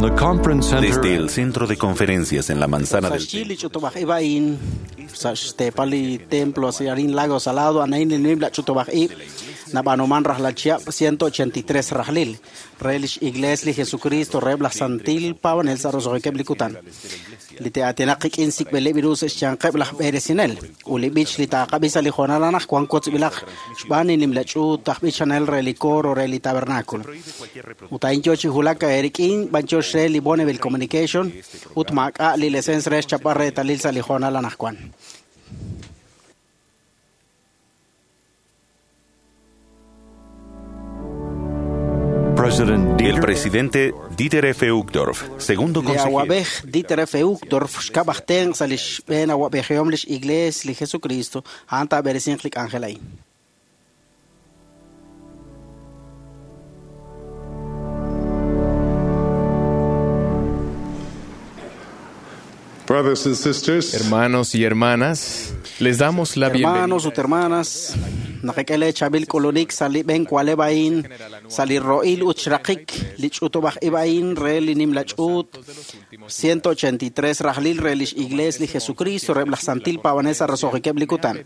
From the conference center Desde el centro de conferencias en la manzana del Sa xyi li ch'utub'aj ib' a'in sa' xteepal li templo arin Lago Salado anain li nimla ch'utub'aj ib' nab'anuman rajlal chihab' 183 rajlil re lix Iglesia li Jesucristo reheb' laj Santil Paab'anel sa' roso'jikeb' li kutan li te'aatinaq qik'in sik'b'ileb' ru sa' xyanqeb' laj b'eresinel ut li b'ich li taaqab'i sa' li hoonal anaqwan kotzb'ilaq xb'aan li nimla ch'uut aj b'ichanel re li coro re li tabernáculo ut a'in yo chi wulak eerik'in b'anyox re li Bonneville Communication ut maak'a' li lesens re xchapb'al reetalil sa' li hoonal anaqwan. President El Dieter presidente Dieter F. Uchtdorf, segundo Li consejero. awab'ej Dieter F. Uchtdorf xkab' aj tenq' sa' li xb'een awab'ejihom lix Iglesia li Jesucristo a'an taab'eresinq li k'anjel a'in. Brothers and sisters, Hermanos y hermanas, les damos la Hermanos bienvenida. ut hermanas, naqak'e chaab'il k'ulunik sa' li b'een k'ualeb' a'in sa' li ro'il ut xraqik li ch'utub'aj ib' a'in re li nimla ch'uut 183 rajlil re lix Iglesia li Jesucristo reheb' laj Santil Paab'anel sa' roso'jikeb' li kutan.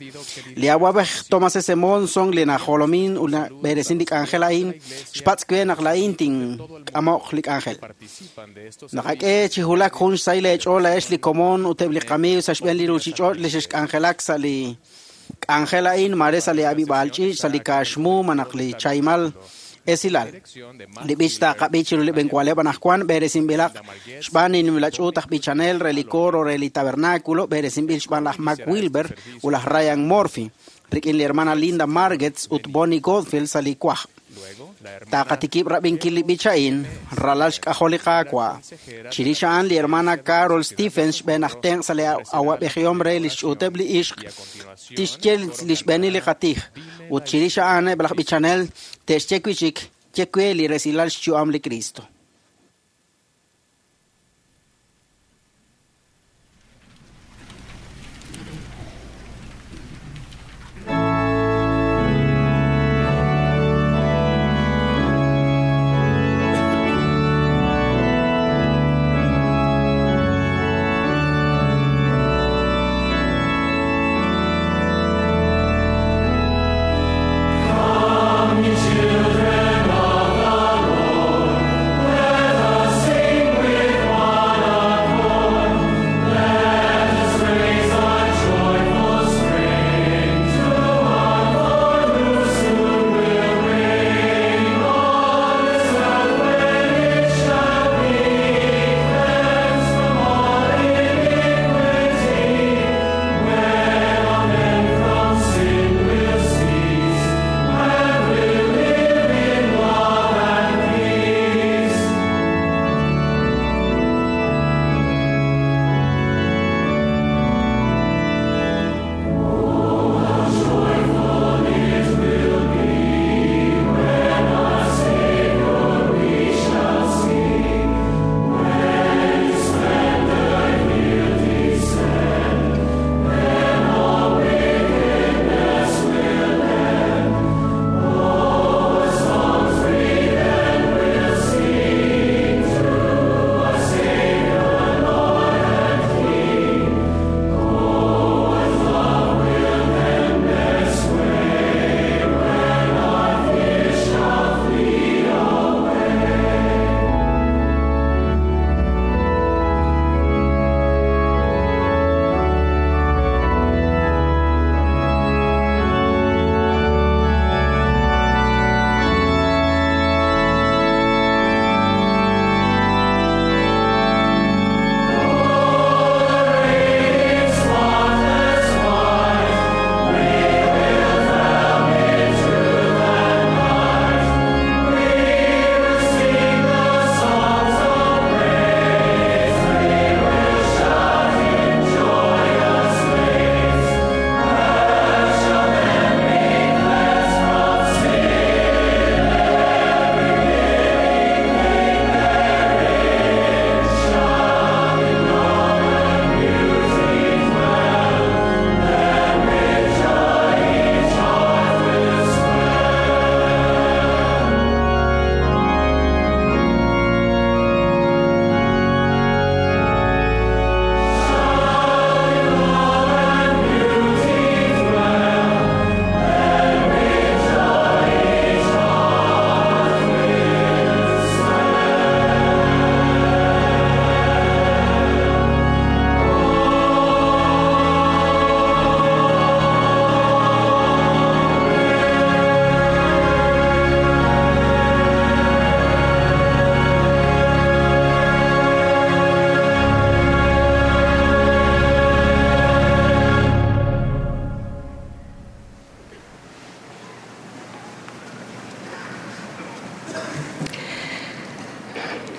Li awab'ej Thomas S. Monson li najolomin ut nab'eresin li k'anjel a'in xpatz' we naq la'in tink'amoq li k'anjel. Naqak'e chi wulak jun xsahil eech'ool la'ex li komon ut eb' li qamiiw sa' xb'een li ruuchich'och' li xexk'anjelak sa' li k'anjel a'in mare sa' li ab'ib'aal ch'iich' sa' li kaaxmu malaj li chaymal esilal. Li b'ich taaqab'i chiru li b'enkualeb' anaqwan b'eresinb'ilaq xb'aan li nimla ch'uut aj b'ichanel re li coro re li tabernáculo b'eresinb'il xb'aan laj Mac Wilber ut laj Ryan Murphy rik'in li hermana Linda Margetts ut Bonnie Godfield sa' li kwaj. Taqatikib' rab'inkil li b'ich a'in ralal xk'ajol li Qaawa'. Chirix a'an li hermana Carol Stephens xb'een aj tenq' sa' li awab'ejihom re li xch'uuteb' li ixq tixye li xb'eenil li qatij ut chirix a'an eb' laj b'ichanel te'xye wi' chik ye we li resilal xyu'am li Cristo. Children of the Lord,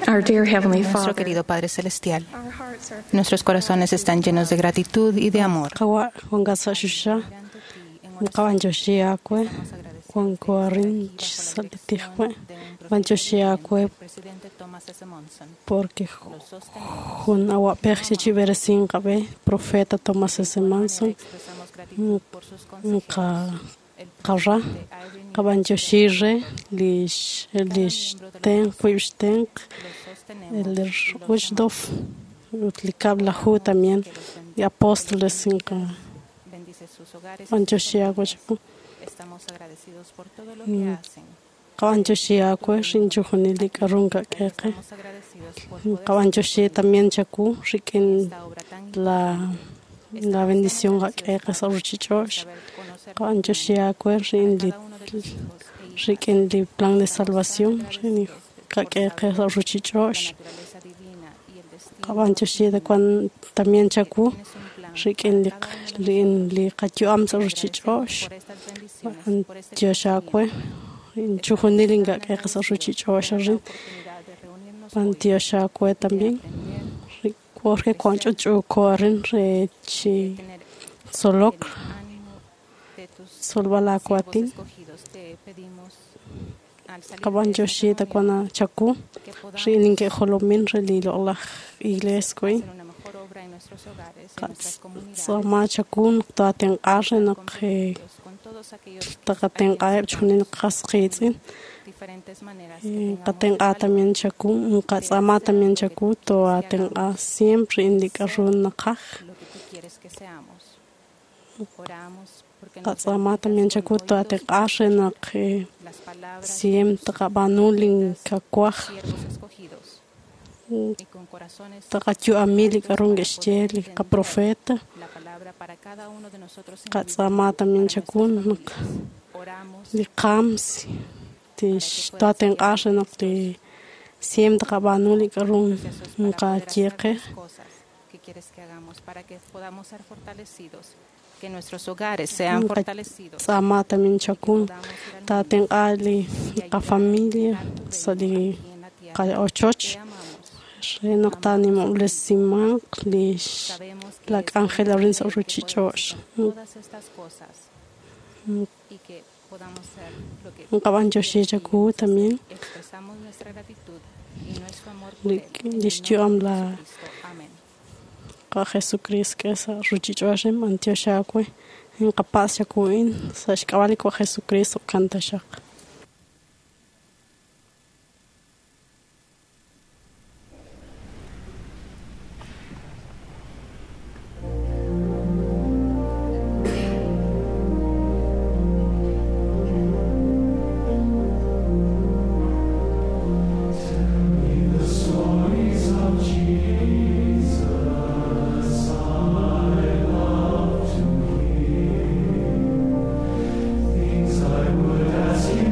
Our dear Heavenly Nuestro Father, querido Padre Celestial, our hearts are nuestros corazones están llenos de gratitud y de amor. Qawa' wanka sa' xuxa qawanchoxi akwe wanko arin chisalitijwe wanchoxi akwe porque jun awapej xichiberesin qab'e profeta Thomas S. Manson nqa qarra qabanchoxi re lix lix tenq wib' xtenq el Uchtdorf ut li kab'laju también y apóstoles inqa wanchoxi akwe chaku qawanchoxi akwe rinchujunil li k'arun kak'eqe qawanchoxi también chaku rik'in la la bendición kak'eqe sa' ruchich'ox qawanchoxi akwe rin li rik'in li plan de salvación rin kak'eqe sa' ruchich'ox qawanchoxi de cuan también chaku rik'in li li qayu'am sa' ruchich'ox antioxakwe inchujunil inkak'eqe sa' ruchich'ox rin antioxakwe también porque cuan ch'uch'uko rin re chi tzolok tzolb'alakuatin qawanchoxi takuana chaku rin inke'jolomin re li loq'laj iglesia k'oy tz'ama chaku toatenq'ar re naq taqatenq'aeb' chujunil qas qiitz'in qatenq'a también chaku qatz'ama también chaku toatenq'a siempre indik'arun naqaj qatz'ama también chaku toatenq'ar re naq siempre taqab'anul inkakuaj taqatyu'amil ik'arun k'ixche li qaprofeta qatz'ama también chaku naq li qam tix toatenq'ar re naq li siempre taqab'anul ik'arun nqatyeqej Que nuestros hogares sean fortalecidos. tz'ama también chaku tatenq'a li qafamilia sa' li qa'ochoch re naq tanimob'lesimanq li la k'anjel arin sa' ruchich'ox Todas estas cosas y que podamos ser lo que nqab'anchoxi chaku también expresamos nuestra gratitud y nuestro amor por li él. En el lix nombre yu'am de la Jesucristo. Amén. qa Jesucristo k'e sa' ruchich'ox antioxakwe inqapas chaku'in sa' xk'ab'a' li wa Jesucristo kantaxaq. Things I would ask you.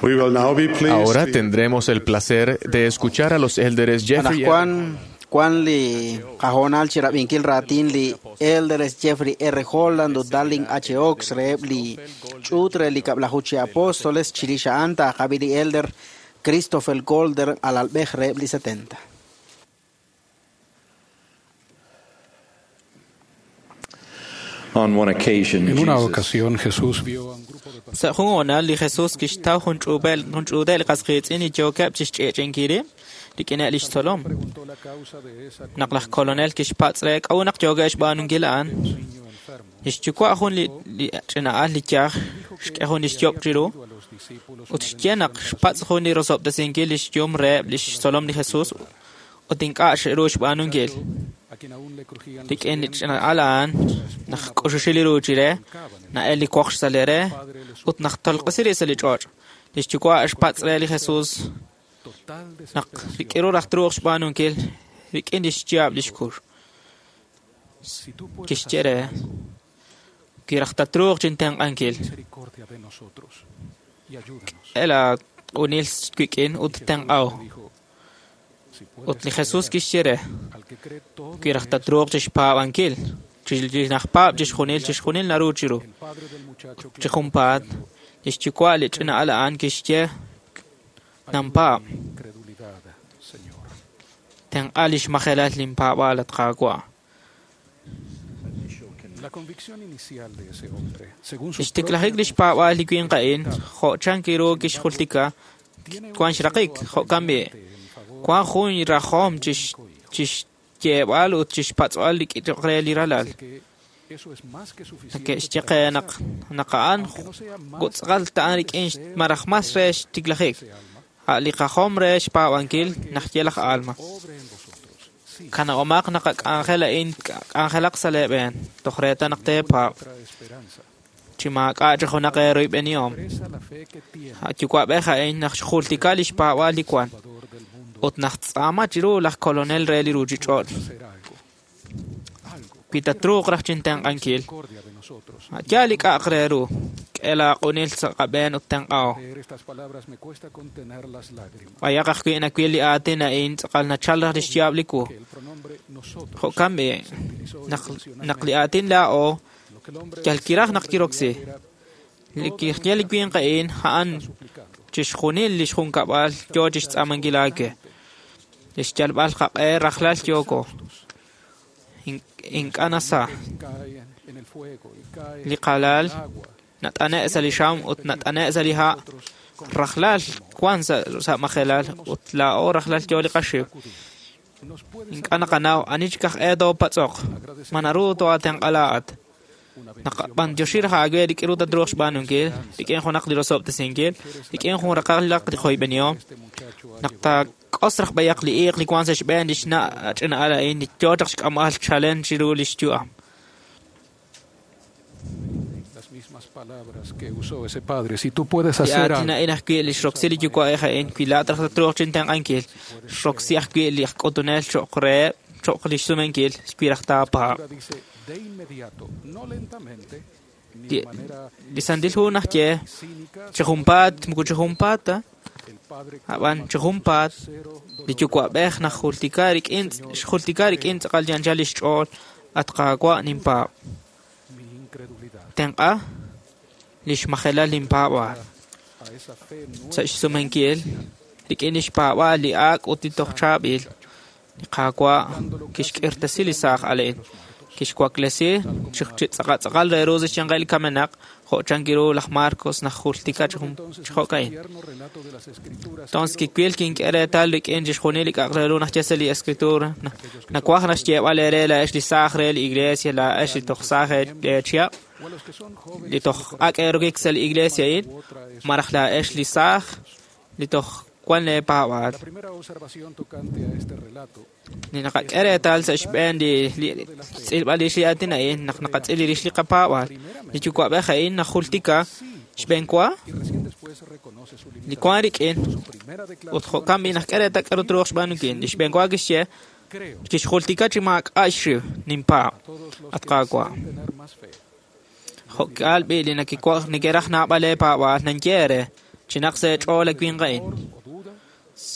Ahora tendremos el placer de escuchar a los élderes Jeffrey R. Anaqwan wan li qahoonal chi rab'inkil raatin li Elders Jeffrey R. Holland ut Darling H. Oaks reheb li ch'uut re li kab'laju chi apóstoles chirix a'an taaqab'i li Elder Christopher Golder alalb'ej reheb li 70. On one occasion, En una Jesus ocasión Jesús vio a un grupo de Sa' jun honal li Jesús kixtaw jun ch'ub'el jun ch'uudel li qasqiitz'in li yookeb' chixch'i'ch'inkil rib' rik'ineb' lix tzolom. preguntó la causa de esa Naq laj kolonel kixpatz' re k'a'ut naq yookeb' xb'aanunkil a'an, niño enfermo. lix yuwa' jun li li ch'ina'al li yaj xk'e jun lix yob' chiru A los discípulos ut xye naq xpatz' jun li rosob'tesinkil lix yum reheb' lix tzolom li Jesús ut ink'a' xe'ru xb'aanunkil. a quien aún le crujían los Rik'in li dientes, ch'ina'al a'an naq k'uxuxil li ruuch re, na'el li woqx sa' li re ut naq tolq'isi rib' sa' li ch'och'. Lix yuwa' xpatz' re li Jesús total naq desesperación. rik'in ru raj truuq xb'aanunkil rik'in lix yaab' lix kux. Si tú puedes Kixye hacer re, algo, kiraj tatruuq chintenq'ankil. misericordia de nosotros y ayúdanos. El unil wik'in ut Jesús tenq'aw. le dijo, si Ut puedes li Jesús creer, kixye re, al que cree todo kiraj le es tatruuq chixpaab'ankil. Chi naj paab' chixjunil, chixjunil naru chiru. El padre del muchacho Chi clamó junpaat, diciendo, lix yuwa' li ch'ina'al a'an kixye, "Ayuda Nampaab'. mi incredulidad, Señor. Tenq'a lix majelal linpaab'aal at Qaawa'. La convicción inicial de ese hombre, según su Lix tiklajik propia lix paab'aal li winq a'in, jo' chan kiru kixjultika, tiene un wan xraqik, deseo jo'kan b'i'. apremiante en favor Wan jun rajom chixyeeb'al ut chixpatz'b'al li k'ichoq re li ralal. Dice que eso es más que suficiente Neke'xye para qe naq empezar, naq a'an aunque no sea más gutz'qal ta'an rik'in maraj mas re xtiklajik. ese alma, A' li qajom re xpaab'ankil najye laj alma. obre en vosotros. Sí, Kana'omaq naq k'anjel a'in k'anjelaq sa' leeb'een, toj reeta naq teepaab' otra esperanza. chi maak'a' chi junaq eeroyb'enihom. Expresa la fe que tiene A' yuwa'b'ej a'in naq xjultika lix paab'aal li wan Salvador del mundo ut naq tz'aama chiru laj kolonel re li ruuchich'och'. hacer algo. Algo. Wi tatruuq raj chintenq'ankil, Misericordia de nosotros. a' yaal li k'a'aq re ru, k'e laaq'unil sa' qab'een ut tenq'aw. Leer estas palabras me cuesta contener las lágrimas. B'ayaq ajwi' nawil li aatin a'in tz'aqal nachal raj lix yaab' li wu. Que el pronombre nosotros Jo'kan b'i', se utilizó naq naq li aatin laa'o Lo que el hombre yal kiraj naq decía en kiroksi. realidad Li kixye li winq a'in a'an era suplicando. chixjunil lix junkab'al yoo chixtz'aamankil aawe. Lix yalb'al qaq'e rajlal yooko. Ink'a' nasa. Cae en el fuego y cae Li qalal en el agua. nat'ane' sa' li xam ut nat'ane' sa' li ha' rajlal wan sa' sa' majelal ut laa'o rajlal yoo li qaxiw. Nos puedes Ink'a' naqanaw ani chik aj e toopatz'oq. Ma naru tooatenq'a laa'at. una Naq bendición b'antioxi raj aawe rik'in ru tatruuq xb'aanunkil, rik'in junaq li rosob'tesinkil, rik'in jun raqal li qoyb'enihom. este muchacho ha Naq taak'os raj b'ayaq li iiq li wan sa' xb'een lix na' ch'ina'al a'in li yoo chaq xk'amb'al chalen chiru lix yu'am. las mismas palabras que usó ese padre. Si tú puedes Li hacer aatin algo, a'in ajwi' li xroksi li yuwa'ej a'in, wi laa'at raj tatruuq chintenq'ankil, xroksi ajwi' li aj k'utunel cho'q reheb' cho'q lix sumenkil, wi raj taapaab'. Escritura dice de inmediato, no lentamente, ni Li de manera li Santil Hu najye cínica, chi junpaat, moko chi junpaat ta, el padre ab'an chi junpaat cero li yuwa'b'ej naj jultika rik'in xjultika rik'in tz'aqal yanchal lix ch'ool at Qaawa' ninpaab'. mi incredulidad Tenq'a lix majelal linpaab'aal. a esa fe nueva Sa' xsumenkil rik'in lix paab'aal li ak' ut li toj chaab'il, li Qaawa' kixk'irtasi li saaj a'in, kixwaklesi chi chi tz'aqal re ru sa' xyanqil li kamenaq, jo' chan kiru laj Marcos naj jultika chi jun Entonces, chi jo'ka'in. tierno relato de las escrituras Tons kiwil kink'e reetal rik'in chixjunil li k'a'aq re ru najye sa' li escritura. Nawaj naxyeeb'al eere laa'ex li saaj re li iglesia, laa'ex li toj saaj eechihab', o a los que son jóvenes li toj ak' eerokik sa' li iglesia a'in, maraj laa'ex li saaj li toj wan leepaab'aal. La primera observación tocante a este relato Li naqak'e reetal sa' xb'een li li tz'ilb'al rix li aatin a'in, naq naqatz'il rix li qapaab'aal. Li yuwa'b'ej a'in najultika xb'een wa y recién después reconoce su li limitación. wan rik'in Su primera ut declaración jo'kan b'i naq k'e reetal k'aru truuq xb'aanunkil. Li xb'een wa kixye creo kixjultika chi maak'a' xxiw ninpaab' a todos los at que Qaawa'. desean tener más fe. Jo'k'aal b'i li nakiwa' neke'raj naab'al eepaab'aal nanye eere. Chinaq sa' eech'ool li winq a'in.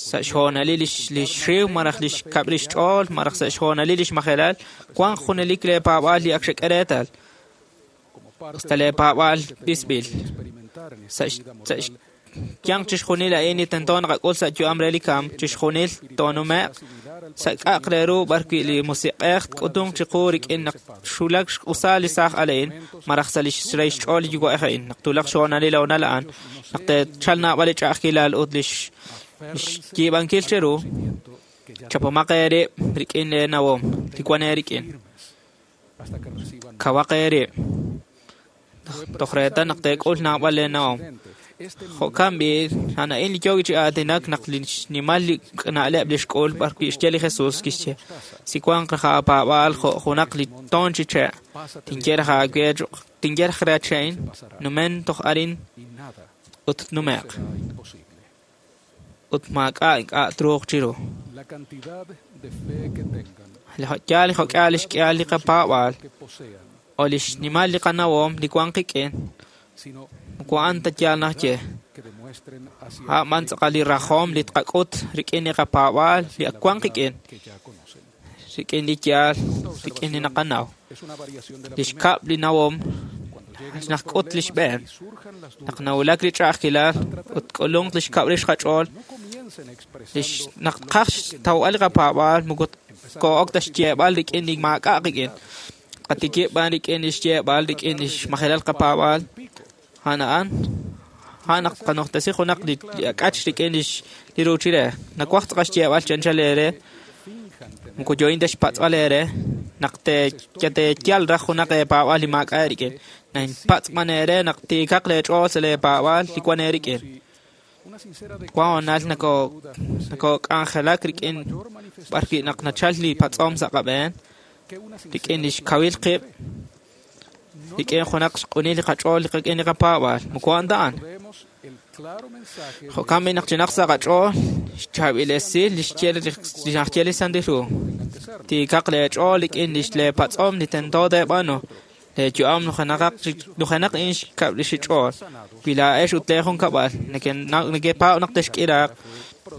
Sa' xhoonalil li xxiw malaj li xkab' lix ch'ool malaj sa' xhoonalil li xmajelal, wanq junelik leepaab'aal li ak xek'e reetal. Usta leepaab'aal b'isb'il. Sa' xyanq chixjunil a'in li tento naqak'ul sa' yu'am re li kamk, chixjunil toonume'q sa' k'a'aq re ru b'arwi' li musiq'ej tk'utunq chiqu rik'in naq xwulak xq'usal li saaj al a'in malaj sa' li xrey xch'ool li yuwa'ej a'in, naq twulaq xhoonalil honal a'an, naq te'chalq naab'al li ch'a'ajkilal ut li xyiib'ankil cheru, chapomaq eerib' rik'in leenawom li wan eerik'in. Kawaq eerib' toj reetal naq teek'ul naab'al leenawom. Jo'kan b'i' a'an a'in li yooki chi aatinak naq li xnimal li na'leb' li xk'ul b'arwi' xye li Jesús kixye si wanq raj aapaab'aal jo' junaq li toon chi che' tinye raj aawe tinye raj re che'in numen toj arin ut tnume'q ut maak'a' ink'a' truuq chiru. Yaal li jo'k'ihal li xk'ihal li qapaab'aal o li xnimal li qanawom li wank qik'in moko a'an ta yaal naxye. A'an tz'aqal li rajom li tqak'ut rik'in li qapaab'aal li ak wank qik'in, rik'in li yaal, rik'in li naqanaw. Li xkab' li nawom naqk'ut li xb'een. Naq nawulak li ch'a'ajkilal ut k'ulunk li xkab' rix qach'ool, naq tqaj xtawb'al li qapaab'aal moko koo'ok ta xyeeb'al rik'in li maak'a' qik'in. Qatikib' b'an rik'in li xyeeb'al rik'in li xmajelal qapaab'aal. A'an a'an naq tqanojtesi junaq li ak'ach rik'in li ruuchil re. Nawaj tz'aqal xyeeb'al chi anchal eere, moko yo'in ta xpatz'b'al eere, naq teeyal raj junaq eepaab'aal li maak'a' eerik'in. Ninpatz' b'an eere naq tiikaq leech'ool sa' leepaab'aal li wan eerik'in. Wan honal nakok'anjelak rik'in b'arwi' naq nachal li patz'om sa' qab'een, rik'in li xkawil qib', rik'in junaq xq'unil li qach'ool rik'in li qapaab'aal. Moko a'an ta a'an. Jo'kan b'i' naq chinaq sa' qach'ool xchaab'il esil li xye li Santil Hu. Tiikaq leech'ool rik'in li leepatz'om li tento teeb'aanu. Leeyu'am nujenaq in xkab' li xich'ool. Wi laa'ex ut leejunkab'al nekepaab' naq texk'iraaq,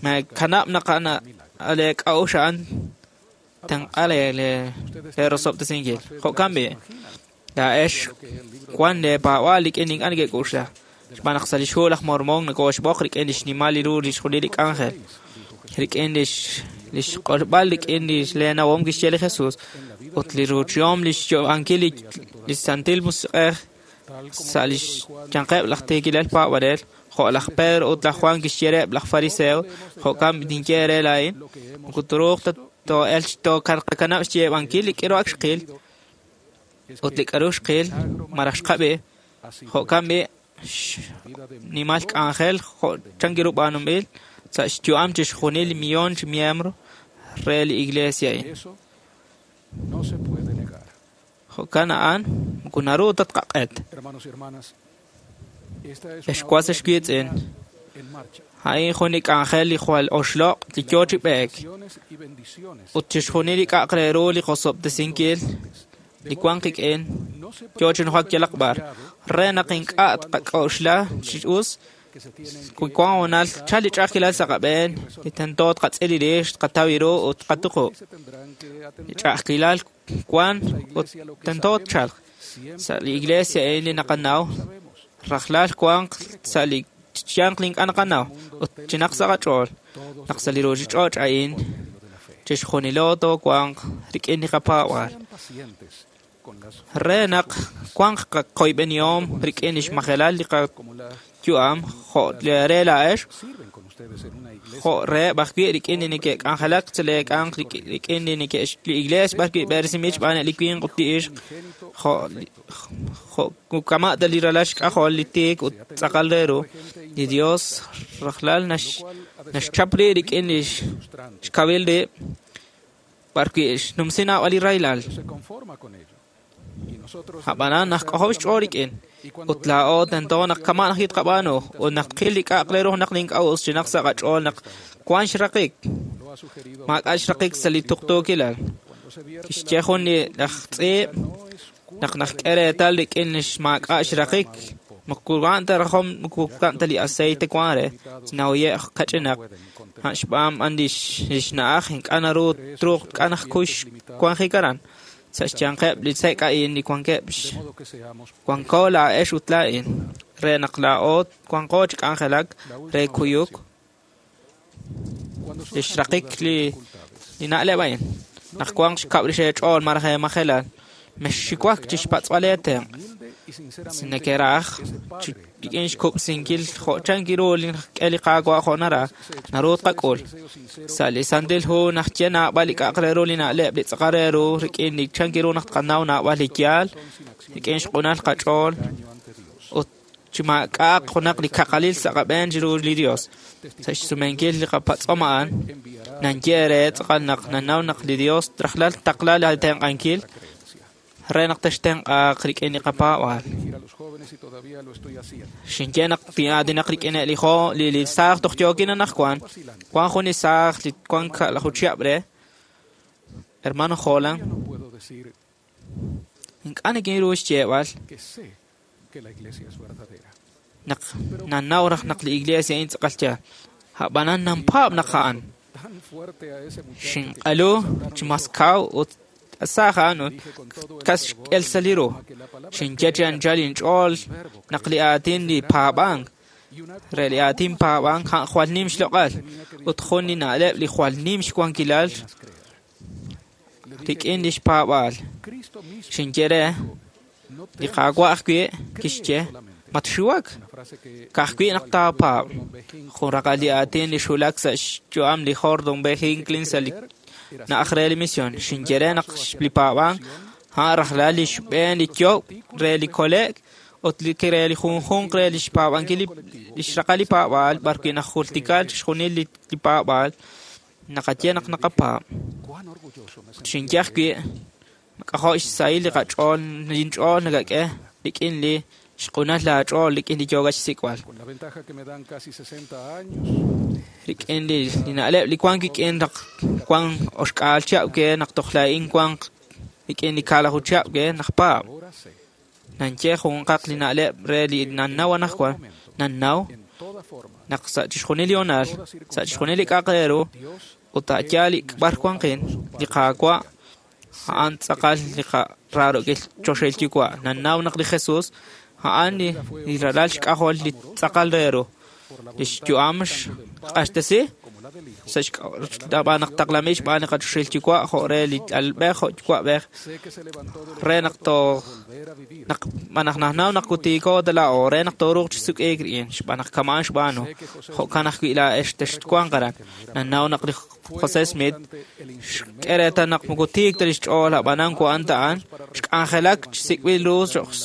meekanab' naq leek'a'uxl a'an tenq'a leerosob'tesinkil. Jo'kan b'i' laa'ex wan leepaab'aal rik'in ink'a' nekek'uxla. Xb'aan naq sa' li xhu laj Mormon nakooxb'oq rik'in li xnimal ru li xjunil li k'anjel, rik'in li xq'olb'al rik'in li leenawom kixye li Jesús ut li ruuchihom li xyo'ankil li Santil Musiq'ej sa' li xyanqeb' laj tiikilal paab'anel, jo' laj Pedro ut laj Juan kixye reheb' laj Fariseo, jo'kan tinye eere laa'in, moko truuq ta too'elq tooqakanab' xyeeb'ankil li k'aru ak xqil ut li k'aru xqil malaj xqab'i, jo'kan b'i' xnimal k'anjel jo' chan ru b'aanunb'il sa' xyu'am chixjunil li millón chi miembro re li iglesia a'in. Jo'kan a'an moko naru ta tqaq'et. Ex was ex wiitz'in, a'in jun li k'anjel li jwal oxloq' li yoo chi b'eek ut chixjunil li k'a'aq re ru li qosob'tesinkil li wank qik'in yoo chi nujak yalaq b'ar re naq ink'a' tqak'oxla chi us wi wan honal chal li ch'a'ajkilal sa' qab'een li tento tqatz'il rix tqataw ru ut tqatuqub'. Li ch'a'ajkilal wan ut tento tchalq sa' li iglesia a'in li naqanaw rajlal wanq sa' li xyanq li ink'a' naqanaw ut chinaq sa' qach'ool naq sa' li ruuchich'och' a'in chixjunilo toowanq rik'in li qapaab'aal re naq wanq qaqoyb'enihom rik'in li xmajelal li qayu'am jo' re laa'ex jo' reheb' ajwi' rik'in li neke'k'anjelak sa' leek'anq rik'in li li iglees b'arwi' b'eresinb'il xb'aan li winq ut li ixq jo' kama' ta li ralal xk'ajol li tiik ut tz'aqal re ru. Li Dios rajlal naxchap rib' rik'in li xkawil rib' b'arwi' xnumsi naab'al li rahilal. Ab'anan naq k'ojob' xch'ool rik'in ut laa'o tento naq kama' naq tqab'aanu ut naq tqil li k'a'aq re ru naq li ink'a' us chinaq sa' qach'ool naq wan xraqik maak'a' xraqik sa' li tuqtuukilal. Kixye jun li laj tz'iib' naq najk'e reetal rik'in li maak'a' xraqik Moko wan ta rajom moko wan ta li aceite wan re chnawiye' kach'inaq han xb'aan b'an lix na'aj ink'a' naru truuq k'anaj kux wanjik aran sa' xyanqeb' li sek' a'in li wankeb' wanko laa'ex ut laa'in re naq laa'o wanqo chi k'anjelak re kuyuk lix raqik li na'leb' a'in naq wanq xkab' rix eech'ool malaj eemajelal mexxiwak chi xpatz'b'al eetenq' si nekeraj rik'in xkub'sinkil jo' chank ru li k'e li Qaawa' jo' naraj naru tqak'ul sa' li Santil Hu naxye naab'al li k'a'aq re ru li na'leb' li tz'aqal re ru rik'in li chank ru naq tqanaw naab'al li yaal rik'in xq'unal qach'ool ut chi maak'a'aq junaq li kaqalil sa' qab'een chiru li Dios sa' xsumenkil li qapatz'om a'an nanye re tz'aqal naq nanaw naq li Dios rajlal taqla la tenq'ankil re naq textenq'aaq rik'in li qapaab'aal. Xinye naq tin'aatinaq rik'in li jo li saaj toj yookin anaqwan wan jun li saaj li wan ka'laju chihab' re hermano Holland ink'a' nikinru xyeeb'al naq nanaw raj naq li iglesia a'in tz'aqal yaal a'b'anan nanpaab' naq a'an xinq'alu chi mas kaw ut saaj a'an ut kas xk'el sa' li ru xinye chi anchal inch'ool naq li aatin li paab'ank re li aatin paab'ank a'an jwal nim xloq'al ut jun li na'leb' li jwal nim xwankilal rik'in li xpaab'aal xinye re li Qaawa' ajwi' kixye matxiwak ka'ajwi' naq taapaab' jun raqal li aatin li xwulak sa' xyu'am li Gordon B. Hinckley sa' li na'aj re li misión xinye re naq li paab'ank a'an rajlal li xb'een li yoob' re li kole'k ut li re li junjunq re li xpaab'ankil li xraqal li paab'aal b'arwi' najultikal chixjunil li paab'aal naqaye naq naqapaab' xinye ajwi' k'ajo' xsahil li qach'ool linch'ool nakak'e rik'in li xq'unal laach'ool rik'in li yookat xsik'b'al rik'in li na'leb' li wank kik'in naq wank oxk'aal chihab' ke naq toj laa'in wank rik'in li kaalaju chihab' ke naq paab' nanye junqaq li na'leb' re li nannaw anaqwan nannaw naq sa' chixjunil li honal sa' chixjunil li k'a'aq re ru ut a'yaal li b'ar wanqin li Qaawa' a'an tz'aqal li qararokil choxahil yuwa' nannaw naq li Jesús a'an li ralal xk'ajol li tz'aqal re ru li xyu'am xq'axtesi sa' xb'aan naq taqlamil xb'aan li qachoxahil yuwa' jo' re li alb'ej jo' yuwa'b'ej re naq toj naq naq nanaw naq kutiiko ta laa'o re naq tooruuq chi suk'iik rik'in xb'aan naq kama'an xb'aanu jo'kan ajwi' laa'ex texwanq aran nanaw naq li José Smith xk'e reetal naq moko tiik ta li xch'ool ab'anan wa'an ta a'an xk'anjelak chi sik'b'il ru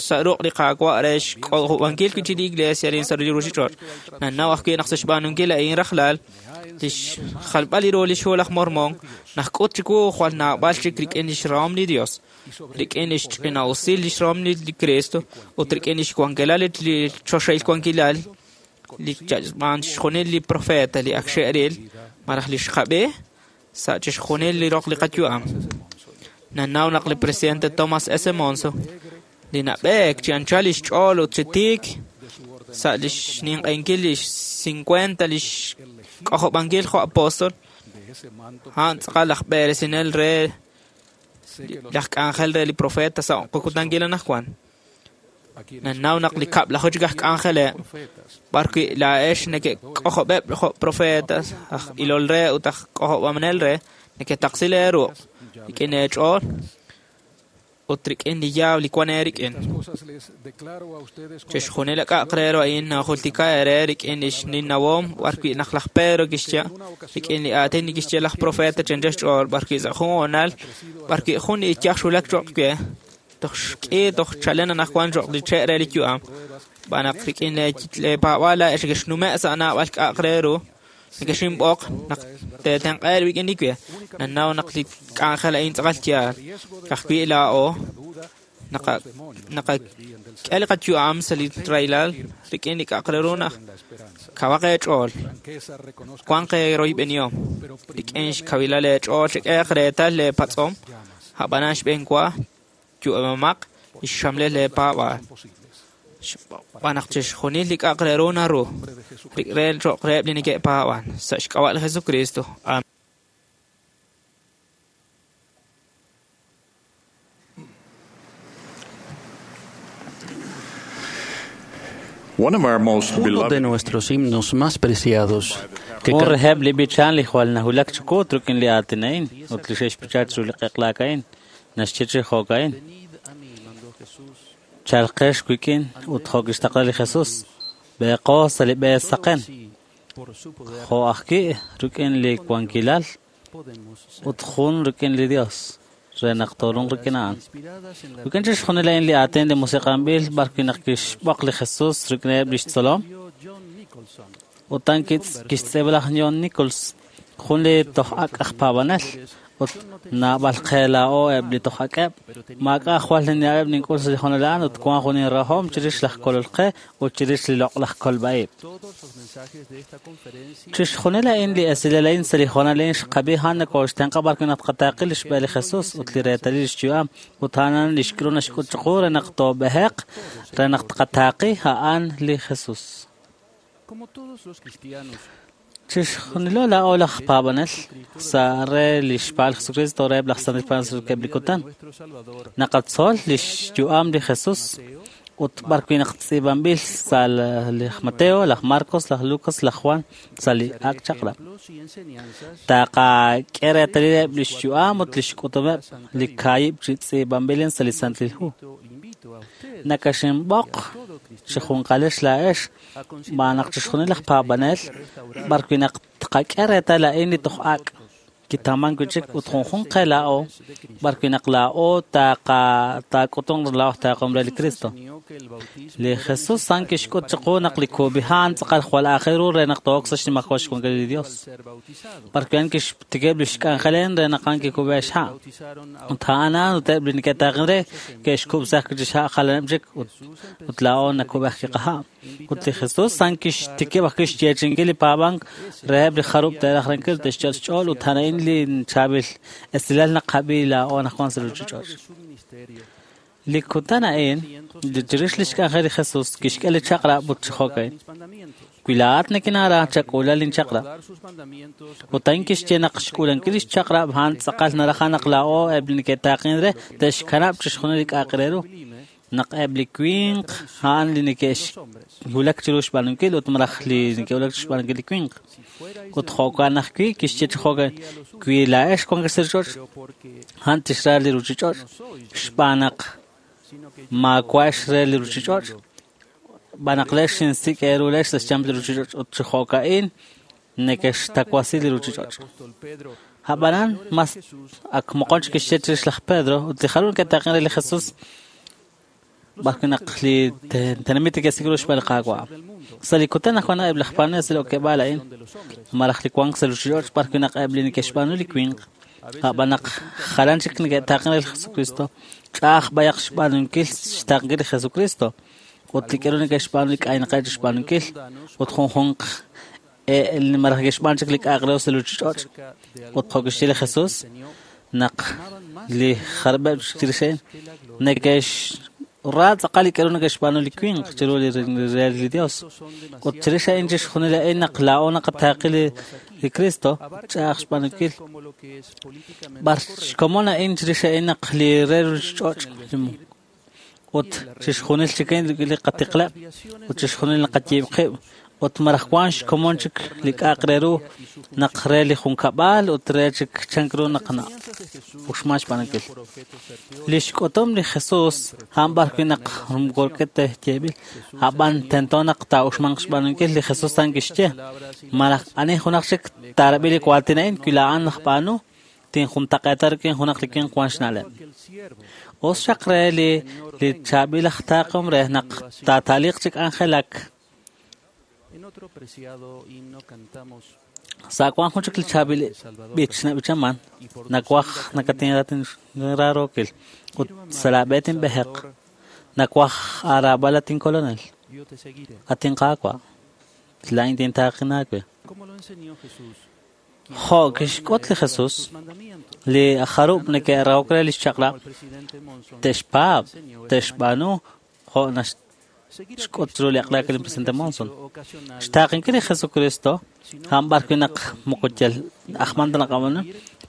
sa' ruq' li Qaawa' re xk'ojob'ankil wi' chi li iglesia arin sa' li ruuchich'och' nanaw ajwi' naq sa' xb'aanunkil a'in rajlal lix xjalb'al li ru li xhu laj Mormon naxk'ut chiwu jwal naab'al chik rik'in lix rahom li Dios rik'in lix ch'ina'usil lix rahom li Cristo ut rik'in lix wankilal li choxahil wankilal li xb'aan chixjunil li profeta li ak xe'ril malaj li xqab'i sa' chixjunil li roq li qayu'am nanaw naq li presidente Thomas S. Monson li nab'eek chi anchal lix ch'ool ut chi tiik sa' lix ninq'enkil lix 50 lix k'ojob'ankil jo' apóstol a'an tz'aqal laj b'eresinel re laj k'anjel re li profeta sa' qakutankil anaqwan nanaw naq li kab'laju chik aj k'anjeleb' b'arwi' laa'ex neke'k'ojob'eb' jo' profetas aj ilol re ut aj k'ojob'amanel re neketaqsi leeruq' rik'in eech'ool ut rik'in li yaaw li wan eerik'in chixjunil k'a'aq re ru a'in najultika eere rik'in lix ninnawom b'arwi' naq laj Pedro kixye rik'in li aatin li kixye laj profeta chencha xch'ool b'arwi' sa' jun hoonal b'arwi' jun li iyaj xwulak cho'q we toj xk'i toj chalen anaqwan cho'q li che' re li yu'am xb'aan naq rik'in leepaab'aal laa'ex nekexnume' sa' naab'al k'a'aq re ru nekexinb'oq naq teetenq'a rik'in li we nanaw naq li k'anjel a'in tz'aqal yaal ka'ajwi' laa'o naqak'e li qayu'am sa' li rahilal rik'in li k'a'aq re ru naq kawaq eech'ool wanq eeroyb'enihom rik'in xkawilal eech'ool chek'ehaq reetal leepatz'om a'b'anan xb'een wa yu'amamaq li xxamlel leepaab'aal. Xb'aan naq chixjunil li k'a'aq re ru naru re cho'q reheb' li neke'paab'an sa' xk'ab'a' li Jesucristo. Amén. Uno de nuestros himnos más preciados que Jun reheb' li b'ichan li jwal nahulak chiqu rik'in li aatin a'in ut li xe'xb'icha chiru li q'eqlaak a'in naxye chi jo'ka'in chalqex wik'in ut jo' kixtaqla li Jesús b'eeqo sa' li b'e saqen jo' ajwi' rik'in li wankilal ut jun rik'in li Dios re naq toorunq rik'in a'an. Rik'in chixjunil a'in li aatin li musiq'anb'il b'ar wi' naq kixb'oq li Jesús rik'ineb' lix tzolom ut a'an kixtz'iib'a laj John Nichols jun li toj ak' aj paab'anel ut naab'al qe laa'o eb' li toj ak'eb' maak'a' jwal nina'eb' nink'ul sa' li hoonal a'an ut wank jun inrahom chirix laj kolol qe ut chirix li loq'laj kolb'a'ib'. Chixjunil a'in li esilal a'in sa' li hoonal a'in xqab'i a'an nakooxtenq'a b'ar wi' naq tqataaqi li xb'e li Jesús ut li reetalil lix yu'am ut a'an li xk'ulub naxk'ut chiqu re naq toob'eheq re naq tqataaqi a'an li Jesús. Chixjunilo laa'o laj paab'anel sa' re li xpaal Jesucristo reheb' laj Santil Paab'anel rik'eb' li kutan. Naqatzol li xyu'am li Jesús ut b'ar wi' naq tz'iib'anb'il sa' laj Mateo, laj Marcos, laj Lucas, laj Juan sa' li Ak' Chaq'rab'. Taqak'e reetalileb' li xyu'am ut li xk'utumeb' li kaahib' chi tz'iib'anb'ilin sa' li Santil Hu. Nakaxinb'oq chi junqalex laa'ex xb'aan naq chixjunil laj paab'anel b'ar wi' naq tqak'e reetal a'in li toj ak' kitaman wi' chik ut junjunq qe laa'o b'ar wi' naq laa'o taak'utunq laa'o taaqom re li Cristo. Li Jesús a'an kixk'ut chiqu naq li kub'iha' tz'aqal jwal aajel ru re naq to'ok sa' xnimajwal xwankil li Dios. B'ar wi' a'an kixtikib' li xk'anjelen re naq a'an kikub'e xha'. Ut a'an a'an ut eb' li neke'taaqen re ke'xkub'saj chi xha' jalaneb' chik ut laa'o nakub'ej kiqaha'. Ut li Jesús a'an kixtikib' ajwi' xyeechi'inkil li paab'ank reheb' li jarub' te'raj renkil te'xyal xch'ool ut a'an a'in li chaab'il esilal naqab'i laa'o anaqwan sa' ruuchich'och'. Li kutan a'in chirix li xk'anjel li Jesús kixk'e li chaq'rab' ut chi jo'ka'in. Wi laa'at nikinara chak'uula linchaq'rab'. Ut a'in kixye naq xk'uulankil li xchaq'rab' a'an tz'aqal naraj naq laa'o eb' li neke'taaqin re te'xkanab' chixjunil li k'a'aq re ru. Naq eb' li winq a'an li neke'xwulak chiru xb'aanunkil ut malaj li neke'wulak chi xb'aanunkil li winq. Ut jo'kan ajwi' kixye chi jo'kan wi laa'ex wankex sa' ruuchich'och' a'an tixra li ruuchich'och' xb'aan naq maawa'ex re li ruuchich'och' xb'aan naq leex xinsik' eeru leex sa' xyanq li ruuchich'och' ut chi jo'ka'in neke'xtawasi li ruuchich'och'. Ab'anan mas ak moqon chik kixye chirix laj Pedro ut li jarub' neke'taaqen re li Jesús b'ar wi' naq li tenamit neke'sik' ru xb'aan li Qaawa'. Sa' li kutan ajwan eb' laj paab'anel sa' li okeb'aal a'in malaj li wank sa' ruuchich'och' b'ar wi' naq eb' li neke'xb'aanu li winq ab'an naq jalan chik neke'taaqen re li Jesucristo ch'a'aj b'ayaq xb'aanunkil xtaaqenkil li Jesucristo ut li k'aru neke'xb'aanu li k'aynaqeb' chi xb'aanunkil ut junjunq malaj neke'xb'aan chik li k'a'aq re sa' ruuchich'och' ut jo' kixye li Jesús naq li jarub'eb' chirix a'in neke'xra tz'aqal li k'aru neke'xb'aanu li winq chiru li re li Dios. Ut chirix a'in chixjunil a'in naq laa'o naqataaqi li Cristo ch'a'aj xb'aanunkil. B'ar xkomon a'in chirix a'in naq li re ruuchich'och' ut chixjunil chik a'in li qatiqleb' ut chixjunil naqayiib' qib' ut malaj wank xkomon chik li k'a'aq re ru naq re li junkab'al ut re chik chank ru naq na'uxman xb'aanunkil. Li xk'utum li Jesús a'an b'ar wi' naq moko yeeb'il ab'an tento naq taa'uxmanq xb'aanunkil li Jesús a'an kixye malaj ani junaq chik taarab'i li waatin a'in wi laa'an laj b'aanu tinjuntaq'eeta rik'in junaq li winq wank xna'leb'. Us xaq re li chaab'il aj taaqom re naq taata'liq chi k'anjelak. Sa' wank jun chik li chaab'il b'ich nab'ichaman nawaj nakatinrarookil ut sa' laab'e tinb'eheq nawaj aaraab'al at inkolonel at inqaawa' laa'in tintaaqin aawe. Jo' kixk'ut li Jesús li jarub' neke'rahok re li xchaq'rab' te'xpaab' te'xb'aanu jo' Xk'ut chiru li aqlaak li presidente Monson. Xtaaqinkil li Jesucristo, a'an b'ar wi' naq moko yal ajman ta naqab'aanu,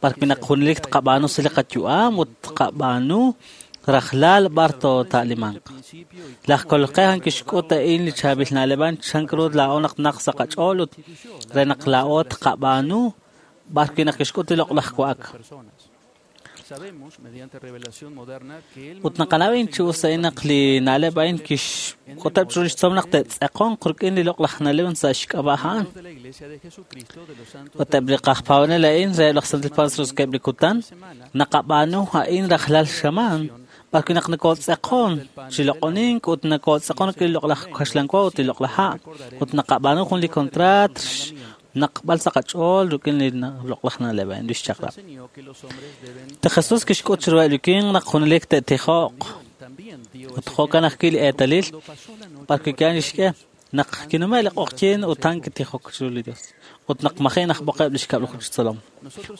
b'ar wi' naq junelik tqab'aanu sa' li qayu'am ut tqab'aanu rajlal b'ar toota'limanq. Laj Kolol qe a'an kixk'ut a'in li chaab'il na'leb' a'an chan ru laa'o naq naq sa' qach'ool ut re naq laa'o tqab'aanu b'ar wi' naq kixk'ut li loq'laj wa'ak. Ut naqanaw a'in chi us a'in naq li na'leb' a'in kixk'uteb' chiru lix tzolom naq te'tz'eqonq rik'in li loq'laj na'leb' sa' xk'ab'a' a'an. Ut eb' li qajpaab'anel a'in reheb' laj Santil Paab'anel sa' li kutan naqab'aanu a'in rajlal xamaan b'ar wi' naq nokotz'eqon chi loq'onink ut nokotz'eqon rik'in li loq'laj kaxlan wa ut li loq'laj ha' ut naqab'aanu jun li contrat naqb'al sa' qach'ool rik'in li loq'laj na'leb' a'in li xchaq'rab'. Li Jesús kixk'ut chiruheb' li winq naq junelik te'tijoq ut jo'kan ajwi' li eetalil b'ar wi' ki'an lixk'e naq kinume' li q'oqyink ut a'an kitijok chiru li Dios ut naq maji' najb'oqeb' li xkab'laju chi tzolom.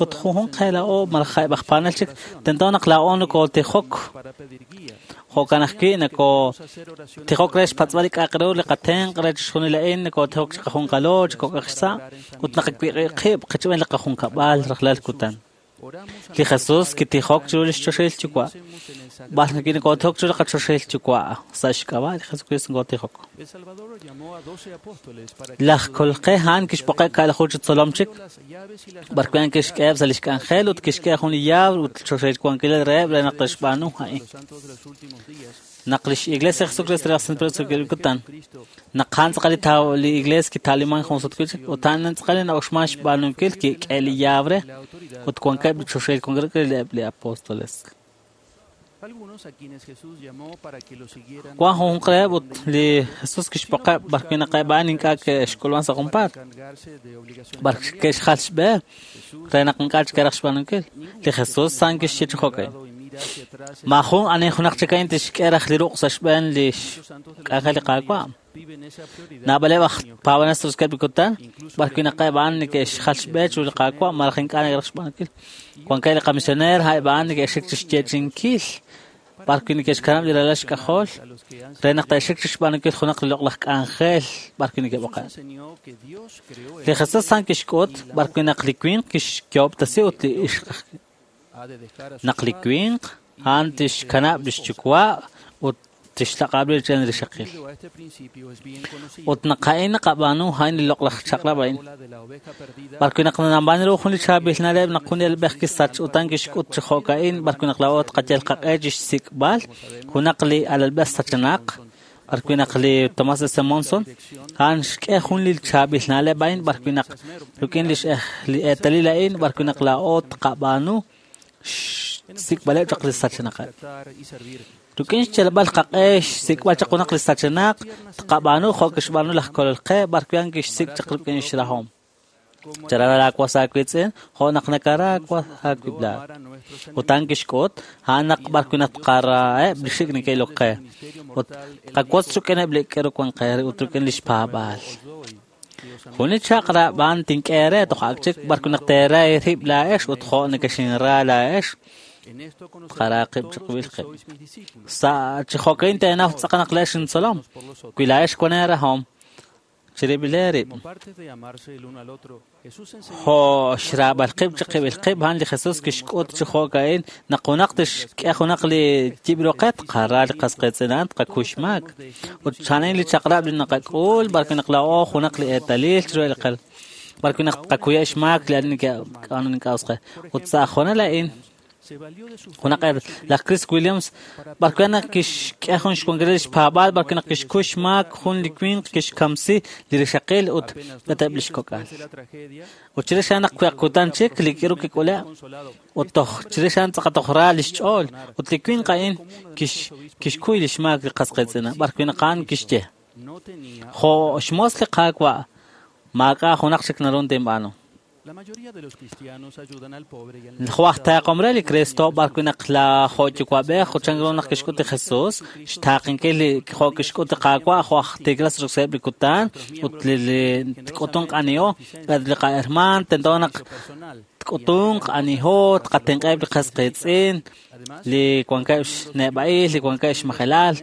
Ut junjunq qe laa'o malaj eb' aj paanel chik tento naq laa'o nokotijok jo'kan ajwi' nokotijok re xpatz'b'al li k'a'aq ru li qatenq' re chixjunil a'in nokotijok chi qajunqalo chi kok'aj xsa' ut naqawiq'i qib' qichb'een li qajunkab'al rajlal kutan. Li Jesús kitijok chiru lix choxahil Yuwa' b'ar nokotijok chiru li qachoxahil Yuwa' sa' xk'ab'a' li Jesucristo nokotijok. Laj Kolol qe a'an kixb'oqeb' ka'laju chi tzolom chik b'ar wi' a'an kixk'eheb' sa' lix k'anjel ut kixk'e jun li yaab' ut choxahil wankilal reheb' re naq te'xb'aanu a'in. Naq lix Iglesia Jesucristo re laj Santil Paab'anel sa' kutan naq a'an tz'aqal li Iglesia kita'liman jun sut wi' chik ut a'an tz'aqal li na'uxman xb'aanunkil kik'e li yaab' re ut wankeb' li choxahil wankilal eb' li apóstoles. Wan junjunq reheb' ut li Jesús kixb'oqeb' b'ar wi' naq eb' a'an ink'a' ke'xk'ulman sa' junpaat b'ar ke'xjal xb'e re naq ink'a' chik ke'raj xb'aanunkil. Li Jesús a'an kixye chi jo'ka'in. Maajun ani junaq chik a'in tixk'e raj li ruq' sa' xb'een li xk'anjel li Qaawa'. Naab'aleb' aj paab'anel sa' li kutan b'ar wi' naq eb' a'an neke'xjal xb'e chiru li Qaawa' malaj ink'a' neke'raj xb'aanunkil. Wankeb' li qamisioneer eb' a'an neke'xik chi xyeechi'inkil b'ar wi' neke'xkanab' li ralal xk'ajol re naq te'xik chi xb'aanunkil junaq li loq'laj k'anjel b'ar wi' neke'b'oqe'. Li Jesús a'an kixk'ut b'ar wi' naq li winq kixyoob'tasi ut li ixq naq li winq a'an tixkanab' lix yuwa' ut tixlaq'ab' li rik'in li rixaqil. Ut naq a'in naqab'aanu a'in li loq'laj chaq'rab' a'in. B'ar wi' naq nanab'aanu ru jun li chaab'il na'leb' naq jun li elb'ej kisach ut a'an kixk'ut chi jo'ka'in b'ar wi' naq laa'o tqayal qaq'e chi xsik'b'al junaq li alalb'ej sachenaq b'ar wi' naq li Tomás S. Monson a'an xk'e jun li chaab'il na'leb' a'in b'ar wi' naq rik'in li eetalil a'in b'ar wi' naq laa'o tqab'aanu xsik'b'aleb' chaq li sachenaqeb'. Rik'in xyalb'al qaq'e xsik'b'al chaq junaq li sachenaq tqab'aanu jo' kixb'aanu laj Kolol qe b'ar wi' a'an kixsik' chaq rik'in xrahom. Chara laawas aawiitz'in jo' naq nakara aawib' laa'at. Ut a'an kixk'ut a'an naq b'ar wi' naq tqaraheb' li xik' neke'ilok qe ut tqawotz rik'ineb' li k'aru wan qe ut rik'in li xpaab'aal. Jun li chaq'rab' a'an tink'e eere toj ak chik b'ar wi' naq teera eerib' laa'ex ut jo' nekexinra laa'ex tqara qib' chiqib'il qib'. Sa' chi jo'ka'in teenaw tz'aqal naq laa'ex intzolom wi laa'ex wan eerahom chirib'il eerib'. Jo' xraab'al qib' chiqib'il qib' a'an li Jesús kixk'ut chi jo'ka'in naq junaq tixk'e junaq li yib' ruqe tqara li qas qiitz'in a'an tqakuy xmaak. Ut a'an li chaq'rab' li naqak'ul b'ar wi' naq laa'o junaq li eetalil chiru li qel b'ar wi' naq tqakuya xmaak li ani neke'k'a'ano ink'a' us qe. Ut sa' jonal a'in junaq laj Chris Williams b'ar wi' naq kixk'e jun xwankil li xpaab'aal b'ar wi' naq kixkuy xmaak jun li winq kixkamsi li rixaqil ut eb' lix kok'al. Ut chirix a'an naq kutan chik li k'iru kik'ule' ut toj chirix a'an tz'aqal toj ra lix ch'ool ut li winq a'in kixkuy li xmaak li qas qiitz'in b'ar wi' naq a'an kixye jo' xmoos li Qaawa' maak'a' junaq chik naru tinb'aanu. Jo' aj taaqom re li Cristo b'ar wi' naq jo' yuwa'b'ej ut chan ru naq kixk'ut li Jesús xtaaqenkil li jo' kixk'ut li Qaawa' jo' aj tiiklas sa'eb' li kutan ut li tk'utunq aniho li qahermaan tento naq tk'utunq aniho tqatenq'eb' li qas qiitz'in li wankeb' xneb'a'il li wankeb' xmajelal.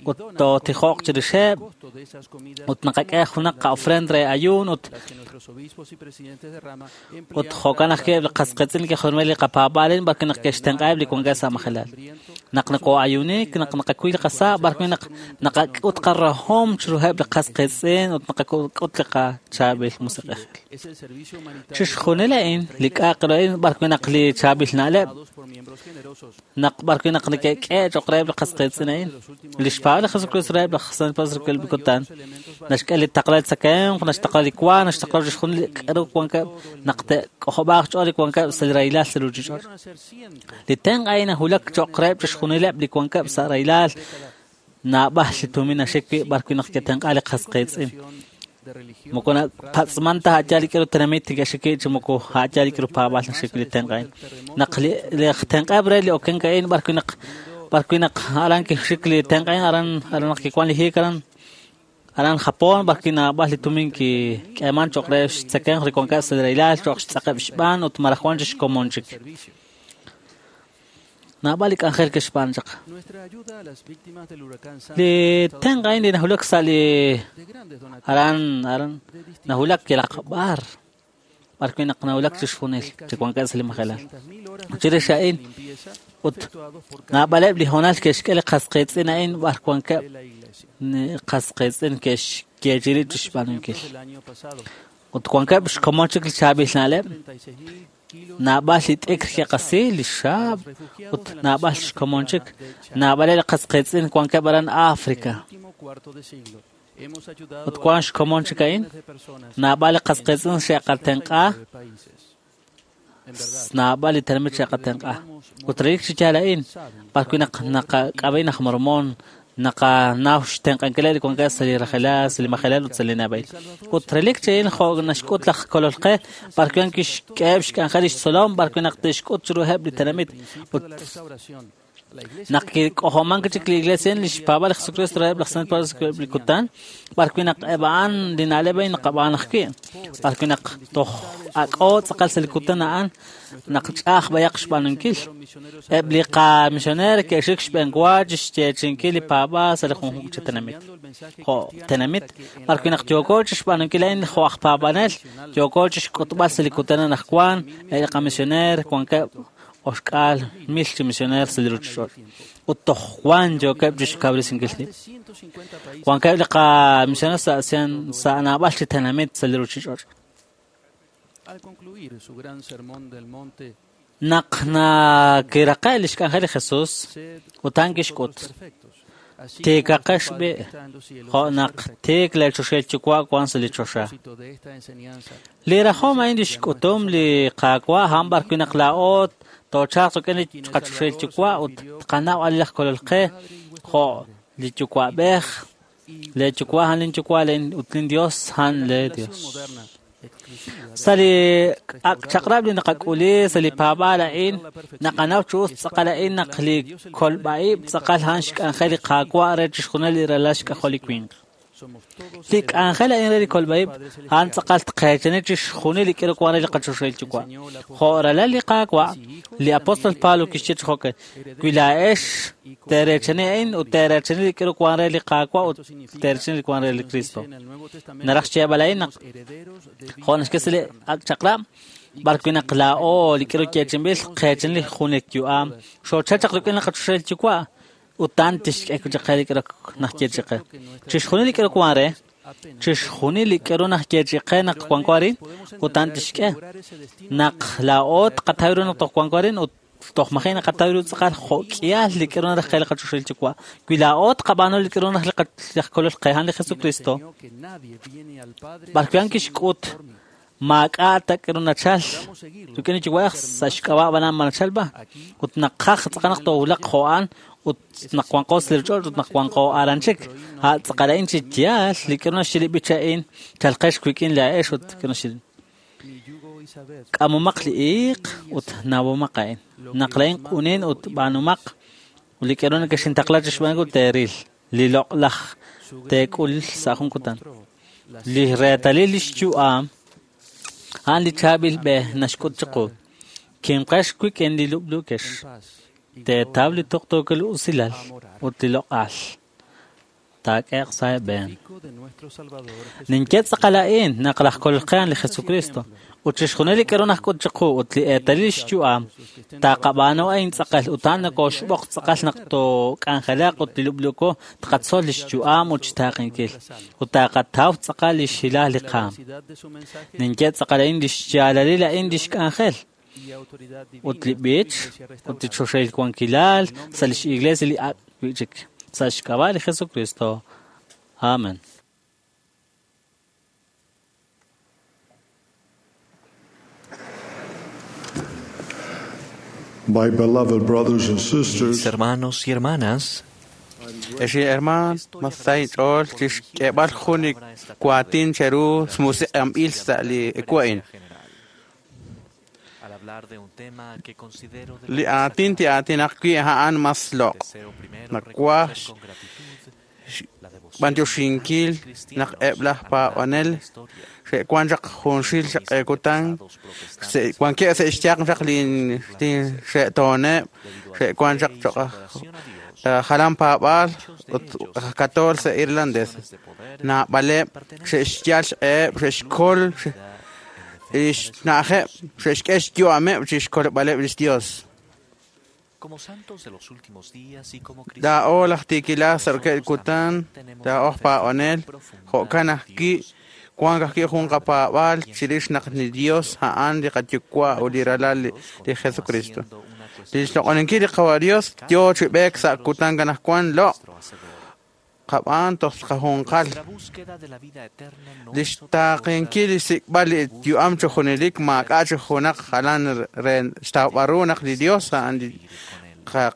ut tootijoq chirixeb' ut naqak'e junaq qa'ofrend re ayuun ut jo'kan ajwi' eb' li qasqiitz'in ke'jolomil li qapaab'aal b'ar wi' naq ke'xtenq'aheb' li wankeb' sa' majelal. Naq nokoo'ayuunik, naq naqakuy li qasa' b'ar wi' naq naqak'ut qarahom chiruheb' li qasqiitz'in ut naqak'ut li qachaab'il musiq'ejil. Chixjunil a'in li k'a'aq ru a'in b'ar wi' naq li chaab'il na'leb' naq b'ar wi' naq neke'k'e cho'q reheb' li qasqiitz'in a'in. Li xpaab'al li Jesucristo reheb' laj Santil Paab'anel li kutan naxk'e li taqla li tzakemq, naxtaqla li wa, naxtaqla chixjunil li k'aru wankeb' naq te'k'ojob'aaq xch'ool li wankeb' sa' li rahilal sa' ruuchich'och'. Li tenq' a'in nahulak cho'q reheb' chixjunileb' li wankeb' sa' rahilal naab'al li tumin naxik wi' b'ar wi' naq ke'tenq'a li qasqiitz'in. Moko napatz'man ta a'yaal li k'aru tenamit neke'xik wi' chi moko a'yaal li k'aru paab'aal naxik wi' li tenq' a'in. Naq li tenq'eb' re li okenk a'in b'ar wi' naq aran kixik li tenq' a'in aran naq kiwan li hiik aran aran Japón b'ar wi' naab'al li tumin kik'eeman cho'q re xtzakemq li wankeb' sa' li rahilal cho'q xtz'aqeb' xb'aan ut malaj wan chik xkomon chik. Naab'al li k'anjel ke'xb'aan chaq. Li tenq' a'in li nahulak sa' li aran nahulak yalaq b'ar b'ar wi' naq nahulak chixjunil chi wankeb' sa' li majelal. Chirix a'in ut naab'aleb' li hoonal ke'xk'e li qasqiitz'in a'in b'ar wankeb' qasqiitz'in ke'xyeechi rib' chixb'aanunkil. Ut wankeb' xkomon chik li chaab'il na'leb' naab'al li t'ikr ke'qasi li xaab' ut naab'al xkomon chik naab'aleb' li qasqiitz'in wankeb' aran África. Ut wan xkomon chik a'in naab'al li qasqiitz'in xe'qatenq'a naab'al li tenamit xe'qatenq'a. Ut relik chi yaal a'in b'ar wi' naq naqak'ab'a'in aj Mormón naqanaw xtenq'ankileb' li wankeb' sa' li rajelal, sa' li majelal ut sa' li nab'ail. Ut relik chi a'in jo' naxk'ut laj Kolol qe b'ar wi' kixk'eheb' xk'anjel lix tzolom b'ar wi' naq te'xk'ut chiruheb' li tenamit. Ut naq kik'ojomank chik li iglesia li xpaab'al li Jesucristo reheb' laj Santil Paab'anel li kutan b'ar wi' naq eb' a'an li na'leb' a'in naqab'aan ajwi' b'ar wi' naq toj ak'o tz'aqal sa' li kutan a'an naq ch'a'aj b'ayaq xb'aanunkil. Eb' li qamisioneer ke'xik xb'eenwa chixyeechinkil li paab'aal sa' li junjunq chi tenamit. Jo' tenamit b'ar wi' naq yooko chixb'aanunkil a'in jo' aj paab'anel yooko chixk'utb'al sa' li kutan anaqwan eb' li qamisioneer wankeb' oxk'aal mil chi misioneer sa' li ruuchich'och'. Ut toj wan yookeb' chixkawresinkil rib'. Wankeb' li qamisioneer sa' naab'al chi tenamit sa' li ruuchich'och'. Naq nakiraqe' li xk'anjel li Jesús ut a'an kixk'ut tiikaqex b'i' jo' naq tiik li choxahil Yuwa' wan sa' li choxa. Li rajom a'in li xk'utum li Qaawa' a'an b'ar wi' naq laa'o toochalq rik'in li qachoxahil Yuwa' ut tqanaw ani laj Kolol qe jo' li Yuwa'b'ej, lee Yuwa' a'an lin Yuwa' ut lin Dios a'an lee Dios. Sa' li ak' chaq'rab' li naqak'uli sa' li paab'aal a'in naqanaw chi us tz'aqal a'in naq li kolb'a'ib' tz'aqal a'an xk'anjel li Qaawa' re chixjunil li ralal xk'ajol li winq. Li k'anjel a'in re li kolb'a'ib' a'an tz'aqal tqeechani chixjunil li k'aru wan re li qachoxahil Yuwa'. Jo' ralal li Qaawa', li apóstol Pablo kixye chi jo'kan, wi laa'ex teereechani a'in ut teereechani li k'aru wan re li Qaawa' ut teereechani li wan re li Cristo. Naraj xyeeb'al a'in naq jo' naxk'e sa' li ak' chaq'rab' b'ar wi' naq laa'o li k'aru yeechinb'il qeechani li junelik yu'am xoochal chaq rik'in li qachoxahil Yuwa' ut a'an tixk'e chaq qe li k'aru naxyeechi qe. Chixjunil li k'aru wan re, chixjunil li k'aru naxyeechi qe naq wanko arin ut a'an tixk'e. Naq laa'o tqataw ru naq toj wanko arin ut toj maji' naqataw ru tz'aqal jo' k'ihal li k'aru naraj qe li qachoxahil Yuwa'. Wi laa'o tqab'aanu li k'aru naraj laj Kolol qe a'an li Jesucristo, b'ar wi' a'an kixk'ut maak'a' ta k'aru nachal rik'in li Yuwa'ej sa' xk'ab'a' b'an a'an nachal b'a ut naqaj tz'aqal naq toowulaq jo' a'an ut naq wanqo sa' li ruuchich'och' ut naq wanqo aran chik. A' tz'aqal a'in chi yaal li k'aru naxye li b'ich a'in chalqex wik'in laa'ex ut k'aru naxye k'amomaq li iiq ut nawomaq a'in. Naq la'in q'unin ut b'aanumaq li k'aru nekexintaqla chixb'aanunkil teeril li loq'laj teek'ul sa' jun kutan. Li reetalil li xyu'am a'an li chaab'il b'e naxk'ut chiqu. Kimqex wik'in li lub'luukex. Teetaw li tuqtuukil usilal ut li loq'al. taak'ehe'q sa' eeb'een. Ninye tz'aqal a'in naq laj Kolol qe a'an li Jesucristo ut chixjunil li k'aru najk'ut chiqu ut li eetalil xyu'am taqab'aanu a'in tz'aqal ut a'an nokoxb'oq tz'aqal naq took'anjelaq ut li lub'luko tqatzol li xyu'am ut xtaaqenkil ut taqataw tz'aqal li xhilal li qaam. Ninye tz'aqal a'in li xyaalalil a'in li xk'anjel ut li b'ich ut li choxahil wankilal sa' lix iglesia li ak' wi'chik sa' xk'ab'a' li Jesucristo. Amen. My beloved brothers and sisters, Mis hermanos y hermanas, Ex hermaan, masay ch'ool chixk'eeb'al jun li waatin cheru xmusiq'anb'il sa' li wa'in. al hablar de un tema que considero de Li aatin ti'aatinaq wi' a'an mas loq'. Nawaj b'antioxinkil naq eb' laj paab'anel xe'wan chaq junxil xaq'eekutan wankeb' sa' xyaq chaq li xe'tooneb' xe'wan chaq cho'q jalan paab'aal ut aj katool sa' irlandés. Naab'aleb' xe'xyal xq'eheb' xe'xkol xna'ajeb' xe'xk'e xyu'ameb' chixkolb'aleb' lix Dios. como santos de los últimos días y como Laa'o laj tiikilaj sa' rokeb' kutan, laa'o aj paab'anel, jo'kan ajwi' wank ajwi' jun qapaab'aal chirix naq li Dios a'an li qayuwa' ut li ralal li Jesucristo. Li xloq'oninkil li Qawa' Dios yoo chi b'eek sa' kutan anaqwan loq' qab'aan toj qajunqal. La búsqueda de la vida eterna no Li xtaaqenkil li xsik'b'al li yu'am chi junelik maak'a' chi junaq jalan re xtawb'al ru naq li Dios a'an li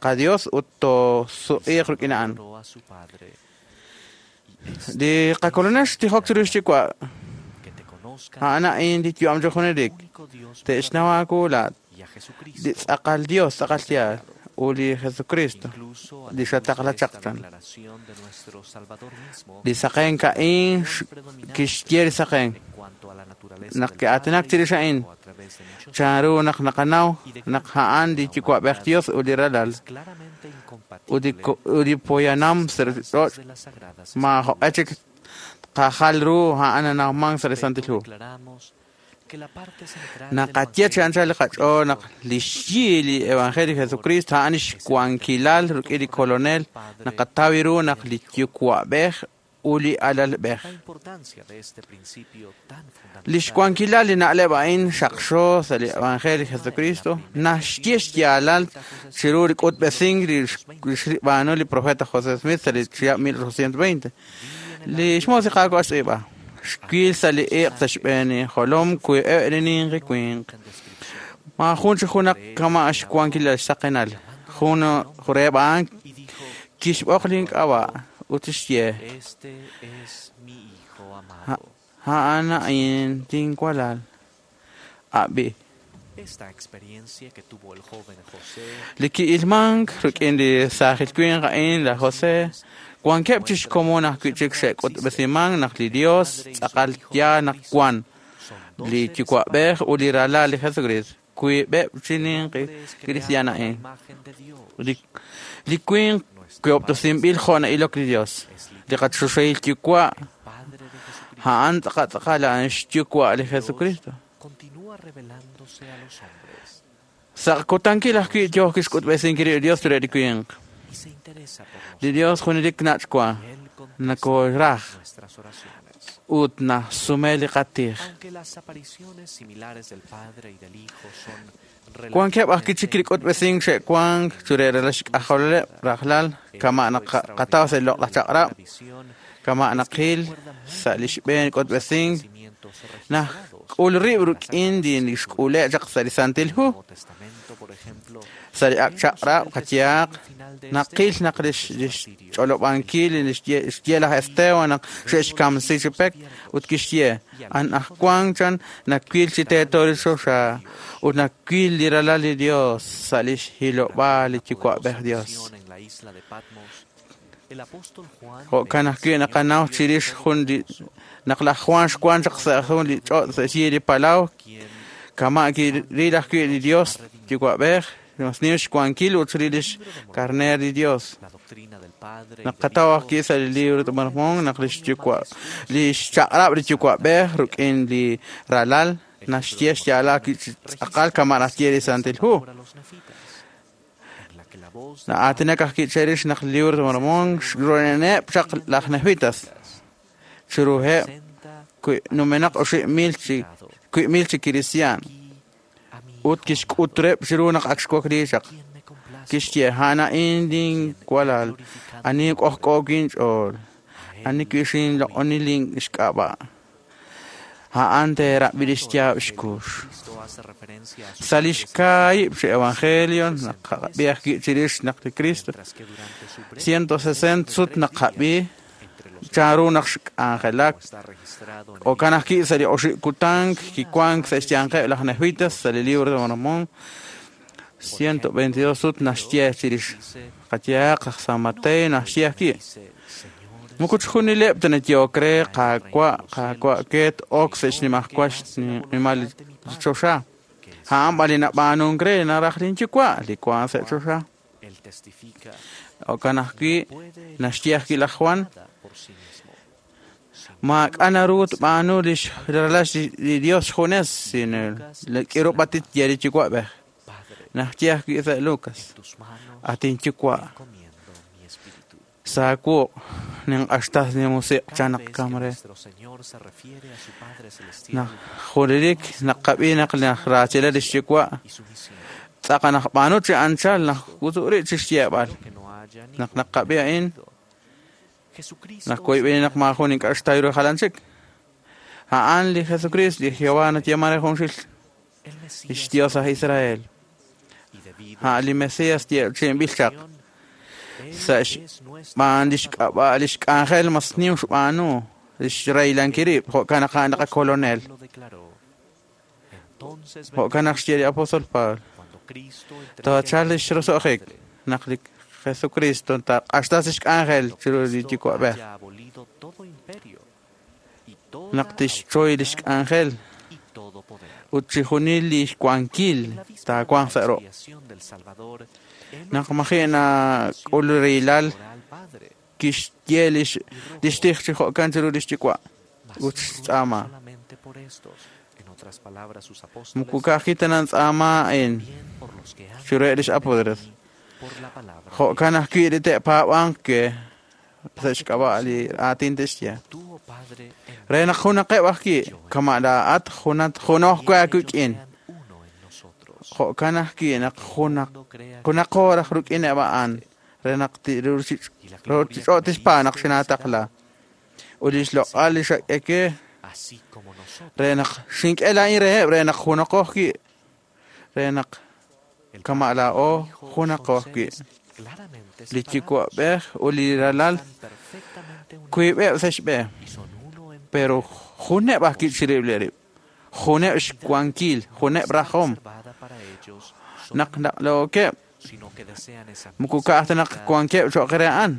qaDios ut toosuq'iiq rik'in a'an. a su Padre. Li qakolonel xtijok chiru xyuwa' a'an a'in li yu'am chi junelik. Te'xnaw aawu laat li tz'aqal Dios tz'aqal yaal ut li Jesucristo li xataqla chaq chan. Declaración de nuestro Salvador mismo Li saqenk a'in kixye li saqenk naq ki'aatinak chirix a'in chanru naq naqanaw naq a'an li yuwa'b'ej Dios ut li ralal ut li poyanam sa' ruchich'och' maajoq'e chik tqajal ru a'an nanawmank sa' li Santil Hu. declaramos que la parte central del Naqaye chi anchal li qach'ool naq li xyi li Evangelio Jesucristo a'an xwankilal rik'in li kolonel naqataw ru naq li yuwa'b'ej ut li alalb'ej. la importancia de este principio tan Li xwankilal li na'leb' a'in xaqxo sa' li Evangelio Jesucristo naxye xyaalal chiru li k'utb'esink li xb'aanu li profeta José Smith sa' li chihab' 1820. Li xmoos li Qaawa' xtz'iib'a. Xwil sa' li iq' sa' xb'een jolom wiib'eb' li ninqi winq. Maajun chi junaq kama' xwankilal xsaqenal. Jun reheb' a'an kixb'oq link'ab'a' ut xye Este es mi hijo amado. a'an a'in tinwalal. Ab'i. Esta experiencia que tuvo el joven José Li ki'ilmank rik'in li saajil winq a'in laj José wankeb' chi xkomon ajwi' chik xe'k'utb'esimank naq li Dios tz'aqal yaal naq wan li yuwa'b'ej ut li ralal li Jesucristo wiib'eb' chi ninqi kristiaan a'in. Li winq wiob'tosinb'il jo' na'ilok li Dios. Li qachoxahil yuwa' a'an tz'aqal tz'aqal a'an xyuwa' li Jesucristo. continúa revelándose a los hombres Sa' kutankil ajwi' yooh kixk'utb'esinkil li Dios re li winq. y se interesa por Li Dios junelik nach'wa nakooraj nuestras oraciones. ut nasume li qatij. Aunque las apariciones similares del Padre y del Hijo son Wankeb' ajwi' chik li k'utb'esink xe'wank chire ralal xk'ajoleb' rajlal kama' naq qataw sa' li loq'laj chaq'rab' kama' naqil sa' li xb'een k'utb'esink najk'ul rib' rik'in li xk'ule' chaq sa' li Santil Hu. Sa' li ak' chaq'rab' qayehaq naqil naq li xch'olob'ankil li xye laj Esteban naq xe'xkamsi chi pek ut kixye anajwan chan nawil chi teeto li choxa ut nawil li ralal li Dios sa' li xhilob'aal li yuwa'b'ej Dios. en la isla de Patmos, el apóstol Juan Jo'kan ajwi' naqanaw chirix jun li naq laj Juan xwan chaq sa' jun li ch'och' sa' xyi li palaw kama' kiril ajwi' li Dios yuwa'b'ej mas nim xwankil ut chirix lix karneer li Dios. Naqataw ajwi' sa' li libro de Mormón naq lix yuwa' lix chaq'rab' li yuwa'b'ej rik'in li ralal naxye xyaalal ajwi' chi tz'aqal kama' naxye li Santil Hu. Na'aatinak ajwi' chirix naq li libro de Mormón xroleneb' chaq laj Nefitas chiruheb' numenaq 9,000 chi 9,000 chi kristiaan ut kixk'utreb' chiru naq ak xwakli chaq. Kixye a'an a'in linwalal, ani k'ojk'o kinch'ool, ani kixinloq'oni lin xk'ab'a'. A'an teerab'i lix yaab' xkux. Sa' lix kaahib' chi evangelio naqab'i ajwi' chirix naq li Cristo 160 sut naqab'i chanru naq xk'anjelak. Jo'kan ajwi' sa' li oxib' kutan kiwank sa' xyanqeb' laj Nefitas sa' li libro de Mormón 122 sut naxye chirix. Qayehaq aj San Mateo naxye ajwi'. Moko chixjunileb' ta nayehok re Qaawa', Qaawa' ket ok sa' xnimajwal xnimal li choxa. A'an b'an li nab'aanunk re naraj linyuwa' li wank sa' choxa. Jo'kan ajwi' naxye ajwi' laj Juan maak'a' naru tb'aanu lix ralal li Dios xjunes sino k'irub'atit ye li yuwa'b'ej. Naxye ajwi' sa' Lucas at inyuwa' saawuq' ninq'axtas li musiq' chan naq kam re. Naq junelik naqab'i naq raachila lix yuwa' tz'aqal naqb'aanu chi anchal naq wutu'ri' chi xyeeb'al. Naq naqab'i a'in naq koyb'eni naq maajun ink'a' xtaw ru jalan chik. A'an li Jesucristo li Jehová nayeeman re junxil lix Dios aj Israel. A'an li Mesías yeechi'inb'il chaq. Sa' xb'aan lix k'ab'a' lix k'anjel mas nim xb'aanu lix reylankil rib' jo'kan naq a'an li qakolonel. Jo'kan naq xye li apóstol Pablo. Taachal lix roso'jik naq li Jesucristo taq'axtas lix k'anjel chiru li yuwa'b'ej. Naq tixchoy lix k'anjel ut chixjunil li xwankil taawanq sa' ruq'. Naq maji' nak'ul reylal kixye lix tij chi jo'kan chiru lix yuwa' ut xtz'aama. Moko ka'ajwi' ta nantz'aama a'in chiruheb' lix apóstoles. Jo'kan ajwi' li te'paab'anq ke sa' xk'ab'a' li aatin te'xye. Re naq junaqeb' ajwi' kama' laa'at junoj we aawik'in. Jo'kan ajwi' naq junaqo raj rik'ineb' a'an re naq ruuchich'och' tixpa naq xinaataqla. Ut lix loq'al li xak'e ke re naq xink'e laa'in reheb' re naq junaqo ajwi' re naq kama' laa'o junaqo ajwi'. Li yuwa'b'ej ut li ralal wiib'eb' sa' xb'e, pero juneb' ajwi' chirib'il rib', juneb' xwankil, juneb' rajom. Naq naqlookeb' moko ka'aj ta naq wankeb' cho'q re a'an.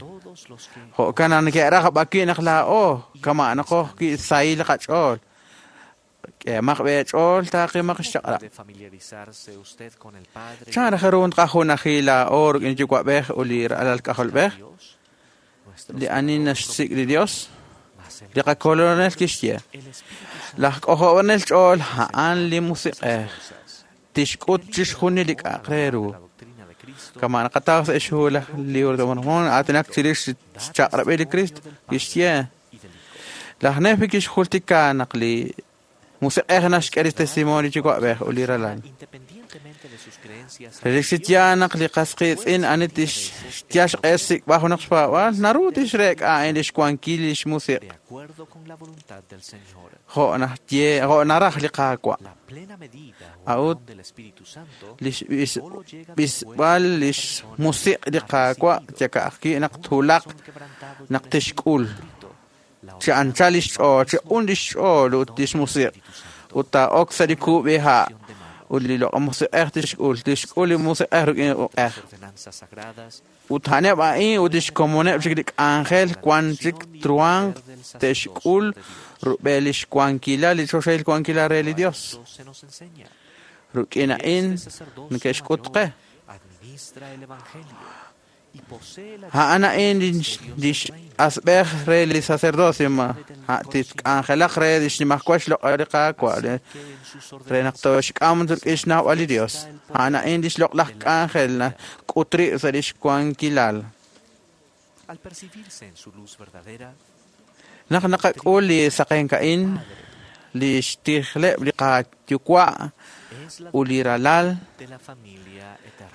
Jo'kan naq neke'raj b'akwi' naq laa'o kama' naqo ajwi' sahil qach'ool. K'eemaq b'eech'ool taaqimaq xchaq'rab'. Chan raj ru nqajunaji laa'o rik'in yuwa'b'ej ut li ralal k'ajolb'ej? Li ani naxsik' li Dios, li qakolonel kixye. Laj k'ojob'anel ch'ool a'an li musiq'ej. Tixk'ut chixjunil li k'a'aq re ru. Kama' naqataw sa' xhu laj libro de Mormón aatinak chirix xchaq'rab'il li Cristo kixye. Laj Nefi kixjultika naq li musiq'ej naxk'e li testimonio yuwa'b'ej ut li ralal. Relik chi yaal naq li qas qiitz'in ani tixyal xq'e xsik'b'al junaq xpaab'aal naru tixreek'a a'in lix wankil lix musiq'. Jo' naxye jo' naraj li Qaawa'. A'ut lix b'isb'al lix musiq' li Qaawa' yaka'ajwi' naq twulaq naq tixk'ul. Chi anchal lix ch'ool, chi q'un lix ch'ool ut lix musiq' ut taa'ok sa' li kub'iha' ut li loq' musiq'ej tixk'ul, tixk'ul li musiq'ej rik'in uq'ej. Ut a'aneb' a'in ut lix komoneb' chik li k'anjel wan chik truhanq te'xk'ul rub'el lix wankilal li choxahil wankilal re li Dios. Rik'in a'in neke'xk'ut qe. A'an a'in lix asb'ej re li sacerdocio ma titk'anjelaq re lix nimajwal xloq'al li Qaawa' re naq toxk'am rik'in xnawb'al li Dios. A'an a'in lix loq'laj k'anjel nak'ut rib' sa' lix wankilal. Naq naqak'ul li saqenk a'in, li xtijleb' li qayuwa' ut li ralal,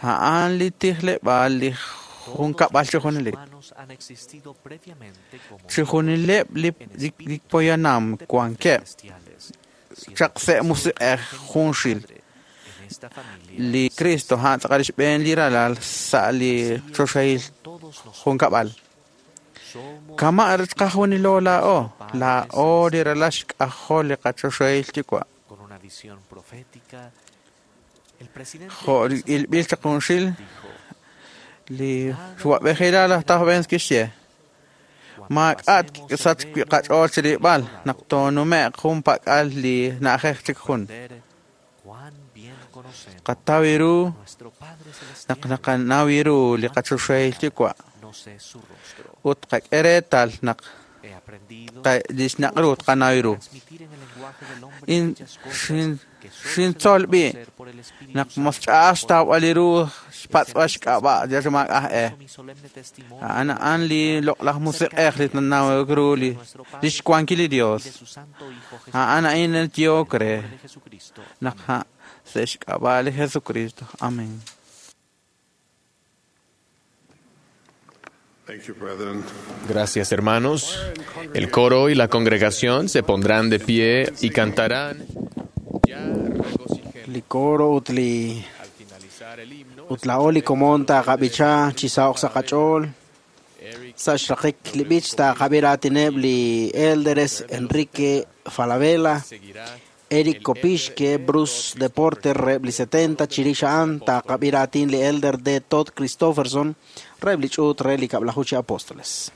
a'an li tijleb'aal li junkab'al chijunilik. Chijunileb' li poyanam wankeb' chaq sa' musiq'ej junxil. Li Cristo a'an tz'aqal xb'een li ralal sa' li choxahil junkab'al. Kama' qajunilo laa'o, laa'o li ralal xk'ajol li qachoxahil yuwa'. Jo' ilb'il chaq junxil, li xwab'ejilal laj Taj kixye, maak'a' sach qach'ool chirib'al naq toonume'q jun pak'al li na'ajej chik jun. Qataw ru naq naqanaw ru li qachoxahil yuwa' ut qak'e reetal naq lix naq' ru tqanaw ru. Xintzol b'i' naq mosch'a'aj xtawb'al li ru xpatz'b'al xk'ab'a' yal maak'aj e. A'an a'an li loq'laj musiq'ej li nanaw ru li xwankil li Dios. A'an a'in yook re naq sa' xk'ab'a' li Jesucristo. Amén. Gracias, hermanos. El coro y la congregación se pondrán de pie y cantarán. Li coro ut li ut laa'o li komon taaqab'icha chi saho'q sa' qach'ool. Sa' xraqik li b'ich taaqab'i raatineb' li Elders Enrique Falabella, Eric Kopishke, Bruce Deporter reheb' li 70, chirix a'an taaqab'i raatin li Elder D. Todd Christofferson reheb' li ch'uut re li kab'laju chi apóstoles.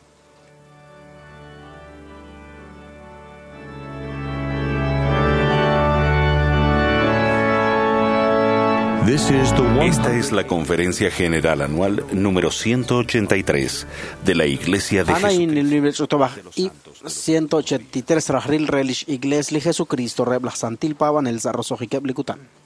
Esta es la Conferencia General Anual número 183 de la Iglesia de Ana Jesucristo. in li ch'utub'aj ib' 183 rajril re lix Iglesia li Jesucristo reheb' laj Santil Paab'anel sa' roso'jikeb' li kutan. Thank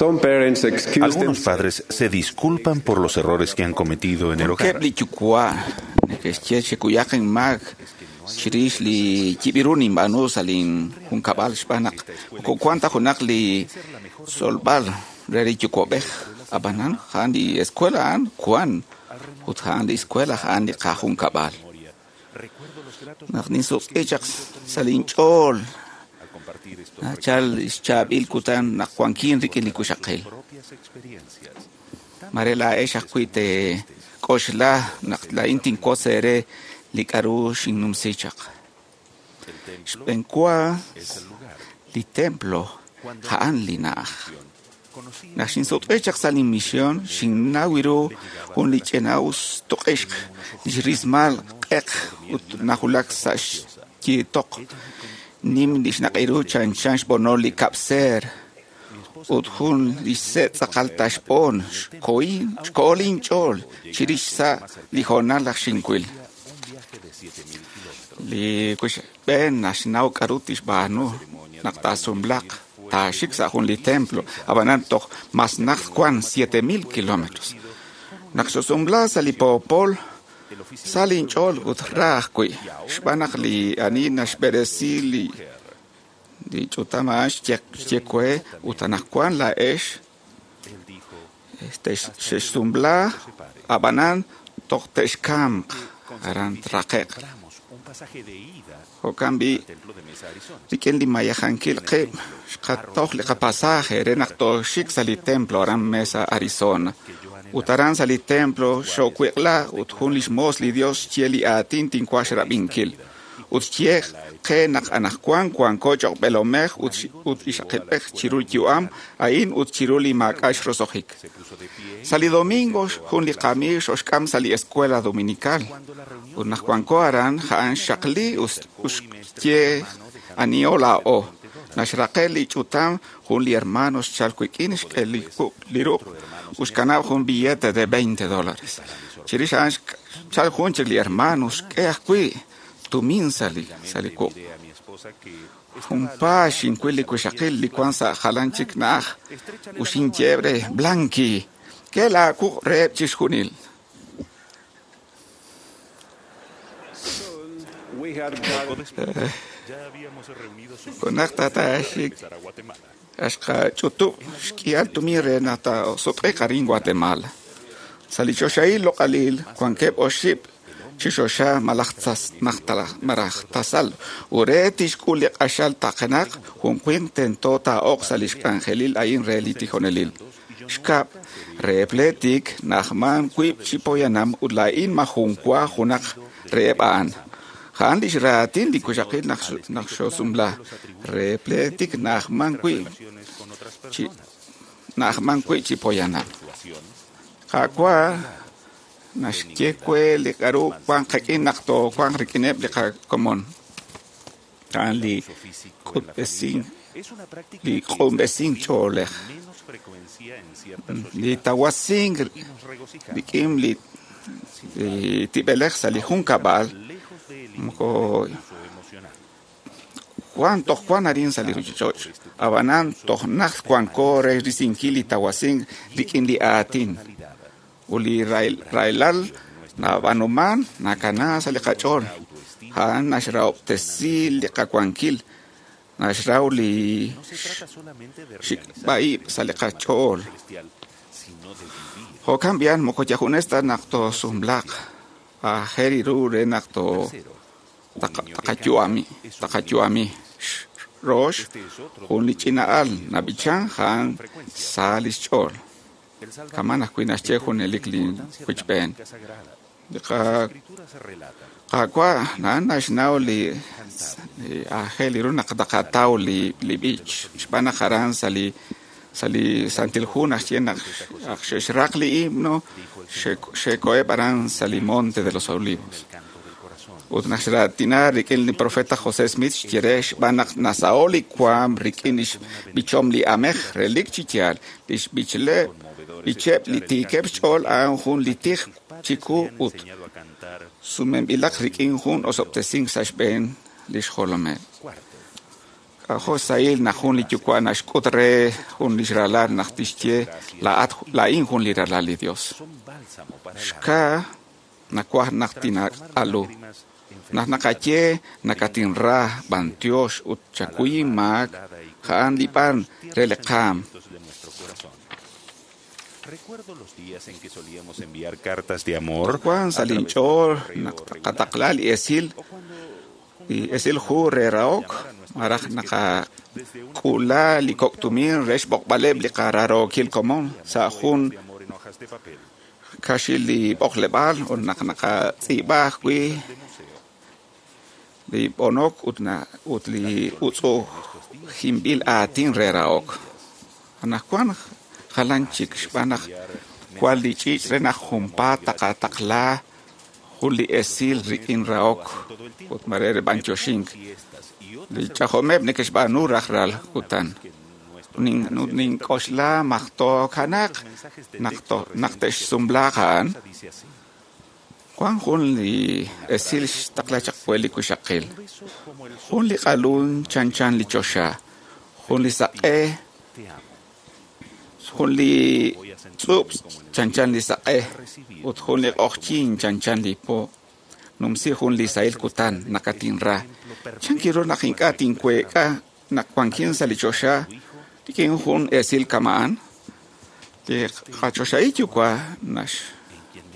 Algunos padres se disculpan por los errores que han cometido en el hogar. Wankeb' li yuwa' neke'xye chekuyaq inmaak chirix li yib'iru ninb'aanu sa' linjunkab'al xb'aan naq moko wan ta junaq li tzolb'al re li yuwa'b'ej. Ab'anan a'an li escuela a'an wan ut a'an li escuela a'an li qajunkab'al. Naq ninsuq'i chaq sa' linch'ool nachal xchaab'il kutan naq wankin rik'in li wixaqil. Mare laa'ex ajwi' teek'oxla naq laa'in tinwotz eere li k'a'ru xinnumsi chaq. Xb'enwa li templo a'an li na'aj. Naq xinsutq'i chaq sa' linmisión, xinnaw ru jun li ch'ina'us tuq'ixq li xrismal q'eq ut najulak sa' xyiitoq. Nim li xnaq'iru chanchan xb'onol li kab'seer ut jun li xse' tz'aqal ta xb'on xko'o linch'ool chirix sa' li hoonal naq xinwil. Li wixb'een naxnaw k'a'ru tixb'aanu naq taasumlaq taaxik sa' jun li templo, ab'anan toj mas najt wan 7000 kilómetros. Naq xosumla sa' li poopol, sa' linch'ool ut ra ajwi' xb'aan naq li ani naxb'eresi li ch'utam a'an xye we ut anaqwan laa'ex xexsumla ab'anan toj te'xkamq aran traqe'q. Jo'kan b'i' rik'in li mayajankil qib' xqatoj li qapasaje re naq tooxik sa' li templo aran Mesa, Arizona. Ut aran sa' li templo xo'wiq'la ut jun lix moos li Dios xye li aatin tinwaj xrab'inkil. Ut xye qe naq anaqwan wanko cho'q b'eelomej ut ixaqilb'ej chiru li yu'am a'in ut chiru li maak'a' xrosojik. Sa' li domingo jun li qamiig xoxk'am sa' li escuela dominical. Ut naq wanko aran a'an xxaqli ut xye aniho laa'o. Naxraqe li ch'utam jun li hermano xchal wik'in xk'e li ruq' ut xkanab' jun billete de $20. Chirix a'an xchal jun chik li hermano xk'e ajwi' tumin sa' li wuq'. Junpaat xinwil li wixaqil li wan sa' jalan chik na'aj ut xinye re Blanqui, k'e laawuq' reheb' chixjunil. Junaq tataaxik axqach'utub' xk'ihal tumin re naq taasutq'iiq arin Guatemala. Sa' li choxahil loq'alil wankeb' oxib' chi xoxa malaj tasal ut re tixk'ul li q'axal taqenaq jun winq tento taa'oq sa' li xk'anjelil a'in re li tijonelil. Xkab' re pleetik na'ajman wiib' chi poyanam ut laa'in majun wa junaq reheb' a'an. A'an li xraatin li wixaqil naq xosumla re pleetik na'ajman wi' chi poyanam. Qaawa' naxye we li k'a'ru wan qik'in naq toowanq rik'ineb' li qakomon. A'an li q'unb'esink ch'oolej, li tawasink rik'in li tib'elej sa' li junkab'al moko wan toj wan arin sa' li ruchich'och', ab'anan toj najt wanko re risinkil li tawasink rik'in li aatin. Ut li rahilal nab'aanuman nakana sa' li qach'ool, a'an naxrahob'tesi li qawankil, naxraw li xik'b'a'ib' sa' li qach'ool. Jo'kan b'i'an moko yajunes ta naq toosumlaq, aajel ru re naq taqayu'ami. Rox, jun li ch'ina'al nab'ichan a'an sa li xch'ool. Kaman ajwi' naxye junelik li wichb'een. Li Qaawa' a'an naxnaw li aajel ru naq taqataw li b'ich xb'aan naq aran sa' li Santil Hu naxye naq xe'xraq li himno xe'koheb' aran sa' li Monte de los Olivos. Ut naq xraatina rik'in li profeta José Smith xye re xb'aan naq nasaho' li waam rik'in li xb'ichom li amej relik chi yaal li xb'icheb' li tiikeb' xch'ool a'an jun li tij chiku ut sumenb'ilaq rik'in jun osob'tesink sa' xb'een li xjolomeb'. K'ajo' sahil naq jun li yuwa' naxk'ut re jun lix ralal naq tixye laa'at laa'in jun li ralal li Dios. Xkaa nawaj naq tinaq'alu. Naq naqaye nakatinra b'antiox ut chakuy inmaak, a'an li b'an re li qaam. Recuerdo los días en que solíamos enviar cartas de amor Wan sa' linch'ool naq qataqla li esil hu re rahok malaj naqak'uula li kok' tumin re xb'oqb'aleb' li qaraarookil komon sa' jun kaxil li b'oqleb'aal ut naq naqatz'iib'a ajwi' li b'onok ut li utz'u'ujinb'il aatin re rahok. Anaqwan jalan chik xb'aan naq wan li ch'iich' re naq junpaat taqataqla jun li esil rik'in rahok ut mare re b'antioxink. Li ch'ajomeb' neke'xb'aanu rajlal kutan. Nink'oxla majto'kanaq naq te'xsumlaaq a'an. Wan jun li esil xtaqla chaq we li wixaqil. Jun li q'alun chanchan li choxa, jun li saq'e, jun li tz'ub' chanchan li saq'e, ut jun li q'oqyink chanchan li po. Numsi jun li sahil kutan nakatinra. Chankiru naq ink'a' tinweek'a naq wankin sa' li choxa rik'in jun esil kama'an. Li qachoxahil yuwa'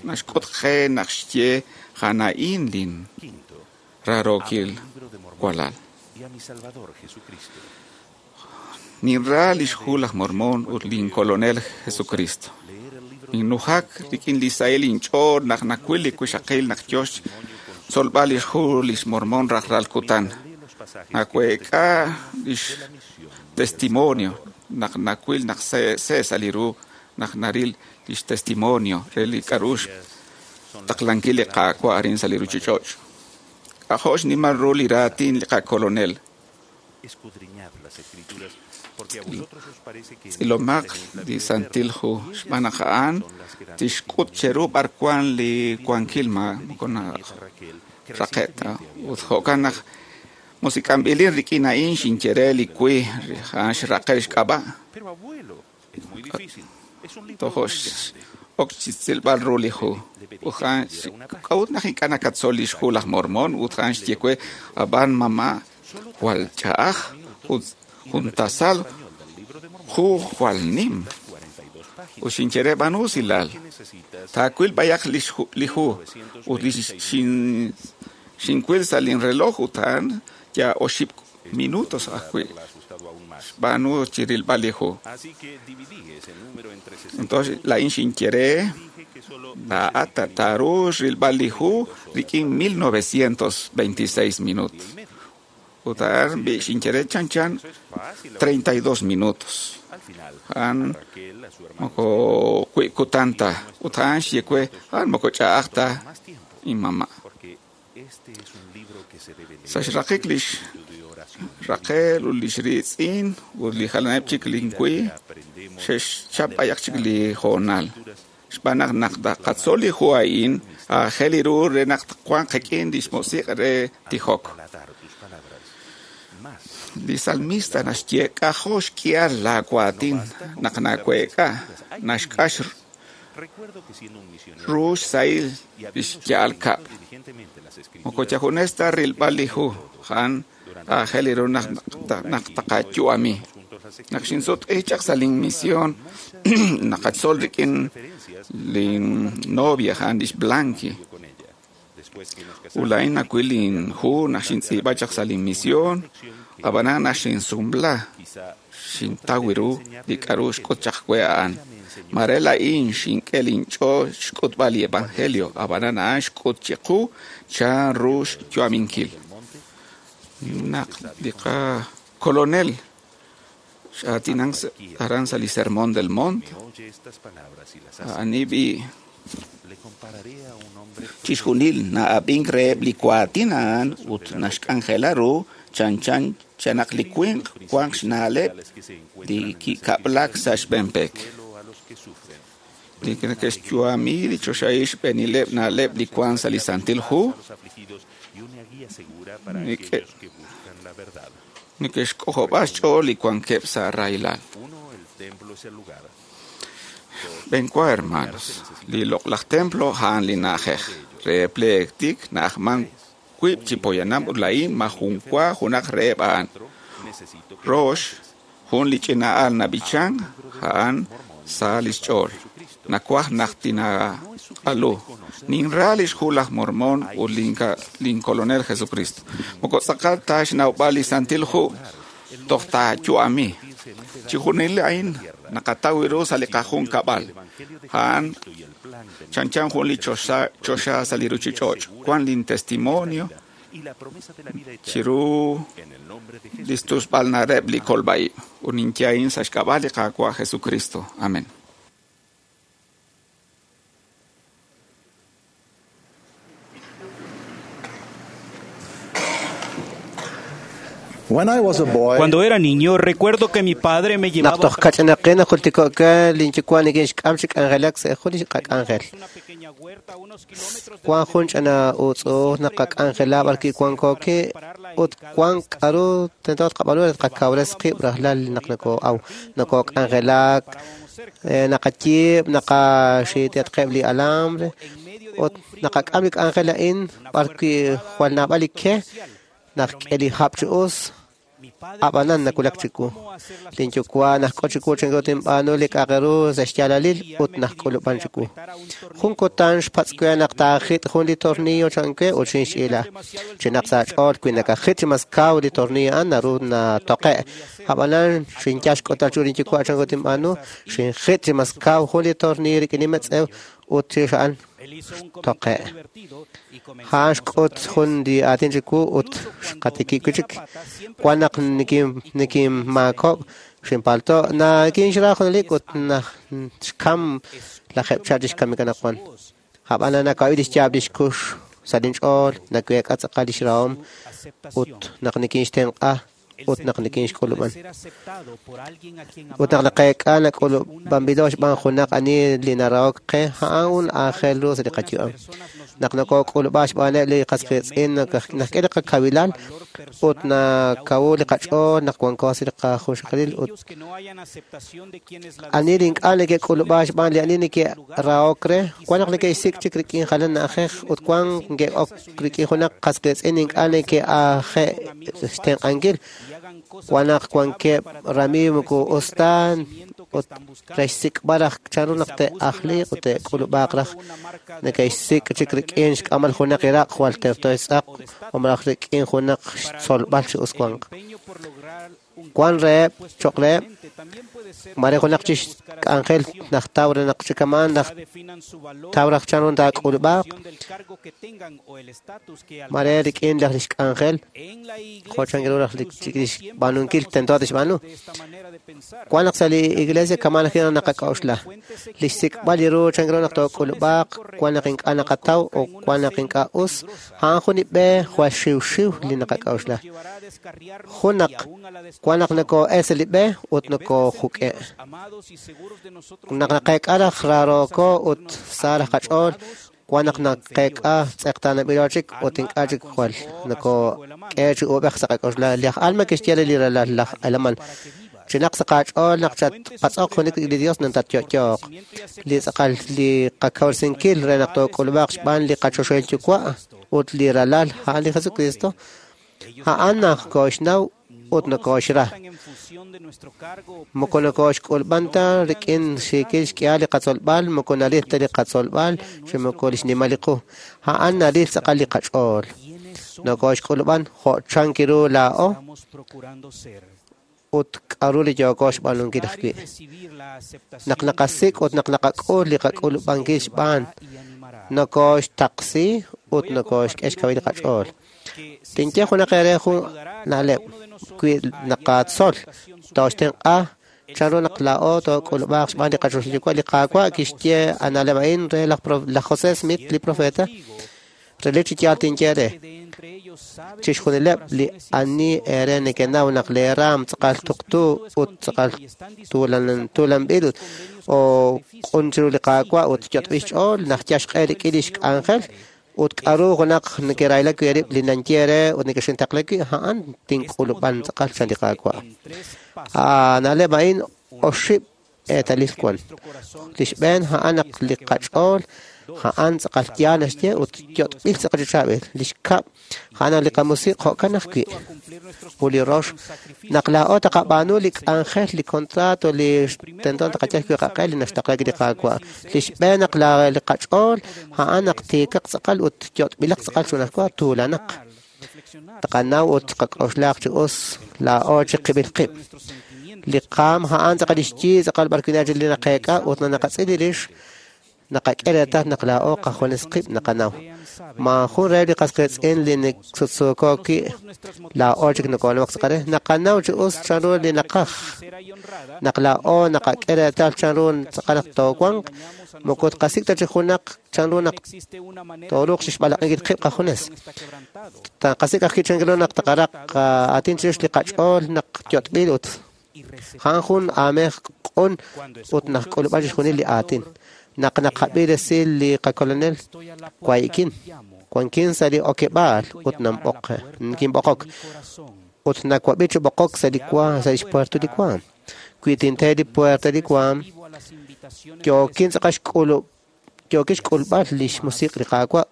naxk'ut qe naq xye a'an lin raarookil walal. Ninra lix hu laj Mormón ut lin kolonel Jesucristo. Ninnujak rik'in li sahil inch'ool naq nawil li wixaqil naq yo xtzolb'al lix hu lix Mormón rajlal kutan. Naweek'a lix testimonio naq nawil naq see sa' li ru naq naril lix testimonio re li k'a'ru xtaqlankil li Qaawa' arin sa' li ruchich'och'. K'ajo' xnimal ru li raatin li qakolonel. Tz'ilomaq li Santil Hu xb'aan naq a'an tixk'ut cheru b'ar wan li wankil moko naraqe' ta. Ut jo'kan naq musik'anb'ilin rik'in a'in xinye re li wi a'an xraqe' xk'ab'a'. Tojo' ok chi tz'ilb'al ru li hu. Ut a'an k'a'ut naq ink'a' nakatzol lix hu laj Mormón ut a'an xye we ab'an mamá jwal ch'a'aj ut jun tasal hu jwal nim. Ut xinye re b'aanu usilal. Taawil b'ayaq li hu ut li xinwil sa' linreloj ut a'an ya oxib' minutos ajwi' xb'aanu chi rilb'al li hu. Entonces laa'in xinye re laa'at taaru rilb'al li hu rik'in 1926 minutos. Ut a'an xinye re chanchan 32 minutos. A'an moko wi' kutan ta. Ut a'an xye we a'an moko ch'a'aj ta inmama'. Sa' xraqik lix Raquel ut lix riitz'in ut li jalaneb' chik linwi xe'xchap b'ayaq chik li hoonal. Xb'aan naq naq taqatzol li hu a'in aajel ru re naq wanq qik'in lix musiq' re tijok. Li salmista naxye k'ajo' xk'ihal laawaatin naq naweek'a naxk'ax ru xsahil lix ya'al kab'. Moko yajunes ta rilb'al li hu a'an aajel ru naq taqayu'ami. Naq xinsutq'i chaq sa' linmisión naqatzol rik'in lin novia a'an lix Blanqui. Ut laa'in nawil linhu naq xintz'iib'a chaq sa' linmisión ab'anan naq xinsumla xintaw ru li k'a'ru xk'ut chaq we a'an. Mare laa'in xink'e linch'ool xk'utb'al li evangelio ab'anan a'an xk'ut chiqu chan ru xyu'aminkil. Naq li qakolonel x'aatinan aran sa' li Sermón del Monte a'an b'i chixjunil na'ab'ink reheb' li waatin a'an ut naxk'anjela ru chanchan chanaq li winq wanq xna'leb' li kikab'lak sa' xb'een pek. Li neke'xyu'ami li choxahil xb'eenileb' na'leb' li wank sa' li Santil Hu Neke'xk'ojob'a xch'ool li wankeb' sa' rahilal. Xb'eenwa, hermanos, li loq'laj templo a'an li na'ajej re pleetik na'ajman wiib' chi poyanam ut laa'in majunwa junaq reheb' a'an. Rox, jun li ch'ina al nab'ichan a'an sa lix ch'ool. Nawaj naq tinaaq'alu. Ninra lix hu laj Mormón ut lin Kolonel Jesucristo. Moko tz'aqal ta xnawb'al li Santil Hu toj taayu'ami. Chixjunil a'in naqataw ru sa' li qajunkab'al. A'an chanchan jun li choxa sa' li ruchich'och'. Wan lin testimonio chiru li xtusb'al na'leb' li kolb'a-ib'. Ut ninye a'in sa' xk'ab'a' li Qaawa' Jesucristo. Amén. Cuando era niño, recuerdo que mi padre me llevaba Naq toj kach'inaqin najultiko'ka linyuwa' nikinxk'am chi k'anjelak sa' jun li qak'anjel. Wan jun ch'ina uutz'uuj naqak'anjela b'arwi' wanko'ki ut wan k'aru tento tqab'aanu re tqakawres qib' rajlal naq nokoo'aw, nokok'anjelak, naqayiib', naqaxiit'atqeb' li alambre ut naqak'am li k'anjel a'in b'arwi' jwal naab'al li ke naqk'e li hab' chi us, ab'anan nawulak chiwu. Linyuwa' najk'o chiwu chanru tinb'aanu li k'a'aq ru sa' xyaalalil ut najk'ulub'an chiwu. Jun kutan xpatz' we naq taajit' jun li tornillo chan we ut xinxch'iila. Chinaq sa' aach'ool wi nakajit' chi mas kaw li tornillo a'an naru natoqe'. Ab'anan xinyal xk'utal chiru linyuwa' chanru tinb'aanu, xinjit' chi mas kaw jun li tornillo rik'in li metz'ew ut chirix a'an xtoqe'. A'an xk'ut jun li aatin chiwu ut xqatikib' wi' chik. Wan naq nikinmaakok' xinpalto' nakinxra junelik ut xkam lajeeb' chihab' chi xkamik anaqwan. Ab'anan nawab'i li xyaab' li xkux sa' linch'ool, naweek'a tz'aqal li xrahom ut naq nikinxtenq'a ut naq nikinxk'ulub'an. Ut naq naqeek'a nak'ulub'anb'ilo xb'aan junaq ani li narahok qe, a'an jun aajel ru sa' li qayu'am. Naq nokok'ulub'a xb'aaneb' li qas qiitz'in naxk'e li qakawilal ut nakawu li qach'ool naq wanko sa' li qajunxaqalil ut ani li ink'a' neke'k'ulub'a xb'aan li ani neke'rahok re, wan naq neke'xsik' chik rik'in jalan na'ajej ut wan neke'ok rik'in junaq qas qiitz'in ink'a' neke'aje' xtenq'ankil. Wan naq wankeb' ramiiw moko us ta ut re xsik'b'al raj chanru naq te'ajliq ut te'k'ulub'aaq raj neke'xsik' chik rik'in xk'amal junaq iraq jwal terto xtz'aq o malaj rik'in junaq xtzolb'al chi us wanq. Wan reheb' cho'q reheb' mare junaq chi xk'anjel najtaw re naq chikamaan najtaw raj chanru taak'ulub'aaq mare rik'in laj li xk'anjel jo' chan ru raj li xb'aanunkil tento tixb'aanu. Wan naq sa' li iglesia kamaan ajwi' naqak'a'uxla. Li xsik'b'al li ru chan ru naq took'ulub'aaq wan naq ink'a' naqataw o wan naq ink'a' us, a'an jun li b'e jwal xiwxiw li naqak'a'uxla. Jun naq wan naq nokoo'el sa' li b'e ut nokoojuk'e'. Naq naqeek'a raj rarooko ut sa raj qach'ool, wan naq naqeek'a tz'eqtaanab'ilo chik ut ink'a' chik jwal nokook'e chi uub'ej sa' qak'a'uxla. Laj Alma kixye re li ralal laj Helaman, chinaq sa' qach'ool naq chatpatz'oq junelik li Dios naq tatyo'yo'q. Li tz'aqal li qakawresinkil re naq took'ulub'aaq xb'aan li qachoxahil Yuwa' ut li ralal a'an li Jesucristo, a'an naq kooxnaw ut nokooxra. Moko nokooxk'ulb'an ta rik'in xiikil xk'ihal li qatzolb'al, moko naril ta li qatzolb'al chi moko li xnimal li qu. A'an naril tz'aqal li qach'ool. Nokooxk'ulub'an jo' chan kiru laa'o ut k'aru li yooko xb'aanunkil ajwi'. Naq naqasik' ut naq naqak'ul li qak'ulub'ankil xb'aan, nokooxtaqsi ut nokooxk'e xkawil li qach'ool. Tinye junaq eere jun na'leb' wi naqatzol tooxtenq'a chanru naq laa'o took'ulub'aaq xb'aan li qachoxahil Yuwa'. Li Qaawa' kixye a na'leb' a'in re laj José Smith, li profeta, relik chi yaal tinye re chixjunileb' li ani eere nekenaw naq lee raam tz'aqal tuqtu ut tz'aqal tuulanb'il ut o q'un chiru li Qaawa' ut yot'b'il xch'ool naq yal xq'e rik'in lix k'anjel Ut k'aru junaq nekerayla wi' eerib' li nanye eere ut nekexintaqla wi', a'an tink'ulub'an tz'aqal chan li Qaawa'. A na'leb' a'in oxib' eetalil wan. Li xb'een a'an naq li qach'ool a'an tz'aqal yaal naxye ut yot'b'il tz'aqal chi chaab'il. Li xkab' a'an naq li qamusiq' jo'kan ajwi'. Ut li rox, naq laa'o taqab'aanu li k'anjel, li contrato, li tento taqayal wi' qaq'e li naxtaqla wi' li Qaawa'. Li xb'een naq li qach'ool a'an naq tiikaq tz'aqal ut yot'b'ilaq tz'aqal chunajwa tuulanaq. Taqanaw ut qak'oxlaq chi us laa'o chiqib'il qib'. Li qaam a'an tz'aqal li xyi tz'aqal b'ar wi' li naqeek'a ut naqatz'il li rix naqak'e reetal naq laa'o qajunes qib' naqanaw. Maajun reheb' li qas qiitz'in li sutsuuko wi' laa'o chik nokoonawak tz'aqal re. Naqanaw chi us chanru li naqaj. Naq laa'o naqak'e reetal chanru tz'aqal naq toowanq, moko tqasik' ta chi junaq chanru naq tooruuq chixb'alaq'inkil qib' qajunes. Taqasik' ajwi' chanru naq taqaraq aatin chirix li qach'ool naq yot'b'il ut a'an jun aamej q'un ut naq k'ulub'an chixjunil li aatin. Naq naqab'i resil li qakolonel wayi'kin, wankin sa' li okeb'aal ut kinb'oqok ut nawab'i chi b'oqok sa' li sa' lix puerto li waam. Wi tinte li puerta li waam, yookin tz'aqal yookin xk'ulb'al lix musiq' li Qaawa'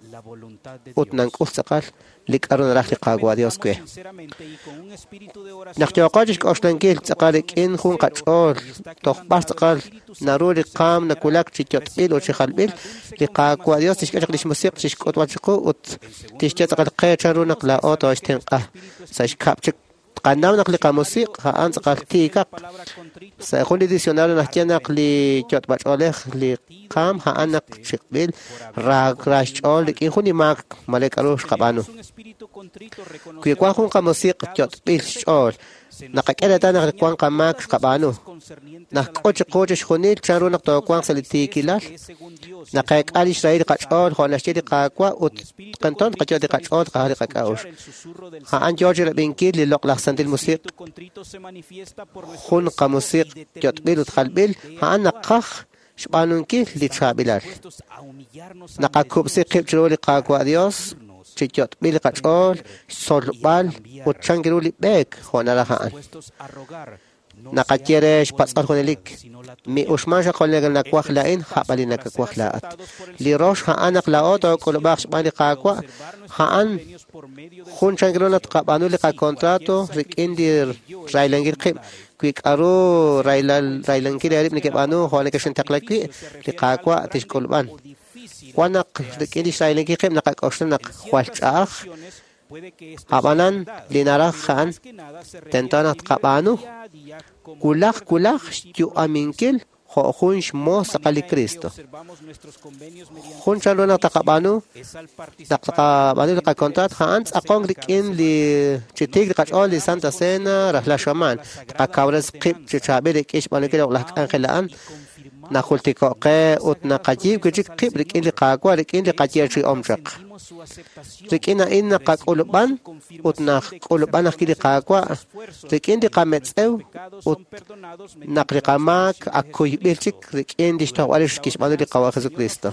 ut nank'ul tz'aqal li k'aru naraj li Qaawa' Dios we. Naq yooqo chixk'oxlankil tz'aqal rik'in jun qach'ool toj b'ar tz'aqal naru li qaam nawulak chi yot'b'il ut chi jalb'il, li Qaawa' Dios tixk'e chaq lix musiq' chixk'utb'al chiqu ut tixye tz'aqal qe chanru naq laa'o tooxtenq'a. Sa' xkab' chik tqanaw naq li qamusiq' a'an tz'aqal tiikaq. Sa' jun li diccionario naxye naq li yot'b'ach'oolej li qaam a'an naq chiq'b'il ra xch'ool rik'in jun li maak mare k'aru xqab'aanu. Wi wan jun qamusiq' yot'b'il xch'ool, naqak'e reetal naq wan qamaak xqab'aanu. Naqk'ut chiqu chixjunil chanru naq toowanq sa' li tiikilal, naqeek'a lix rahil qach'ool jo' naxye li Qaawa' ut tento tqayot' li qach'ool tqajal li qak'a'uxl. A'an yoo chi rab'inkil li loq'laj santil musiq' jun qamusiq' yot'b'il ut jalb'il, a'an naqaj xb'aanunkil li chaab'ilal. Naqakub'si qib' chiru li Qaawa' Dios chi yot'b'il li qach'ool, xtzolb'al ut chan ru li b'eek jo' naraj a'an. Naqaye re xpatz'b'al junelik, mi'uxman xaq jo' nawaj laa'in, jab'al li nakawaj laa'at. Li rox a'an naq laa'o took'ulub'aq xb'aan li Qaawa', a'an jun chan ru naq tqab'aanu li qacontrato rik'in li raylankil qib'. Wi k'aru raylankil eerib' nekeb'aanu jo' nekexintaqla wi', li Qaawa' tixk'ulub'an. Wan naq rik'in li xraylankil qib' naqak'oxla naq jwal ch'a'aj, ab'anan li naraj a'an tento naq tqab'aanu wulaj wulaj xyu'aminkil jo' jun xmoos tz'aqal li Cristo. Jun chanru naq taqab'aanu naq taqab'aanu li qacontrato a'an tz'aqonk rik'in li chi tiik li qach'ool li Santa Cena rajlal xamaan. Tqakawres qib' chi chaab'il rik'in xb'aanunkil loq'laj k'anjel a'an. Najultiko' qe ut naqayiib' wi' chik qib' rik'in li Qaawa' rik'in li qayeechi'om chaq. Rik'in a'in naqak'ulub'an ut naqk'ulub'an ajwi' li Qaawa' rik'in li qametz'ew ut naq li qamaak ak kuyb'il chik rik'in li xtojb'al rix kixb'aanu li Qaawa' Jesucristo.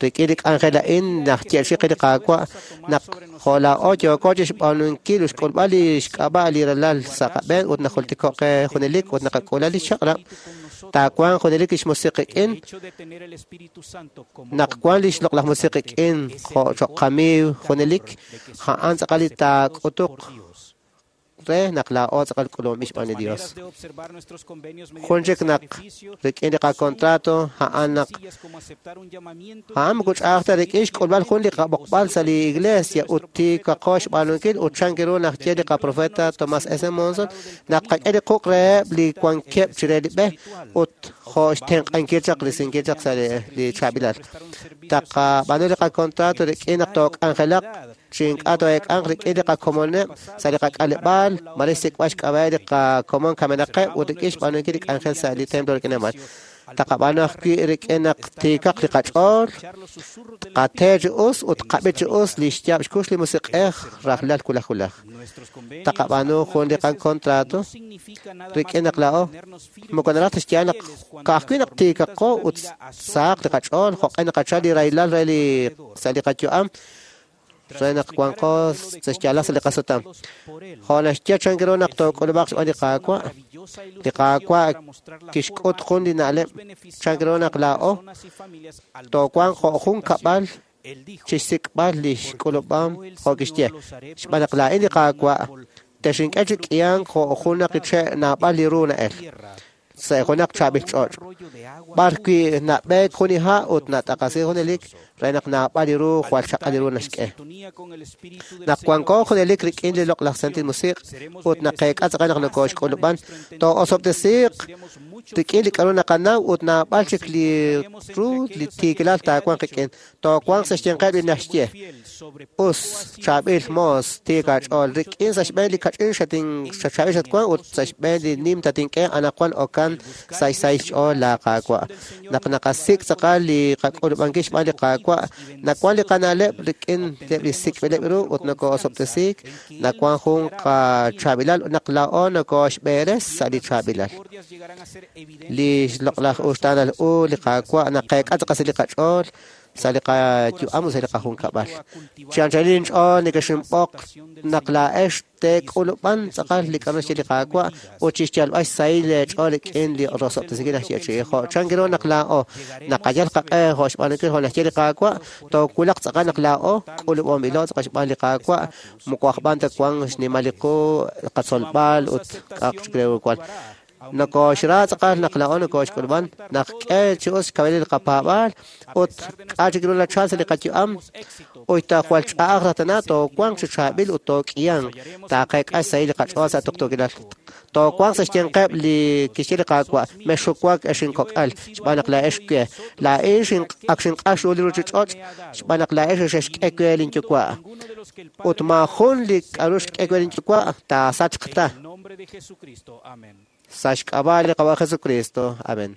Rik'in li k'anjel a'in najyeechi qe li Qaawa' naq jo' laa'o yooko chixb'aanunkil ut xk'ulb'al li xk'ab'a' li ralal sa' qab'een ut najultiko' qe junelik ut naqak'ula li chaq'rab', taawanq junelik lix musiq' qik'in, naq wan lix loq'laj musiq' qik'in jo' choq' qamiiw junelik, a'an tz'aqal li taak'utuq re naq laa'o tz'aqal k'ulub'anb'il xb'aan li Dios. Jun chik naq rik'in li qacontrato a'an naq a'an moko ch'a'aj ta rik'in xk'ulb'al jun li qab'oqb'al sa' li iglesia ut tiikaqo xb'aanunkil ut chan ru naq ye li qaprofeta Thomas S. Monson naq qak'e li quq' reheb' li wankeb' chire li b'e ut jo' xtenq'ankil chaq risinkil chaq sa' li chaab'ilal. Taqab'aanu li qacontrato rik'in naq took'anjelaq chi ink'a' too'eek'anq rik'in li qakomoneb' sa' li qak'aleb'aal, mare xsik'b'al xk'ab'a'eb' li qakomon kamenaqeb' ut rik'in xb'aanunkil li k'anjel sa' li templo rik'in amal. Taqab'aanu ajwi' rik'in naq tiikaq li qach'ool, qate chi us ut qab'i chi us li xyaab' xkux li musiq'ej rajlal wulaj wulaj. Taqab'aanu jun li qakontrato rik'in naq laa'o moko naraj ta xyaal naq ka'ajwi' naq tiikaqo ut sahaq li qach'ool jo'q'e naqachal li rahilal re li sa' li qayu'am re naq wanqo sa' xyaalal sa' li qasutam. Jo' naxye chan ru naq took'ulub'aq xb'aan li Qaawa', li Qaawa' kixk'ut jun li na'leb' chan ru naq laa'o toowanq jo' jun kab'al chixsik'b'al li xk'ulub'am jo' kixye. Xb'aan naq laa'in li Qaawa' texink'e chi k'ihank jo' jun naq che' naab'al li ru na'el sa' junaq chaab'il ch'och', b'ar wi' nab'eek jun li ha' ut nat'aqasi junelik re naq naab'al li ru jwal chaq'al li ru naxk'e. Naq wanko junelik rik'in li loq'laj Santil Musiq' ut naqeek'a tz'aqal naq nokooxk'ulub'an, too'osob'tesiiq rik'in li k'a'ru naqanaw ut naab'al chik li ru li tiikilal taawanq qik'in. Toowanq sa' xyanqeb' li naxye, us, chaab'il moos, tiik aach'ool, rik'in sa' xb'een li kach'in xachaab'il xatwank ut sa' xb'een li nim tatink'e anaqwan okan sa' xsahil xch'ool laa Qaawa'. Naq naqasik' tz'aqal li qak'ulub'ankil xb'aan li Qaawa', nawan li qana'leb' rik'in li sik'b'ileb' ru ut nokoo'osob'tesiik, nawan jun qachaab'ilal naq laa'o nokooxb'eres sa' li chaab'ilal. Li xloq'laj uxtaanal u li Qaawa' naqeek'a tz'aqal sa' li qach'ool, sa' li qayu'am ut sa' li qajunkab'al. Chi anchalil inch'ool nekexinb'oq naq laa'ex teek'ulub'an tz'aqal li k'a'ru naxye li Qaawa' ut chixyalb'al xsahil leech'ool rik'in li rosob'tesinkil naxyeechi'i. Jo' chan ru naq laa'o naqayal qaq'e jo' xb'aanunkil jo' naxye li Qaawa', toowulaq tz'aqal naq laa'o k'ulub'omb'ilo tz'aqal xb'aan li Qaawa', moko aj b'an ta wank xnimal li qu, qatzolb'al ut k'a'aq chik re ru wan. Nokooxra tz'aqal naq laa'o nokooxk'ulub'an, naq k'e chi us xkawilil li qapaab'aal ut k'a' chik ru nachal sa' li qayu'am, ut ta jwal ch'a'aj raj tana toowanq chi chaab'il ut took'ihanq, taaqeek'a xsahil li qach'ool sa' tuqtuukilal. Toowanq sa' xyanqeb' li kixye li Qaawa', mexxuwak ex inkok'al, xb'aan naq laa'ex we. Laa'in ak xinq'ax ru li ruuchich'och', xb'aan naq laa'ex xexk'e we linyuwa'. Ut maajun li k'a'ru xk'e we linyuwa' taasachq ta. Sa' xk'ab'a' li Qaawa' Jesucristo. Amén.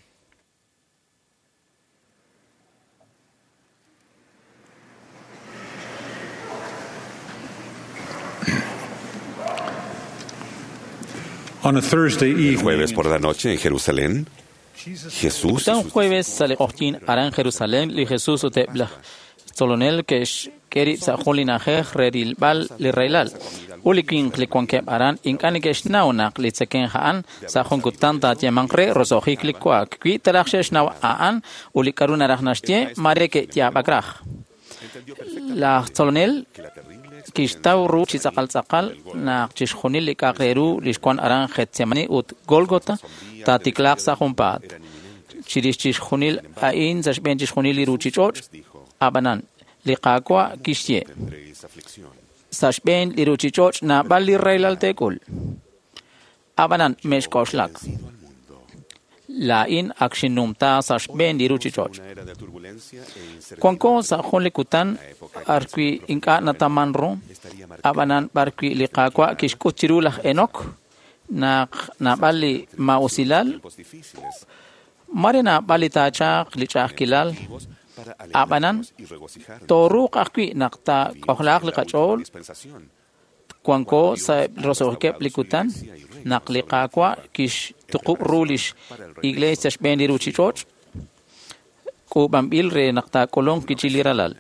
El jueves por la noche en Jerusalén, Jesús Kutan jueves sa' li q'oqyink aran Jerusalén li Jesús ut eb' laj tzolonel ke'xk'e rib' sa' jun li na'ajej re rilb'al li rahilal. Ut li winq li wankeb' aran ink'a' neke'xnaw naq li tzekemq a'an sa' jun kutan taayeemanq re roso'jik li wa'ak. Wi taraj xe'xnaw a'an ut li k'a'ru naraj naxye, mare ke'yaab'ak raj. Laj tzolonel kixtaw ru chi tz'aqal tz'aqal naq chixjunil li k'a'aq re ru li xwan aran Getsemani ut Golgota taatiklaaq sa' junpaat. Chirix chixjunil a'in sa' xb'een chixjunil li ruuchich'och', ab'anan li Qaawa' kixye, sa' xb'een li ruuchich'och' naab'al li rahilal teek'ul. Ab'anan mexk'oxlak. Laa'in ak xinnumta sa' xb'een li ruuchich'och'. Wanko sa' jun li kutan b'arwi' ink'a' nataman ru, ab'anan b'arwi' li Qaawa' kixk'ut chiru laj Enok naq naab'al li maa'usilal, mare naab'al li taachaq li ch'a'ajkilal, ab'anan tooruuq ajwi' naq taak'ojlaaq li qach'ool wanko sa' roso'jikeb' li kutan naq li Qaawa' kixtuqub' ru lix iglesia xb'een li ruuchich'och' k'uub'anb'il re naq taak'ulunq kichi li ralal.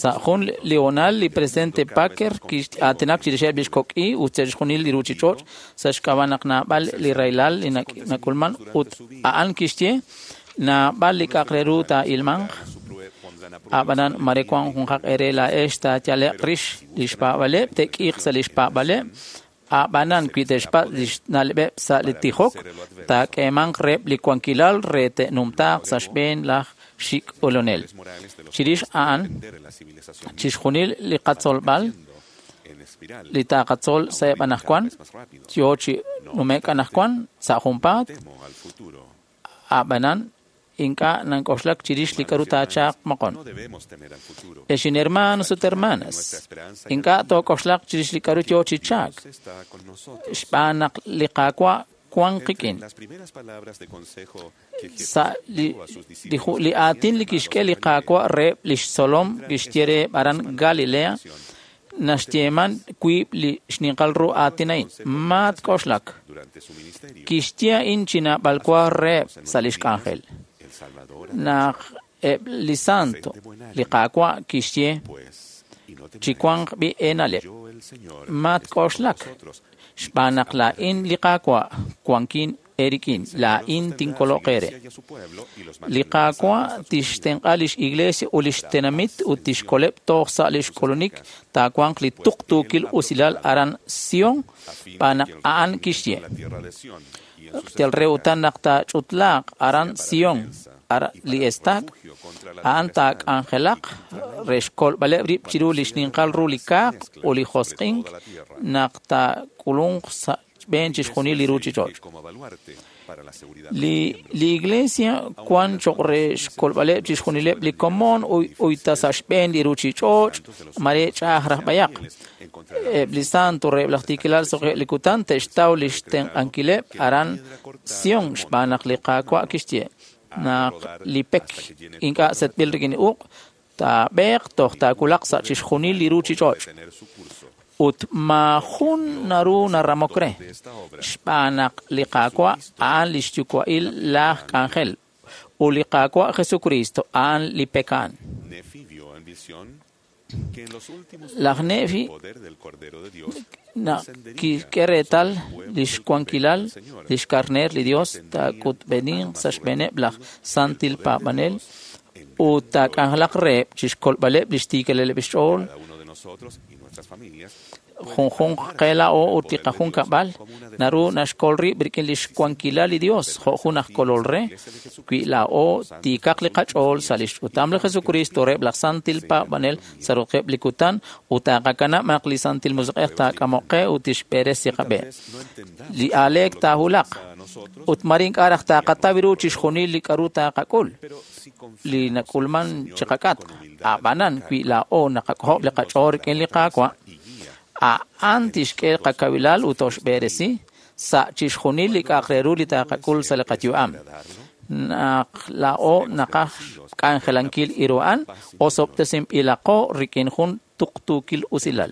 Sa' jun li hoonal li presidente Packer kix'aatinak chirixeb' lix kok'i ut chixjunil li ruuchich'och' sa' xk'ab'a' naq naab'al li rahilal li nak'ulman ut a'an kixye naab'al li k'a'aq re ru taa'ilmanq. Ab'anan mare wank junqaq eere laa'ex taayale'q rix li xpaab'aleb', te'k'iiq sa' li xpaab'aleb', ab'anan wi te'xpatz' li xna'leb'eb' sa' li tijok, taak'eemanq reheb' li wankilal re te'numtaaq sa' xb'een laj xik' olonel. Chirix a'an, chixjunil li qatzolb'al li taaqatzol sa'eb' anaqwan, yo chi nume'k anaqwan sa' junpaat, ab'anan ink'a' nank'oxlak chirix li k'a'ru taachaq moqon. Ex inhermanos ut hermanas, ink'a' took'oxlaq chirix li k'a'ru yoo chi chaak, xb'aan naq li Qaawa' wan qik'in. Sa' li aatin li kixk'e li Qaawa' reheb' lix tzolom kixye reheb' aran Galilea, naxyeeman wiib' li xninqal ru aatin a'in. Matk'oxlak. Kixye a'in chi naab'al wa reheb' sa' lix k'anjel. Naq eb' li santo, li Qaawa' kixye chi wanq b'i eena'leb'. Matk'oxlak, xb'aan naq laa'in li Qaawa' wankin eerik'in, laa'in tinkoloq eere. Li Qaawa' tixtenq'a lix iglesia ut lix tenamit ut tixkoleb' toj sa' lix k'ulunik taawanq li tuqtuukil usilal aran Sion, xb'aan naq a'an kixye. Yal re utan naq taach'utlaaq aran Sion, li estaak, a'an taak'anjelaq re xkolb'aleb' rib' chiru li xninqal ru li kaaq ut li josq'ink naq taak'ulunq sa' xb'een chixjunil li ruuchich'och'. Li iglesia wan choq' re xkolb'aleb' chixjunileb' li komon uyta sa' xb'een li ruuchich'och' mare ch'a'aj raj b'ayaq. Eb' li santo reheb' laj tiikilal soqeb' li kutan te'xtaw li xtenq'ankileb' aran Sion xb'aan naq li Qaawa' kixye naq li pek ink'a' setb'il rik'in uq' taab'eeq toj taawulaq sa' chixjunil li ruuchich'och'. Ut maajun naru naramok re, xb'aan naq li Qaawa' a'an li xyuwa'il laj k'anjel, ut li Qaawa' Jesucristo a'an li pek a'an. Laj Nefi kixk'e reetal lix wankilal lix karneer li Dios taak'utb'eninq sa' xb'eeneb' laj santil paab'anel ut taak'anjelaq reheb' chixkolb'aleb' lix tiikalaleb' xch'ool. Junjunq qe laa'o ut li qajunkab'al naru naxkol rib' rik'in lix wankilal li Dios jo' jun aj kolol re, wi laa'o tiikaq li qach'ool sa' lix ch'utam li Jesucristo reheb' laj santil paab'anel sa' roqeb' li kutan ut taaqakanab' naq li Santil Musiq'ej taak'amoq qe ut tixb'eresi qab'e. Li aaleek taahulaq ut mare ink'a' raj taaqataw ru chixjunil li k'a'ru taaqak'ul li nak'ulman chiqak'atq. A'b'anan wi laa'o naqak'ojob' li qach'ool rik'in li Qaawa', a'an tixk'e qakawilal ut toxb'eresi sa' chixjunil li k'a'aq re ru li taaqak'ul sa' li qayu'am. Naq laa'o naqaj k'anjelankil iru a'an, osob'tesinb'ilaqo rik'in jun tuqtuukil usilal.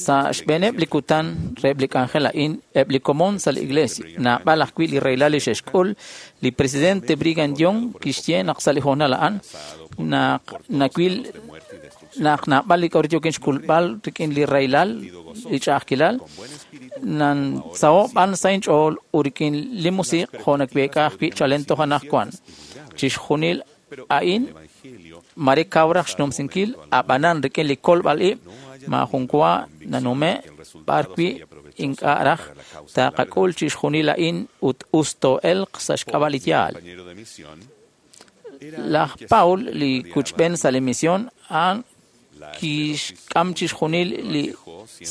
Sa' xb'eeneb' li kutan reheb' li k'anjel a'in, eb' li komon sa' li iglesia, naab'al ajwi' li rahilal li xe'xk'ul, li presidente Brigham Young kixye naq sa' li hoonal a'an, naq nawil naq naab'al li k'a'ru yookin xk'ulb'al rik'in li rahilal, li ch'a'ajkilal, nansaho' b'an sa' inch'ool ut rik'in li musiq' jo' naweek'a ajwi' chalen toj anaqwan. Chixjunil a'in mare kaw raj xnumsinkil, a'b'anan rik'in li kolb'al ib' maajun wa nanume' b'ar wi' ink'a' raj taaqak'ul chixjunil a'in ut us too'elq sa' xk'ab'a' li yaal. Laj Paul, li kuchb'en sa' li misión, a'an kixk'am chixjunil li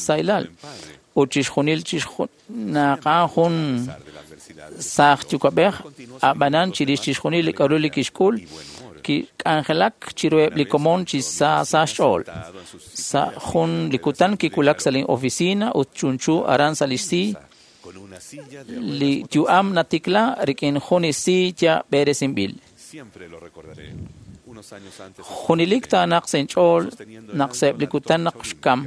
sahilal ut chixjunil naq a'an jun saaj yuwa'b'ej, a'b'anan chirix chixjunil li k'a'ru li kixk'ul, kik'anjelak chiruheb' li komon chi sa sa xch'ool. Sa' jun li kutan kiwulak sa' lin oficina ut chunchu aran sa' lix sii. Li yu'am natikla rik'in jun sii ya b'eresinb'il. Junelik taanaq sa' inch'ool naq sa'eb' li kutan naq xkam,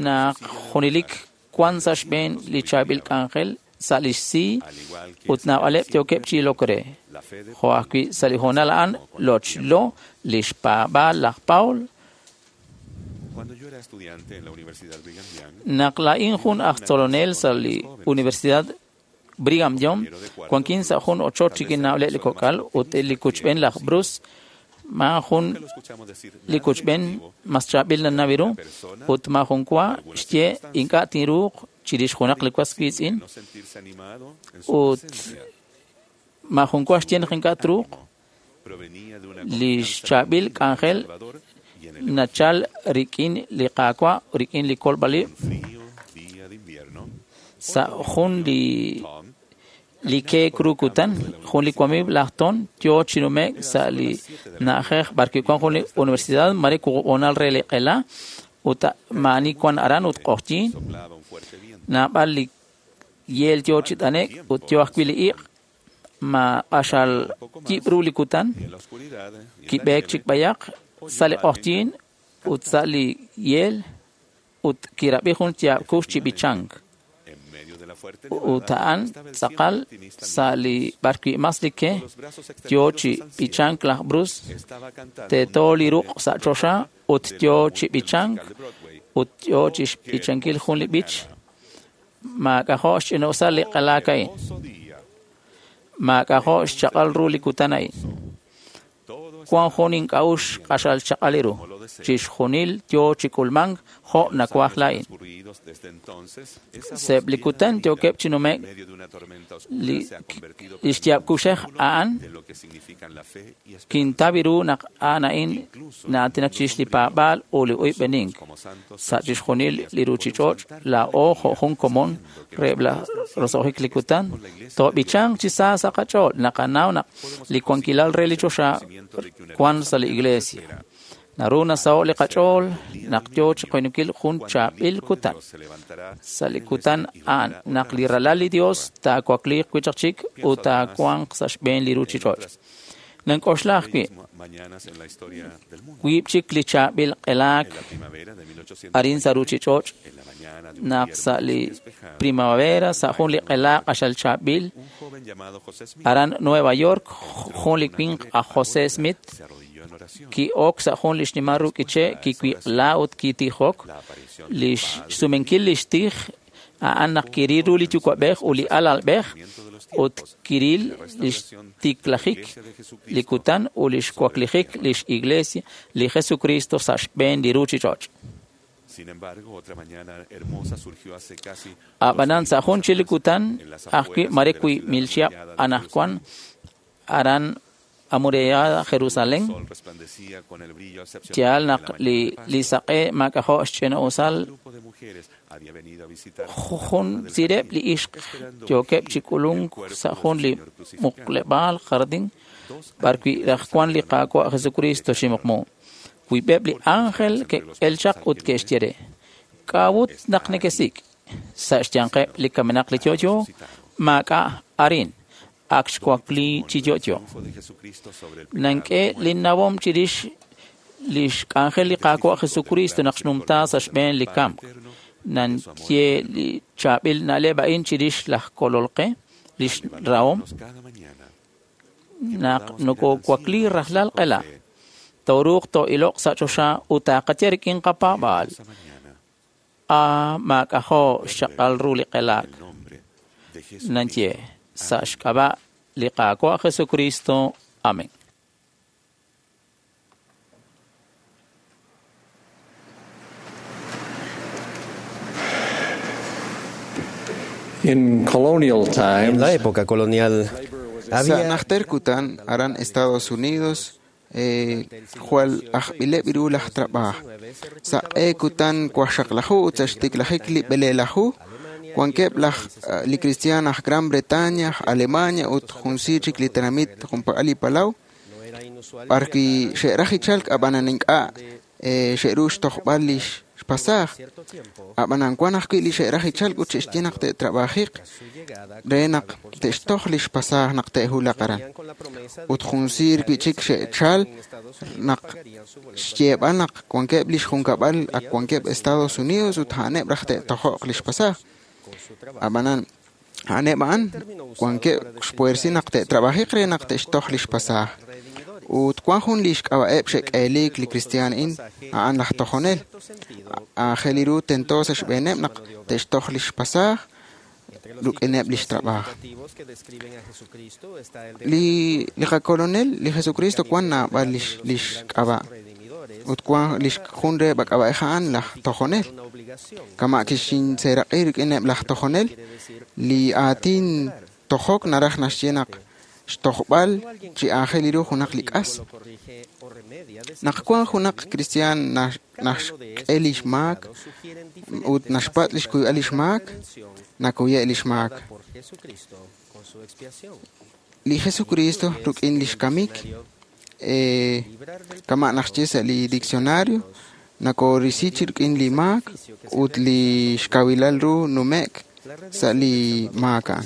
naq junelik wan sa' xb'een li chaab'il k'anjel sa' lix sii ut naab'aleb' yookeb' chi ilok re. Jo' ajwi' sa' li hoonal a'an lochlo lix paab'aal laj Paul. Naq laa'in jun aj tzolonel sa' li Universidad Brigham Young, wankin sa' jun ochoch rik'in naab'aleb' li kok'al ut li kuchb'en laj Bruce, maajun li kuchb'en mas chaab'il nanaw ru ut maajun wa xye ink'a' tinruuq chirix junaq li was wiitz'in ut maajun wa xye naq ink'a' truuq. Li xchaab'il k'anjel nachal rik'in li Qaawa' rik'in li kolb'al ib' sa' jun li keek ru kutan, jun li wamiiw laj Tom yoo chi nume'k sa' li na'ajej b'arwi' wan jun li universidad mare wuqub' re li q'ela ut maa'ani wan aran ut q'oqyink. Naab'al li yeel yo chi t'anek ut yo ajwi' li iq' ma q'axal yib' ru li kutan kib'eek chik b'ayaq sa' li q'oqyink ut sa' li yeel ut kirab'i jun yaab' kux chi b'ichank. Ut a'an tz'aqal sa' li b'arwi' mas li ke yo chi b'ichank laj Bruce teeto li ruq' sa' choxa ut yo chi b'ichank ut yo chi xb'ichankil jun li b'ich maak'ajo' xch'ina'usal li q'elaak a'in. Maak'ajo' xchaq'al ru li kutan a'in. Wan jun ink'a'uxl q'axal chaq'al ru. Chixjunil yo chi k'ulmank jo' nawaj laa'in. Sa'eb' li kutan yookeb' chi nume'k li xyaab' kuxej a'an kintaw ru naq a'an a'in na'aatinak chirix li paab'aal ut li oyb'enink. Sa' chixjunil li ruuchich'och' laa'o jo' jun komon reheb' laj roso'jik li kutan toob'ichanq chi sa sa' qach'ool naqanaw naq li wankilal re li choxa wan sa' li iglesia. Naru nasaho' li qach'ool naq yo chi qoynukil jun chaab'il kutan. Sa' li kutan a'an naq li ralal li Dios taawakliiq wi' chaq chik ut taawanq sa' xb'een li ruuchich'och'. Nank'oxla ajwi' wiib' chik li chaab'il q'elaak arin sa' ruuchich'och' naq sa' li primavera sa' jun li q'elaak q'axal chaab'il aran Nueva York jun li winq aj José Smith ki'ok sa' jun li xnimal ru k'iche' kiwiq'la ut kitijok li xsumenkil li xtij a'an naq kiril ru li yuwa'b'ej ut li alalb'ej ut kiril li xtiklajik li kutan ut li xwaklijik li x'iglesia li Jesucristo sa' xb'een li ruuchich'och'. Ab'anan sa' jun chik li kutan ajwi' mare 2,000 chihab' anaqwan aran amurallada Jerusalén yaal naq li saq'e maak'ajo' xch'ina'usal jun sireb' li ixq yookeb' chi k'ulunk sa' jun li muqleb'aal jardín b'arwi' raj wan li Qaawa' Jesucristo chi muqmu. Wiib'eb' li ángel ke'el chaq ut ke'xye re: K'a'ut naq nekesik' sa' xyanqeb' li kamenaq li yo'yo maak'a' arin ak xwakli chi yo'yo. Nank'e linnawom chirix li xk'anjel li Qaawa' Jesucristo naq xnumta sa' xb'een li kamk. Nanye li chaab'il na'leb' a'in chirix laj kolol qe, li xrahom. Naq nokowakli rajlal q'ela, tooruuq too'iloq sa' choxa ut taaqaye rik'in qapaab'aal. Maak'ajo' xchaq'al ru li q'elaak. Nanye sa' xk'ab'a' li Qaawa' Jesucristo. Amén. In colonial times, En la época colonial Sa' había najter kutan aran Estados Unidos jwal ajb'ileb' ru laj trab'aj. Saq'e kutan wajxaqlaju ut sa' xtiklajik li b'eleelaju wankeb' laj li cristian aj Gran Bretaña, aj Alemania ut junsi chik li tenamit junpak'al li palaw b'arwi' xe'raj ichalk ab'anan ink'a' xe'ru xtojb'al li xpasaaj. Ab'anan wan ajwi' li xe'raj ichalk ut xe'xye naq te'trab'ajiq re naq te'xtoj li xpasaaj naq te'hulaq aran. Ut junsiir wi' chik xe'chal naq xyeeb'al naq wankeb' li xjunkab'al ak wankeb' Estados Unidos ut a'aneb' raj te'tojo'q li xpasaaj. Ab'anan a'aneb' a'an wankeb' xpuersi naq te'trab'ajiq re naq te'xtoj li xpasaaj. Ut wan jun li xk'ab'a'eb' xe'k'eeliik li cristian a'in a'an laj tojonel. Aajel ru tento sa' xb'eeneb' naq te'xtoj li xpasaaj ruk'ineb' li xtrab'aaj. Li qakolonel, li Jesucristo wan naab'al li xk'ab'a' ut wan li jun reheb' ak'ab'a'ej a'an laj tojonel. Kama' kixinseeraq'i rik'ineb' laj tojonel, li aatin tojok naraj naxye naq xtojb'al chi aajel ru junaq li k'as. Naq wan junaq cristian naxk'e li xmaak ut naxpatz' li xkuyb'al li xmaak, nakuye' li xmaak. Li Jesucristo ruk'in li xkamik kama' naxye sa' li diccionario nakorisi chi rik'in li maak ut li xkawilal ru nume'k sa' li maak a'an.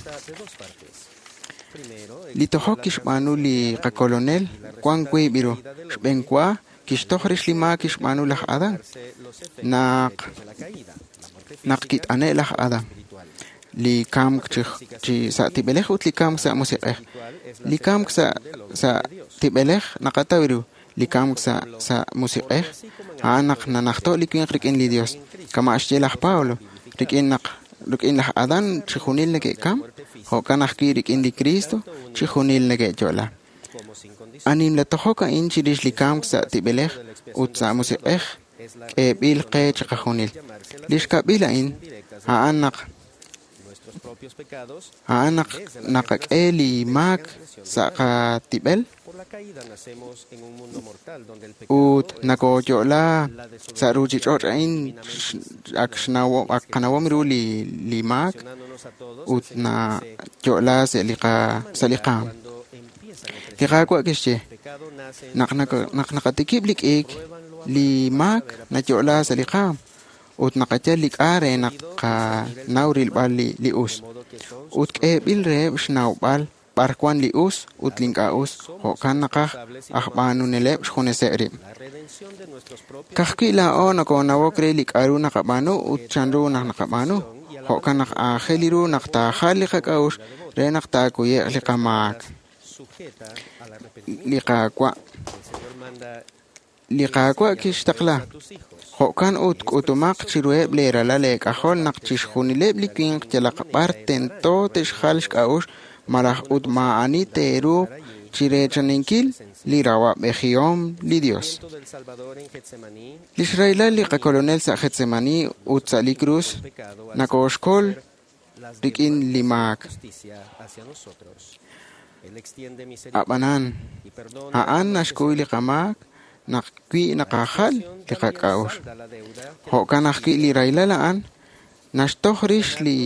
Li tojok kixb'aanu li qakolonel wan wiib' ru. Xb'een wa kixtoj rix li maak kixb'aanu laj Adán naq kit'ane' laj Adán. Li kamk chi sa' tib'elej ut li kamk sa' musiq'ej. Li kamk sa' tib'elej naqataw ru. Li kamk sa' musiq'ej a'an naq nanajto' li winq rik'in li Dios. Kama' xye laj Pablo, rik'in laj Adán chijunil neke'kam, jo'kan ajwi' rik'in li Cristo chijunil neke'yo'la. Anim la tojok a'in chirix li kamk sa' tib'elej ut sa' musiq'ej k'eeb'il qe chiqajunil. Li xkab'il a'in a'an naq naqak'e li maak sa' qatib'el ut nakoyo'la sa' ruchich'och' a'in ak qanawom ru li maak ut nayo'la sa' li qaam. Li Qaawa' kixye naq naqatikib' li k'iik, li maak nayo'la sa' li qaam ut naqayal li k'a re naq qanaw rilb'al li us. Ut k'eeb'il reheb' xnawb'al b'ar wan li us ut li ink'a' us, jo'kan naqaj aj b'aanuneleb' xjuneseb' rib'. Ka'ajwi' laa'o nokoonawok re li k'a'ru naqab'aanu ut chanru naq naqab'aanu, jo'kan naq aajel ru naq taajal li qak'a'uxl re naq taakuye'q li qamaak. Li Qaawa' kixtaqla. Jo'kan ut k'utumaq chiruheb' leeralal eek'ajol naq chixjunileb' li winq yalaq b'ar tento te'xjal xk'a'uxl malaj ut maa'ani teeruuq chireechaninkil li rawa'b'ejihom li Dios. Lix rahilal li qakolonel sa' Getsemani ut sa' li krus nakooxkol rik'in li maak. Ab'anan, a'an naxkuy li qamaak naq wi naqajal li qak'a'uxl. Jo'kan ajwi' li rahilal a'an naxtoj rix li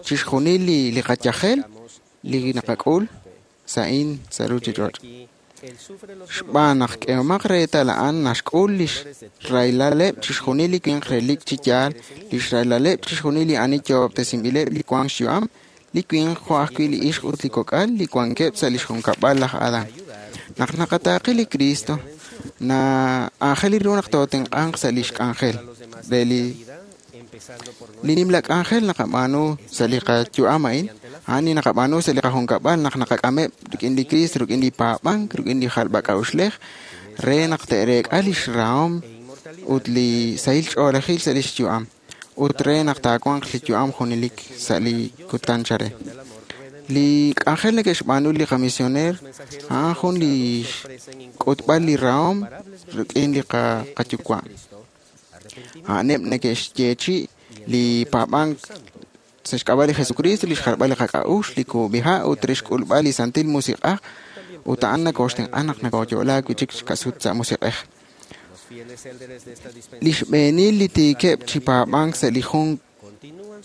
chixjunil li qayajel li naqak'ul sa'in sa' ruchich'och'. Xb'aan naq k'ehomaq reetal a'an naxk'ul lix rahilaleb' chixjunil li winq relik chi yaal, lix rahilaleb' chixjunil li ani yo'ob'tesinb'ileb' li wank xyu'am, li winq jo' ajwi' li ixq ut li kok'al li wankeb' sa' lix junkab'al laj Adán. Naq naqataaqi li Cristo, aajel ru naq tootenq'anq sa' lix k'anjel re li nimla k'anjel naqab'aanu sa' li qayu'am a'in, a'an li naqab'aanu sa' li qajunkab'al naq naqak'ameb' rik'in li Cristo, rik'in li paab'ank, rik'in li jalb'ak'a'uxlej re naq te'reek'a lix rahom ut li sahil ch'oolejil sa' lix yu'am ut re naq taawanq li yu'am junelik sa' li kutan chare. Li k'anjel neke'xb'aanu li qamisioneer a'an jun li k'utb'al li rahom rik'in li qayuwa'. A'aneb' neke'xyeechi' li paab'ank sa' xk'ab'a' li Jesucristo, li xjalb'al li qak'a'uxl, li kub'iha' ut re xk'ulb'al li Santil Musiq'aj ut a'an nakooxtenq'a naq nakooyo'la wi' chik xkasut sa' musiq'ej. Li xb'eenil li tiikeb' chi paab'ank sa' li jun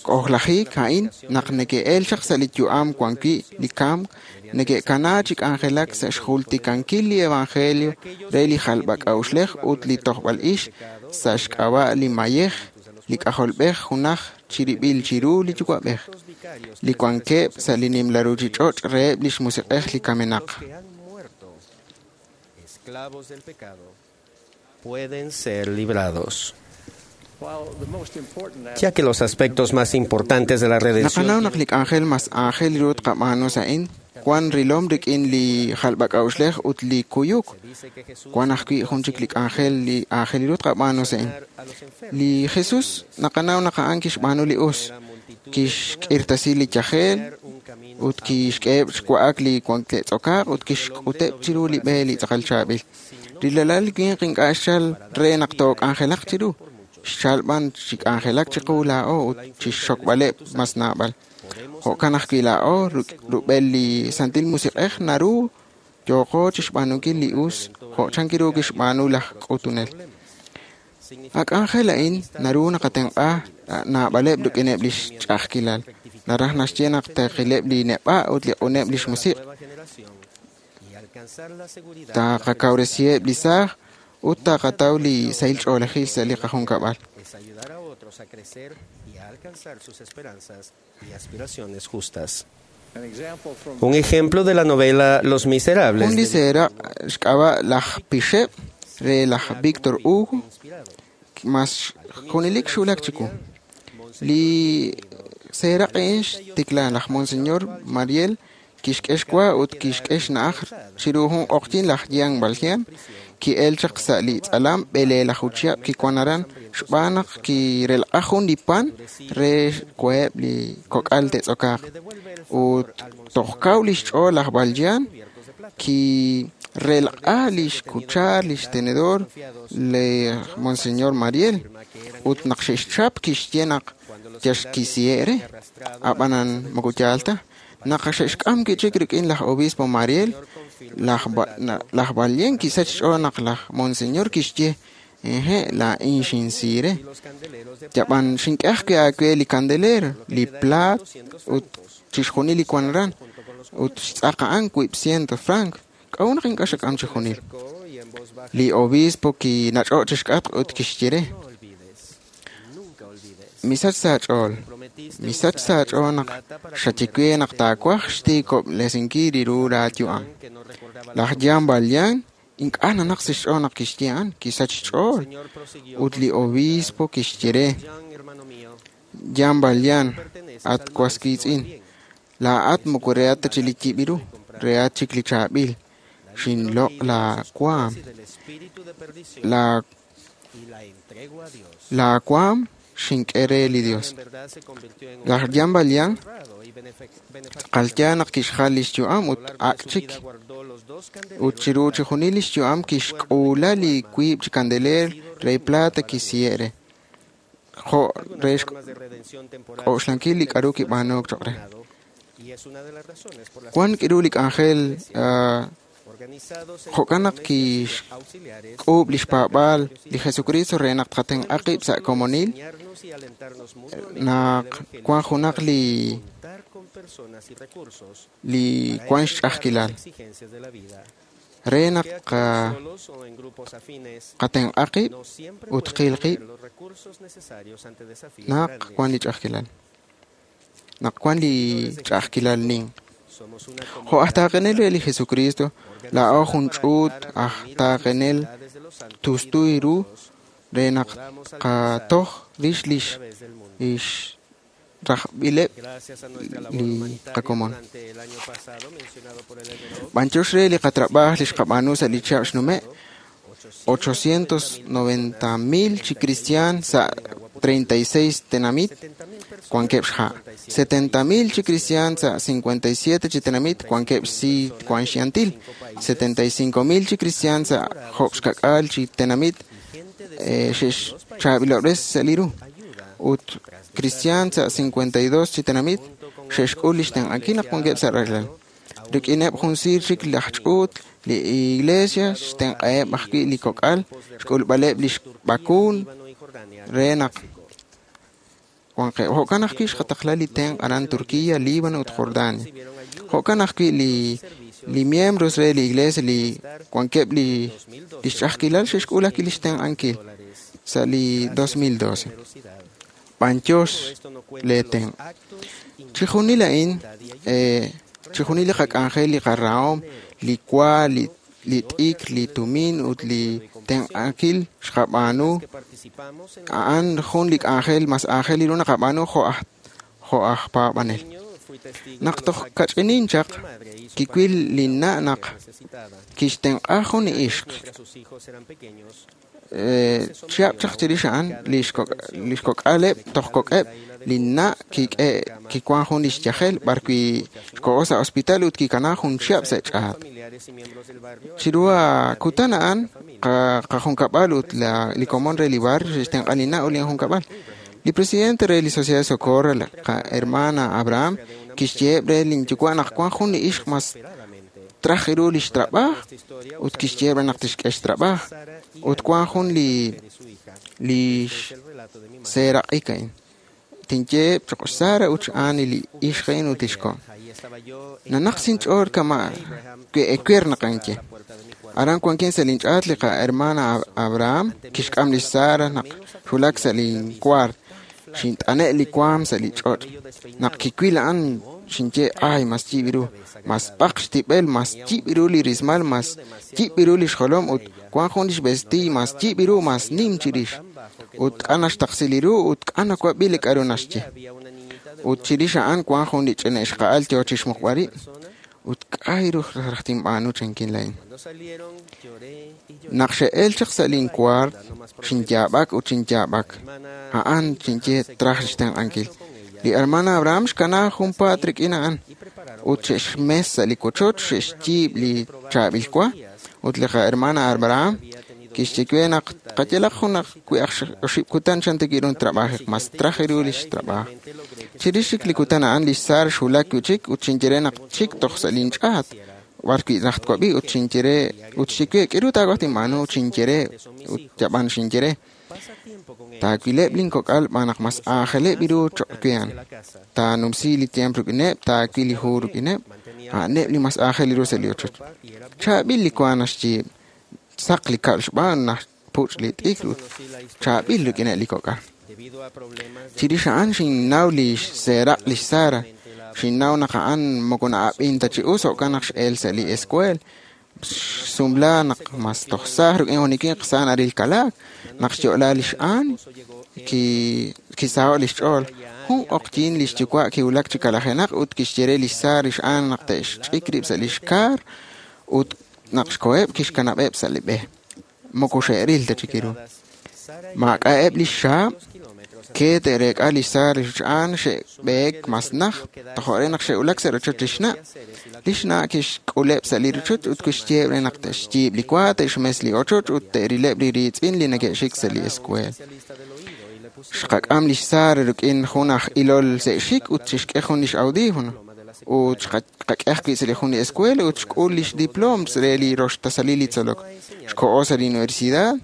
k'ojlajik a'in naq neke'el chaq sa' li yu'am wan wi' li kamk, neke'kana chi k'anjelak sa' xjultikankil li evangelio re li jalb'ak'a'uxlej ut li tojb'al ix sa' xk'ab'a' li mayej, li k'ajolb'ej junaj chirib'il chiru li yuwa'b'ej, li wankeb' sa' li nimla ruchich'och' reheb' lix musiq'ej li kamenaq. Pueden ser librados. Ya que los aspectos más importantes de la redención. Naqanaw naq li k'anjel mas aajel ru tqab'aanu sa'in wan rilom rik'in li jalb'ak'a'uxlej ut li kuyuk. Wan ajwi' jun chik li k'anjel li aajel ru tqab'aanu sa'in. Li Jesús naqanaw naq a'an kixb'aanu li us, kixk'irtasi li yajel ut kixk'eheb' xwa'ak li wanke'tz'okaaq ut kixk'uteb' chiru li b'e li tz'aqal chaab'il. Li lalal winq ink'a' xchal re naq took'anjelaq chiru, xchal b'an chi k'anjelak chiqu laa'o ut chixxokb'aleb' mas naab'al. Jo'kan ajwi' laa'o rub'el li Santil Musiq'ej naru yooqo chixb'aanunkil li us jo' chankiru kixb'aanu laj k'utunel. A k'anjel a'in naru naqatenq'a naab'aleb' rik'ineb' lix ch'a'ajkilal. Naraj naxye naq taqileb' li neb'a' ut li q'uneb' lix musiq'. Taqakawresiheb' li saaj ut taqataw li sahil ch'oolejil sa' li qajunkab'al. Un ejemplo de la novela Los Miserables. Jun li seeraq' xk'ab'a' laj Pixeb' re laj Victor Hugo mas junelik xwulak chiwu. Li seeraq' a'in xtikla laj Monseñor Mariel kixk'e xwa ut kixk'e xna'aj chiru jun q'oqyink laj Jean Valjean ki'el chaq sa' li tz'alam b'eleelaju chihab' kiwan aran xb'aan naq kirelq'aj jun li pan re xwaheb' li kok'al te'tz'okaaq. Ut toj kaw li xch'ool laj Valjean kirelq'aj li xkuchar li xtenedor li Monseñor Mariel ut naq xe'xchap kixye naq yaxkisihe' re. Ab'anan moko yaal ta. Naq xe'xk'am kichik rik'in laj obispo Mariel, laj Valjean kisach xch'ool naq laj Monseñor kixye eje' laa'in xinsi re. Yab'an xink'e ajwi' aawe li candelero, li plaat ut chixjunil li wan aran ut xtz'aq a'an 200 franc. K'a'ut naq ink'a' xak'am chixjunil? Li obispo kinach'o' chixk'atq ut kixye re: Misach sa' aach'ool, misach sa' aach'ool naq xaye we naq taawaj xtiikob'resinkil ru laayu'am. Laj Jean Valjean ink'a' nanaq sa' xch'ool naq kixye a'an, kisach xch'ool. Ut li obispo kixye re: Jean Valjean, at was wiitz'in, laa'at moko rehat ta chik li yib' ru, rehat chik li chaab'il. Xinloq' laawaam. Laawaam xink'e re li Dios. Laj Jean Valjean tz'aqal yaal naq kixjal li xyu'am ut ak' chik. Ut chiru chixjunil li xyu'am kixk'uula li wiib' chi kandeleer re plata kisihe' re. Jo' re xk'oxlankil li k'a'ru kib'aanuuk choq' re. Wan k'iru li k'anjel jo'kan naq kixk'uub' li xpaab'aal li Jesucristo re naq tqatenq'a qib' sa' komonil naq wan junaq li wan xch'a'ajkilal re naq qatenq'a qib' ut qil qib' naq wan li ch'a'ajkilal. Naq wan li ch'a'ajkilal nin. Jo' aj taaqenel re li Jesucristo, laa'o jun ch'uut aj taaqenel tustu ru re naq qatoj rix lix rajb'ileb' li qakomon. B'anyox re li qatrab'aaj li xqab'aanu sa' li chihab' xnume' 890,000 chi cristian sa' 36 tenamit wankeb' xha'. 70,000 chi cristian sa' 57 chi tenamit wankeb' xsi wan xyantil. 75,000 chi cristian sa' job' xka'k'aal chi tenamit xe'xchaab'ilob'res sa' li ru. Ut cristian sa' 52 chi tenamit xe'xk'ul li xtenq'ankil naq wankeb' sa' rajlal. Rik'ineb' jun siir chik laj ch'uut li iglesia xtenq'aheb' ajwi' li kok'al xk'ulb'aleb' li xb'akuun re naq wanqeb'. Jo'kan ajwi' xqataqla li tenq' aran Turquía, Líbano ut Jordania. Jo'kan ajwi' li miembros re li iglesia li wankeb' li xch'a'ajkilal xe'xk'ul ajwi' li xtenq'ankil sa' li 2012. B'anyox lee tenq'. Chixjunil a'in chixjunil li qak'anjel, li qarahom, li wa, li t'ikr, li tumin ut li tenq'ankil xqab'aanu a'an jun li k'anjel mas aajel ru naqab'aanu jo' aj paab'anel. Naq toj kach'inin chaq kiwil linna' naq kixtenq'a jun li ixq. Chihab' chaq chirix a'an li xkok'aleb' toj kok'eb' linna' kiwan jun li xyajel b'arwi' xko'o sa' hospital ut kikana jun chihab' sa' ch'aat. Chiru kutan a'an qajunkab'al ut li komon re li barrio xe'xtenq'a linna' ut linjunkab'al. Li presidente re li Sociedad de Socorro, la hermana Abraham, kixyeheb' re linyuwa' naq wan jun li ixq mas traj ru li xtrab'aaj ut kixyeheb' re naq tixk'e xtrab'aaj ut wan jun li seeraq'ik a'in. Tinyeheb' choq' Sara ut x'Ani li ixq a'in ut lix ko'. Nanaq sinch'ool kama' ewer naq anye. Aran wankin sa' linch'aat li qahermana Abraham kixk'am lix Sara naq xwulak sa' linkuart. Xint'ane' li waam sa' li ch'och'. Naq kiwil a'an xinye ay mas yib' ru, mas b'aq xtib'el, mas yib' ru li rismal, mas yib' ru li xjolom ut wan jun lix vestiiy mas yib' ru, mas nim chirix. Ut k'a naxtaqsi li ru ut k'a nawab'i li k'a'ru naxye. Ut chirix a'an wan jun li ch'ina ixqa'al yoo chixmuqb'al rib'. Ut k'a' ru raj tinb'aanu chankin laa'in. Naq xe'el chaq sa' linkuart, xinyaab'ak ut xinyaab'ak. A'an xinye traj xtenq'ankil. Li hermana Abraham xkana junpaat rik'in a'an. Ut xe'xmes sa' li wochoch, xe'xyiib' li chaab'il wa. Ut li qahermana Abraham kixye we naq qayalaq jun ajwi' oxib' kutan chan tikirun trabajiq, mas traj ru lix trabaaj. Chirix chik li kutan a'an lix Sara xwulak wi' chik ut xinye re naq chik toj sa' linch'aat. B'ar wi' raj twab'i ut xinye re ut xye we k'aru taawaj tinb'aanu ut xinye re ut yab'an xinye re. Taawileb' linkok'al b'an naq mas aajeleb' ru cho'q we a'an. Taanumsi li tiempo rik'ineb', taawil li hu rik'ineb', a'aneb' li mas aajel ru sa' li ochoch. Chaab'il li wa naxyiib', saq li kab'l xb'aan naxpuch' li t'ikr ut chaab'il rik'ineb' li kok'al. Chirix a'an xinnaw li xseeraq' lix Sara. Xinnaw naq a'an moko na'ab'in ta chi us jo'kan naq x'el sa' li escuela. Xsumla naq mas toj saaj rik'in jun li winq sa naril kalaak. Naq xyo'la lix Aan, kisaho' lix ch'ool. Jun q'oqyin lix yuwa' kiwulak chi kalajenaq ut kixye re lix Sara lix Aan naq te'xch'ik rib' sa' lix kaar ut naq xkoheb' kixkanab'eb' sa' li b'e. Moko xe'ril ta chik ru. Maak'a'eb' lix xaab', ke te'reek'a lix Sara lix Aan xe'b'eek mas naj, tojo' re naq xe'wulak sa' rochoch lix na'. Lix na' kixk'uleb' sa' li rochoch ut kixyeeb' re naq te'xyiib' li wa, te'xmes li ochoch ut te'rileb' li riitz'in li neke'xik sa' li escuela. Xqak'am lix Sara rik'in jun aj ilol se'xik ut xixk'e jun lix audífono. Ut xqak'e ajwi' sa' li jun li escuela ut xk'ul lix diploom re li roxtasalil li tzolok. Xko'o sa' li universidad,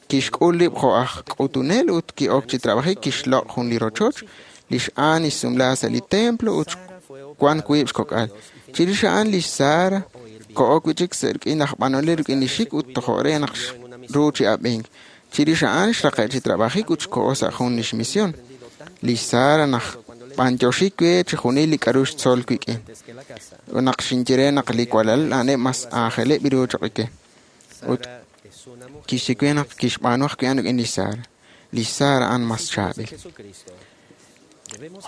kixk'ul rib' jo' aj k'utunel ut ki'ok chi trabajik kixloq' jun li rochoch, lix Aan xsumla sa' li templo ut wan wiib' xkok'al. Chirix a'an lix Sara ko'ok wi' chik sa' rik'in laj b'anonel rik'in li xik ut tojo' re naq ru chi ab'ink. Chirix a'an xraqe' chi trabajik ut xko'o sa' jun lix misión. Lix Sara naj b'antioxik we chixjunil li k'a'ru xtzol wik'in. Ut naq xinye re naq li walal a'aneb' mas aajeleb' ru cho'q ke. Ut kixye we naq kixb'aanu ajwi' a'an rik'in lix Sara. Lix Sara a'an mas chaab'il.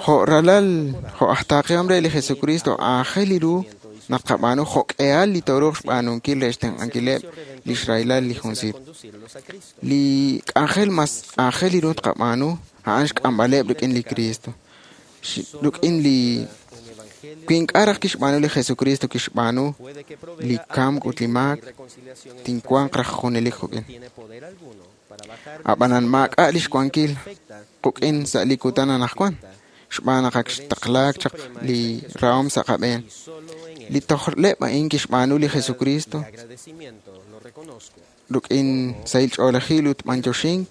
Jo' ralal, jo' aj taaqihom re li Jesucristo aajel ru naq qab'aanu jo'k'ehal li tooruuq xb'aanunkil re xtenq'ankileb' lix rahilal li junsiir. Li k'anjel mas aajel ru tqab'aanu a'an xk'amb'aleb' rik'in li Cristo. Rik'in li wi ink'a' raj kixb'aanu li Jesucristo kixb'aanu li kamk ut li maak, tinwanq raj junelik quk'in. Ab'anan maak'a' lix wankil quk'in sa' li kutan anaqwan, xb'aan naq ak xtaqlaak chaq li rahom sa' qab'een. Li tojleb' a'in kixb'aanu li Jesucristo rik'in sahil ch'oolejil ut b'antioxink,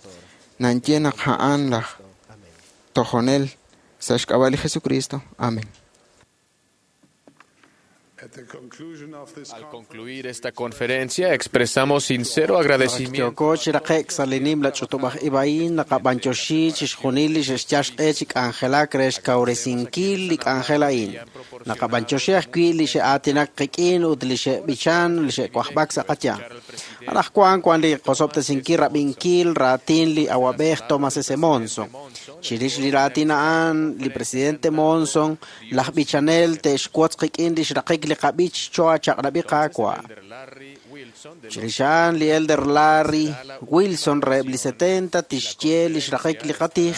nanye naq a'an laj tojonel sa' xk'ab'a' li Jesucristo. Amén. Al concluir esta conferencia, expresamos sincero agradecimiento. Yooko chi raqe'k sa' li nimla ch'utub'aj ib' a'in naqab'antioxi chixjunil li xe'xyal xq'e chi k'anjelak re xkawresinkil li k'anjel a'in. Naqab'antioxi ajwi' li xe'aatinak qik'in ut li xe'b'ichan, li xe'wajb'ak sa' qayanq. Anaqwan wan li qosob'tesinkil rab'inkil raatin li awab'ej Thomas S. Monson. Chirix li raatin a'an, li presidente Monson, laj b'ichanel te'xwotz qik'in li xraqik li qab'ich cho'a chaq'rab'i qaawa'. Chirix a'an li Elder Larry Wilson reheb' li 70 tixye li xraqik li qatij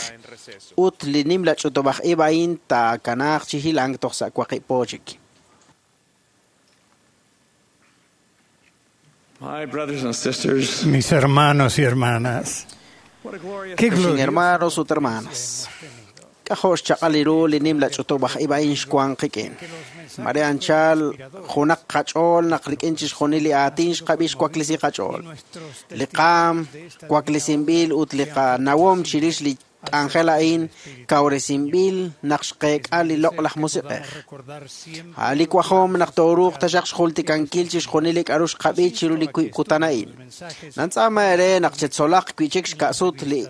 ut li nimla ch'utub'aj ib' a'in taakanaaq chi hilank toj sa' waqib' po chik. My brothers and sisters, Mis hermanos y hermanas, qué Sin glorioso hermanos ut hermanas. K'ajo' xchaq'al ru li nimla ch'utub'aj ib' a'in xwanq qik'in. Mare anchal junaq qach'ool naq rik'in chixjunil li aatin xqab'i xwaklisi qach'ool. Li qaam waklisinb'il ut li qanawom chirix li k'anjel a'in kawresinb'il naq xqeek'a li loq'laj musiq'ej. A'an li wajom naq tooruuq taxaq xjultikankil chixjunil li k'a'ru xqab'i chiru li wiib' kutan a'in. Nantz'aama eere naq chetzolaq wi'chik xka'sut li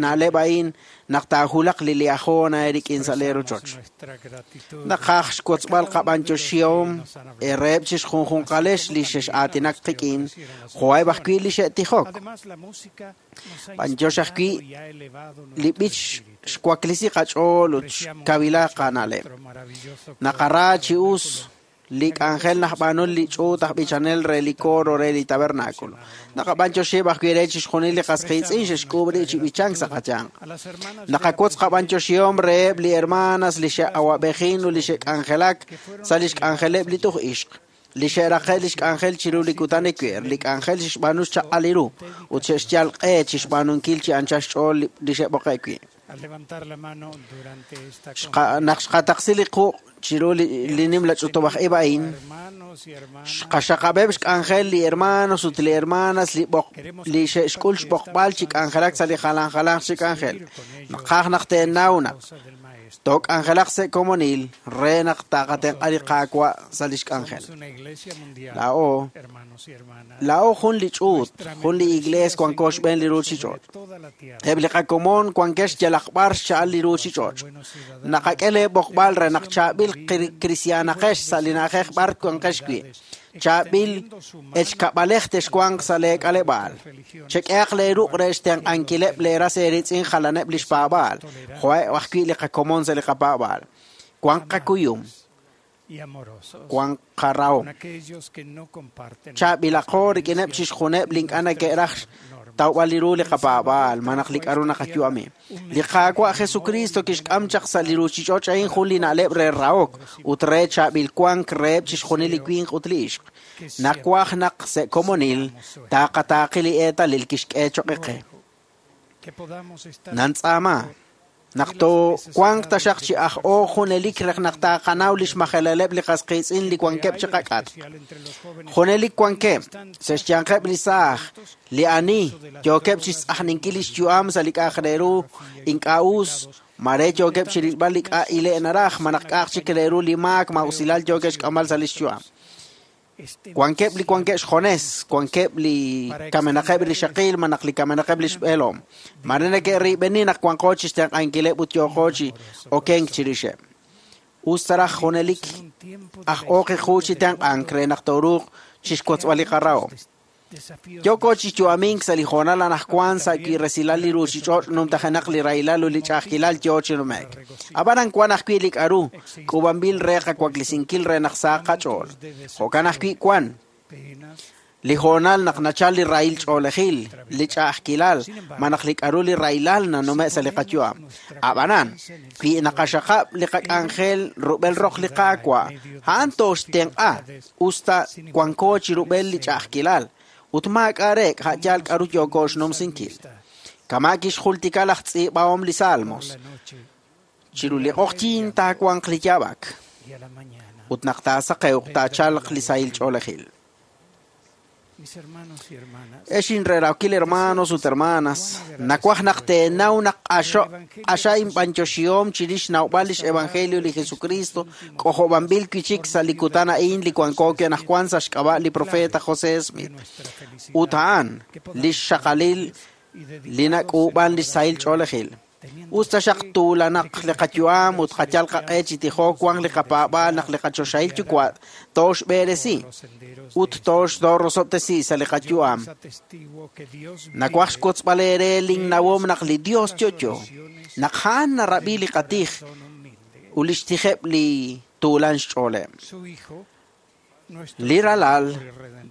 na'leb' a'in naq taahulaq li liahona eerik'in sa' lee rochoch. Naqaj xwotzb'al qab'antioxihom ereheb' chixjunjunqalex li xex'aatinak qik'in, jo'eb' ajwi' li xe'tijok. B'antiox ajwi' li b'ich xwaklisi qach'ool ut xkawila qana'leb'. Naqara chi us li k'anjel najb'aanu li ch'uut aj b'ichanel re li coro re li tabernáculo. Naqab'antioxiheb' ajwi' re chixjunil li qas qiitz'in xe'xk'uub' rib' chi b'ichank sa' qayanq. Naqawotz qab'antioxihom reheb' li hermanas li xe'awab'ejin ut li xe'k'anjelak sa' lix k'anjeleb' li tuj ixq, li xe'raqe' lix k'anjel chiru li kutan ewer, li k'anjel xe'xb'aanu xchaq'al li ru, ut xe'xyal q'e chixb'aanunkil chi anchal xch'ool li xe'b'oqe' wi'. Naq xqataqsi li quq' chiru li nimla ch'utub'aj ib' a'in, xqaxaqab'eb' xk'anjel li hermanos ut li hermanas li xe'xk'ul xb'oqb'al chi k'anjelak sa' li jalan jalanq chi k'anjel. Naqaj naq teenaw naq took'anjelaq sa' komonil re naq taqatenq'a li Qaawa' sa' lix k'anjel. Laa'o laa'o jun li ch'uut, jun li iglees wanko xb'een li ruuchich'och'. Eb' li qakomon wankex yalaq b'ar xcha'al li ruuchich'och'. Naqak'e lee b'oqb'al re naq chaab'il kristiaanaqex sa' li na'ajej b'ar wanqex wi'. Chaab'il echkab'alej texwanq sa' lee k'aleb'aal. Chek'ehaq lee ruq' re xtenq'ankileb' lee ras eeritz'in jalaneb' lix paab'aal, jo'eb' ajwi' li qakomon sa' li qapaab'aal. Wanq qakuyum, wanq qarahom. Chaab'ilaqo rik'ineb' chixjuneb' li ink'a' neke'raj tawb'al li ru li qapaab'aal, malaj li k'a'ru naqayu'ami. Li Qaawa' Jesucristo kixk'am chaq sa' li ruuchich'och' a'in jun li na'leb' re rahok ut re chaab'il wank reheb' chixjunil li winq ut li ixq. Nawaj naq sa' komonil taqataaqi li eetalil kixk'e choq' qe. Nantz'aama naq toowanq taxaq chi aj-o junelik re naq taqanaw lix majelaleb' li qas qiitz'in li wankeb' chi qak'atq. Junelik wankeb' sa' xyanqeb' li saaj, li ani yookeb' chixtz'ajninkil lix yu'am sa' li k'a'aq re ru ink'a' us, mare yookeb' chirilb'al li k'a' ile' naraj, malaj k'a'aq chik re ru li maak ma'usilal yookeb' xk'amb'al sa' lix yu'am. Wankeb' li wankeb' xjones, wankeb' li kamenaqeb' li xaqil, malaj li kamenaqeb' li xb'eelom. Mare neke'riib'eni naq wanqo chixtenq'ankileb' ut yooqo chi okenk chirixeb'. Us taraj junelik aj ooq qu chi tenq'ank re naq tooruuq chixwotzb'al li qarahom. Yooko chi yu'amink sa' li hoonal anaqwan sa' wi' resilal li ruuchich'och' numtajenaq li rahilal ut li ch'a'ajkilal yoo chi nume'k. Ab'anan wan ajwi' li k'a'ru k'uub'anb'il re qawaklesinkil re naq sahaq qach'ool. Jo'kan ajwi' wan li hoonal naq nachal li rahil ch'oolejil, li ch'a'ajkilal, malaj li k'a'ru li rahilal nanume' sa' li qayu'am. Ab'anan, wi naqaxaqab' li qak'anjel rub'el roq li Qaawa', a'an tooxtenq'a usta wanko chi rub'el li ch'a'ajkilal, ut maak'a' reek' a' yaal k'a'ru yooko xnumsinkil. Kama' kixjultika laj tz'iib'ahom li Salmos, chiru li q'oqyink taawanq li yaab'ak, ut naq taasaqewq taachalq li sahil ch'oolejil. Ex inrerawkil hermanos ut hermanas, nawaj naq teenaw naq q'axa inb'antioxihom chirix xnawb'al lix evangelio li Jesucristo k'ojob'anb'il wi'chik sa' li kutan a'in li wanko wi' anaqwan sa' xk'ab'a' li profeta José Smith. Ut a'an lix xaqalil li nak'uub'an lix sahil ch'oolejil. Us taxaq tuulanaq li qayu'am ut qayal qaq'e chi tijok wanq li qapaab'aal naq li qachoxahil yuwa' tooxb'eresi ut toorosob'tesi sa' li qayu'am. Nawaj xwotzb'al eere linnawom naq li Dios yo'yo, naq a'an narab'i li qatij ut lix tijeb' li tuulan xch'ooleb'. Li ralal,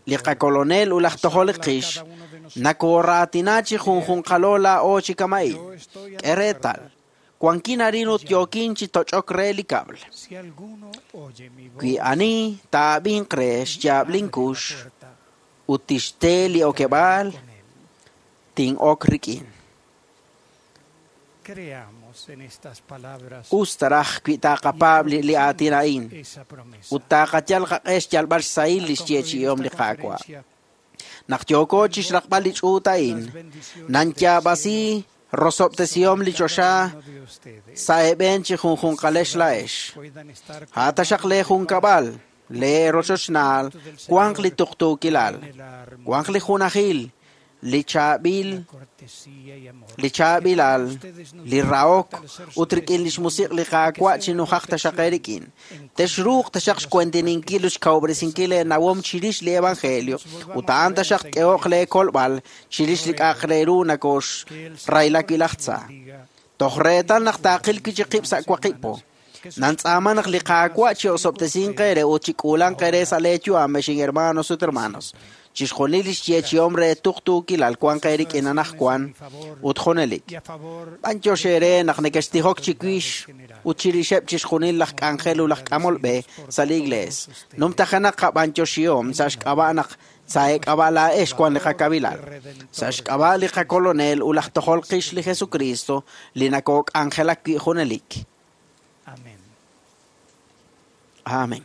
li qakolonel ut laj tojol qix, nakooraatina chi junjunqalo laa'o chi kama'in. K'e reetal, wankin arin ut yookin chi toch'ok re li kab'l. Wi ani taab'inq re xyaab' linkux ut tixte li okeb'aal, tin'ok rik'in. Us taraj wi taqapaab' li aatin a'in ut taqayal qaq'e xyalb'al xsahil li xyeechi'ihom li Qaawa'. Naq yooko chixraqb'al li ch'uut a'in, nanyaab'asi rosob'tesihom li choxa sa' eeb'een chi junjunqalex laa'ex. A' taxaq lee junkab'al, lee rochochnaal, wanq li tuqtuukilal, wanq li junajil, li chaab'il, li chaab'ilal, li rahok ut rik'in lix musiq' li Qaawa' chi nujaq taxaq eerik'in. Texruuq taxaq xkuentininkil ut xkawob'resinkil eenawom chirix li evangelio ut a'an taxaq k'ehoq lee kolb'al chirix li k'a'aq re ru nakoxrayla wi' laj tza. Toj reetal naq taaqil wi' chi qib' sa' waqib' po. Nantz'aama naq li Qaawa' chi osob'tesinq eere ut chi k'uulanq eere sa' lee yu'am, ex hermanos ut hermanos. Chixjunil lix yeechi'om re tuqtuukilal wanq eerik'in anaqwan ut junelik. B'antiox eere naq nekextijok chiwix ut chirixeb' chixjunil laj k'anjel ut laj k'amol b'e sa' li iglees. Numtajenaq qab'antioxihom sa' xk'ab'a' naq sa' eek'ab'a' laa'ex wan li qakabilal. Sa' xk'ab'a' li qakolonel ut laj tojol qix li Jesucristo li nakook'anjelak wi' junelik. Amén. Amén.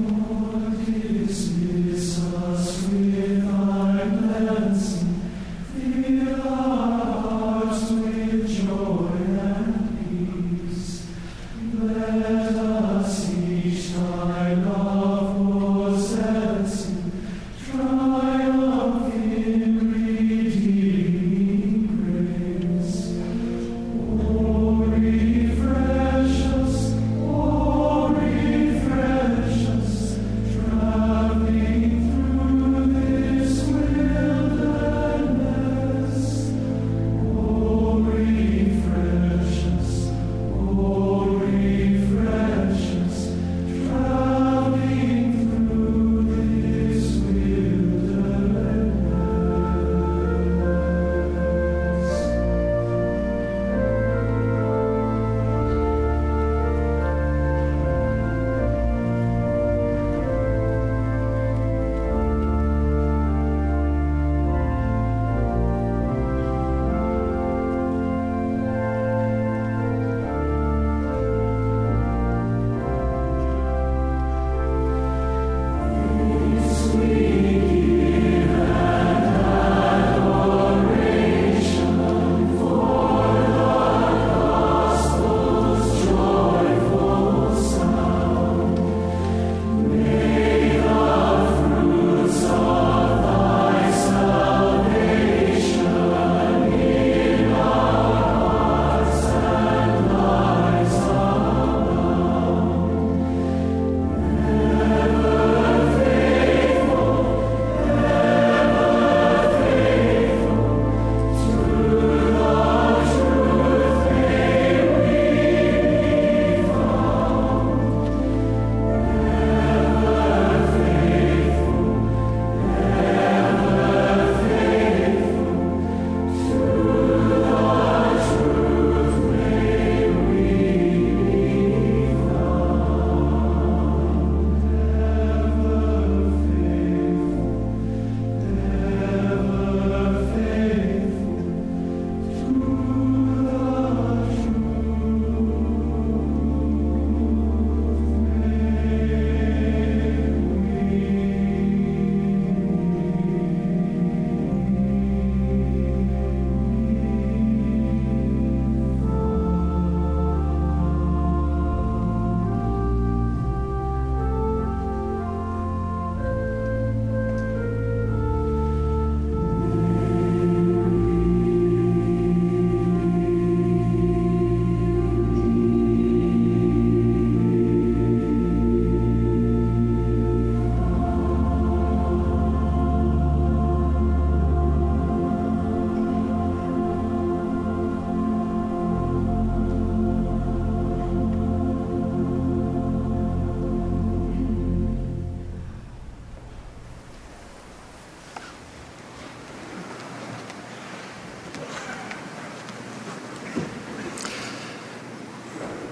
Lord, dismiss us with thy blessing, fill our hearts with joy and peace. Let us each thy love possessing, triumph in redeeming grace. O refresh us, O refresh us, traveling through this wilderness. O refresh us, O refresh us, traveling through this wilderness.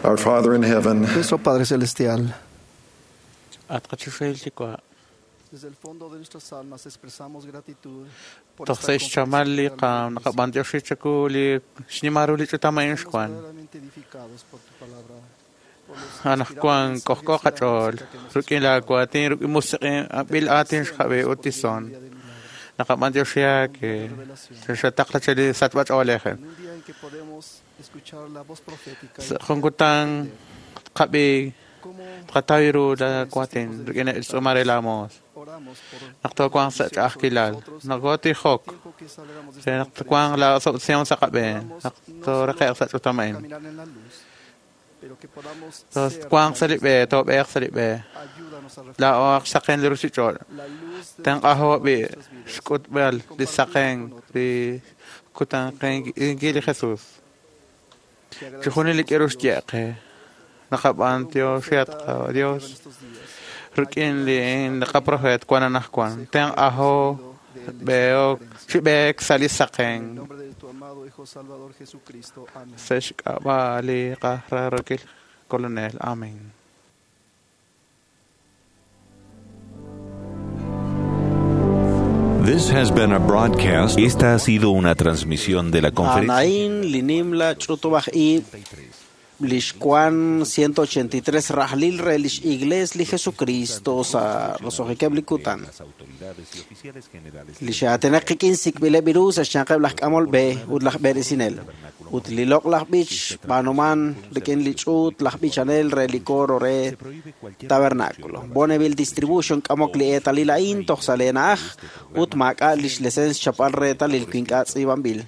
Our Father in heaven, Nuestro Padre Celestial, At qachoxahil Yuwa', Toj sa' xchamal li naqab'antioxi chaku li xnimal ru li ch'utam a'in xwan. Anaqwan k'ojk'o qach'ool rik'in la waatin rik'in musiq'in ab'il aatin xqab'i ut tison. Naqab'antioxihak xataqla che li sachb'ach'oolej. Sa' jun kutan tqab'i tqataw ru la waatin rik'in il-tz'uumal re la moos. Naq toowanq sa' ch'a'ajkilal, naqootijok re naq twanq la osob'tesihom sa' qab'een, naq tooraqe'q sa' ch'utam a'in. Twanq sa' li b'e, toob'eeq sa' li b'e. Laa'o xsaqen li ruuchich'och'. Tenq'ajo b'i' xk'utb'al li saqen li kutanqenkil li Jesús. Chixjunil li k'aru xye qe. Naqab'antioxihat Dios rik'in li qaprofeet wan anaqwan. Tenq'ajo b'eek chi b'eek sa' li saqen. Sa' xk'ab'a' li qararokil Kolonel. Amén. This has been a broadcast. Esta ha sido una transmisión de la conferencia. Anaín linimla ch'utub'aj ib' lix kwan 183 rajlil re lix iglees li Jesucristo sa' roso'jikeb' li kutan. Li xaatinaq qik'in sik'b'ileb' ru sa' xyanqeb' laj k'amol b'e ut laj b'eresinel. Ut li loq'laj b'ich b'aanuman rik'in li ch'uut laj b'ichanel re li coro re Tabernáculo. Bonneville Distribution k'amok li eetalil a'in toj sa' leena'aj ut maak'a' lix lesens chapal reetalil wi ink'a' tz'iib'anb'il.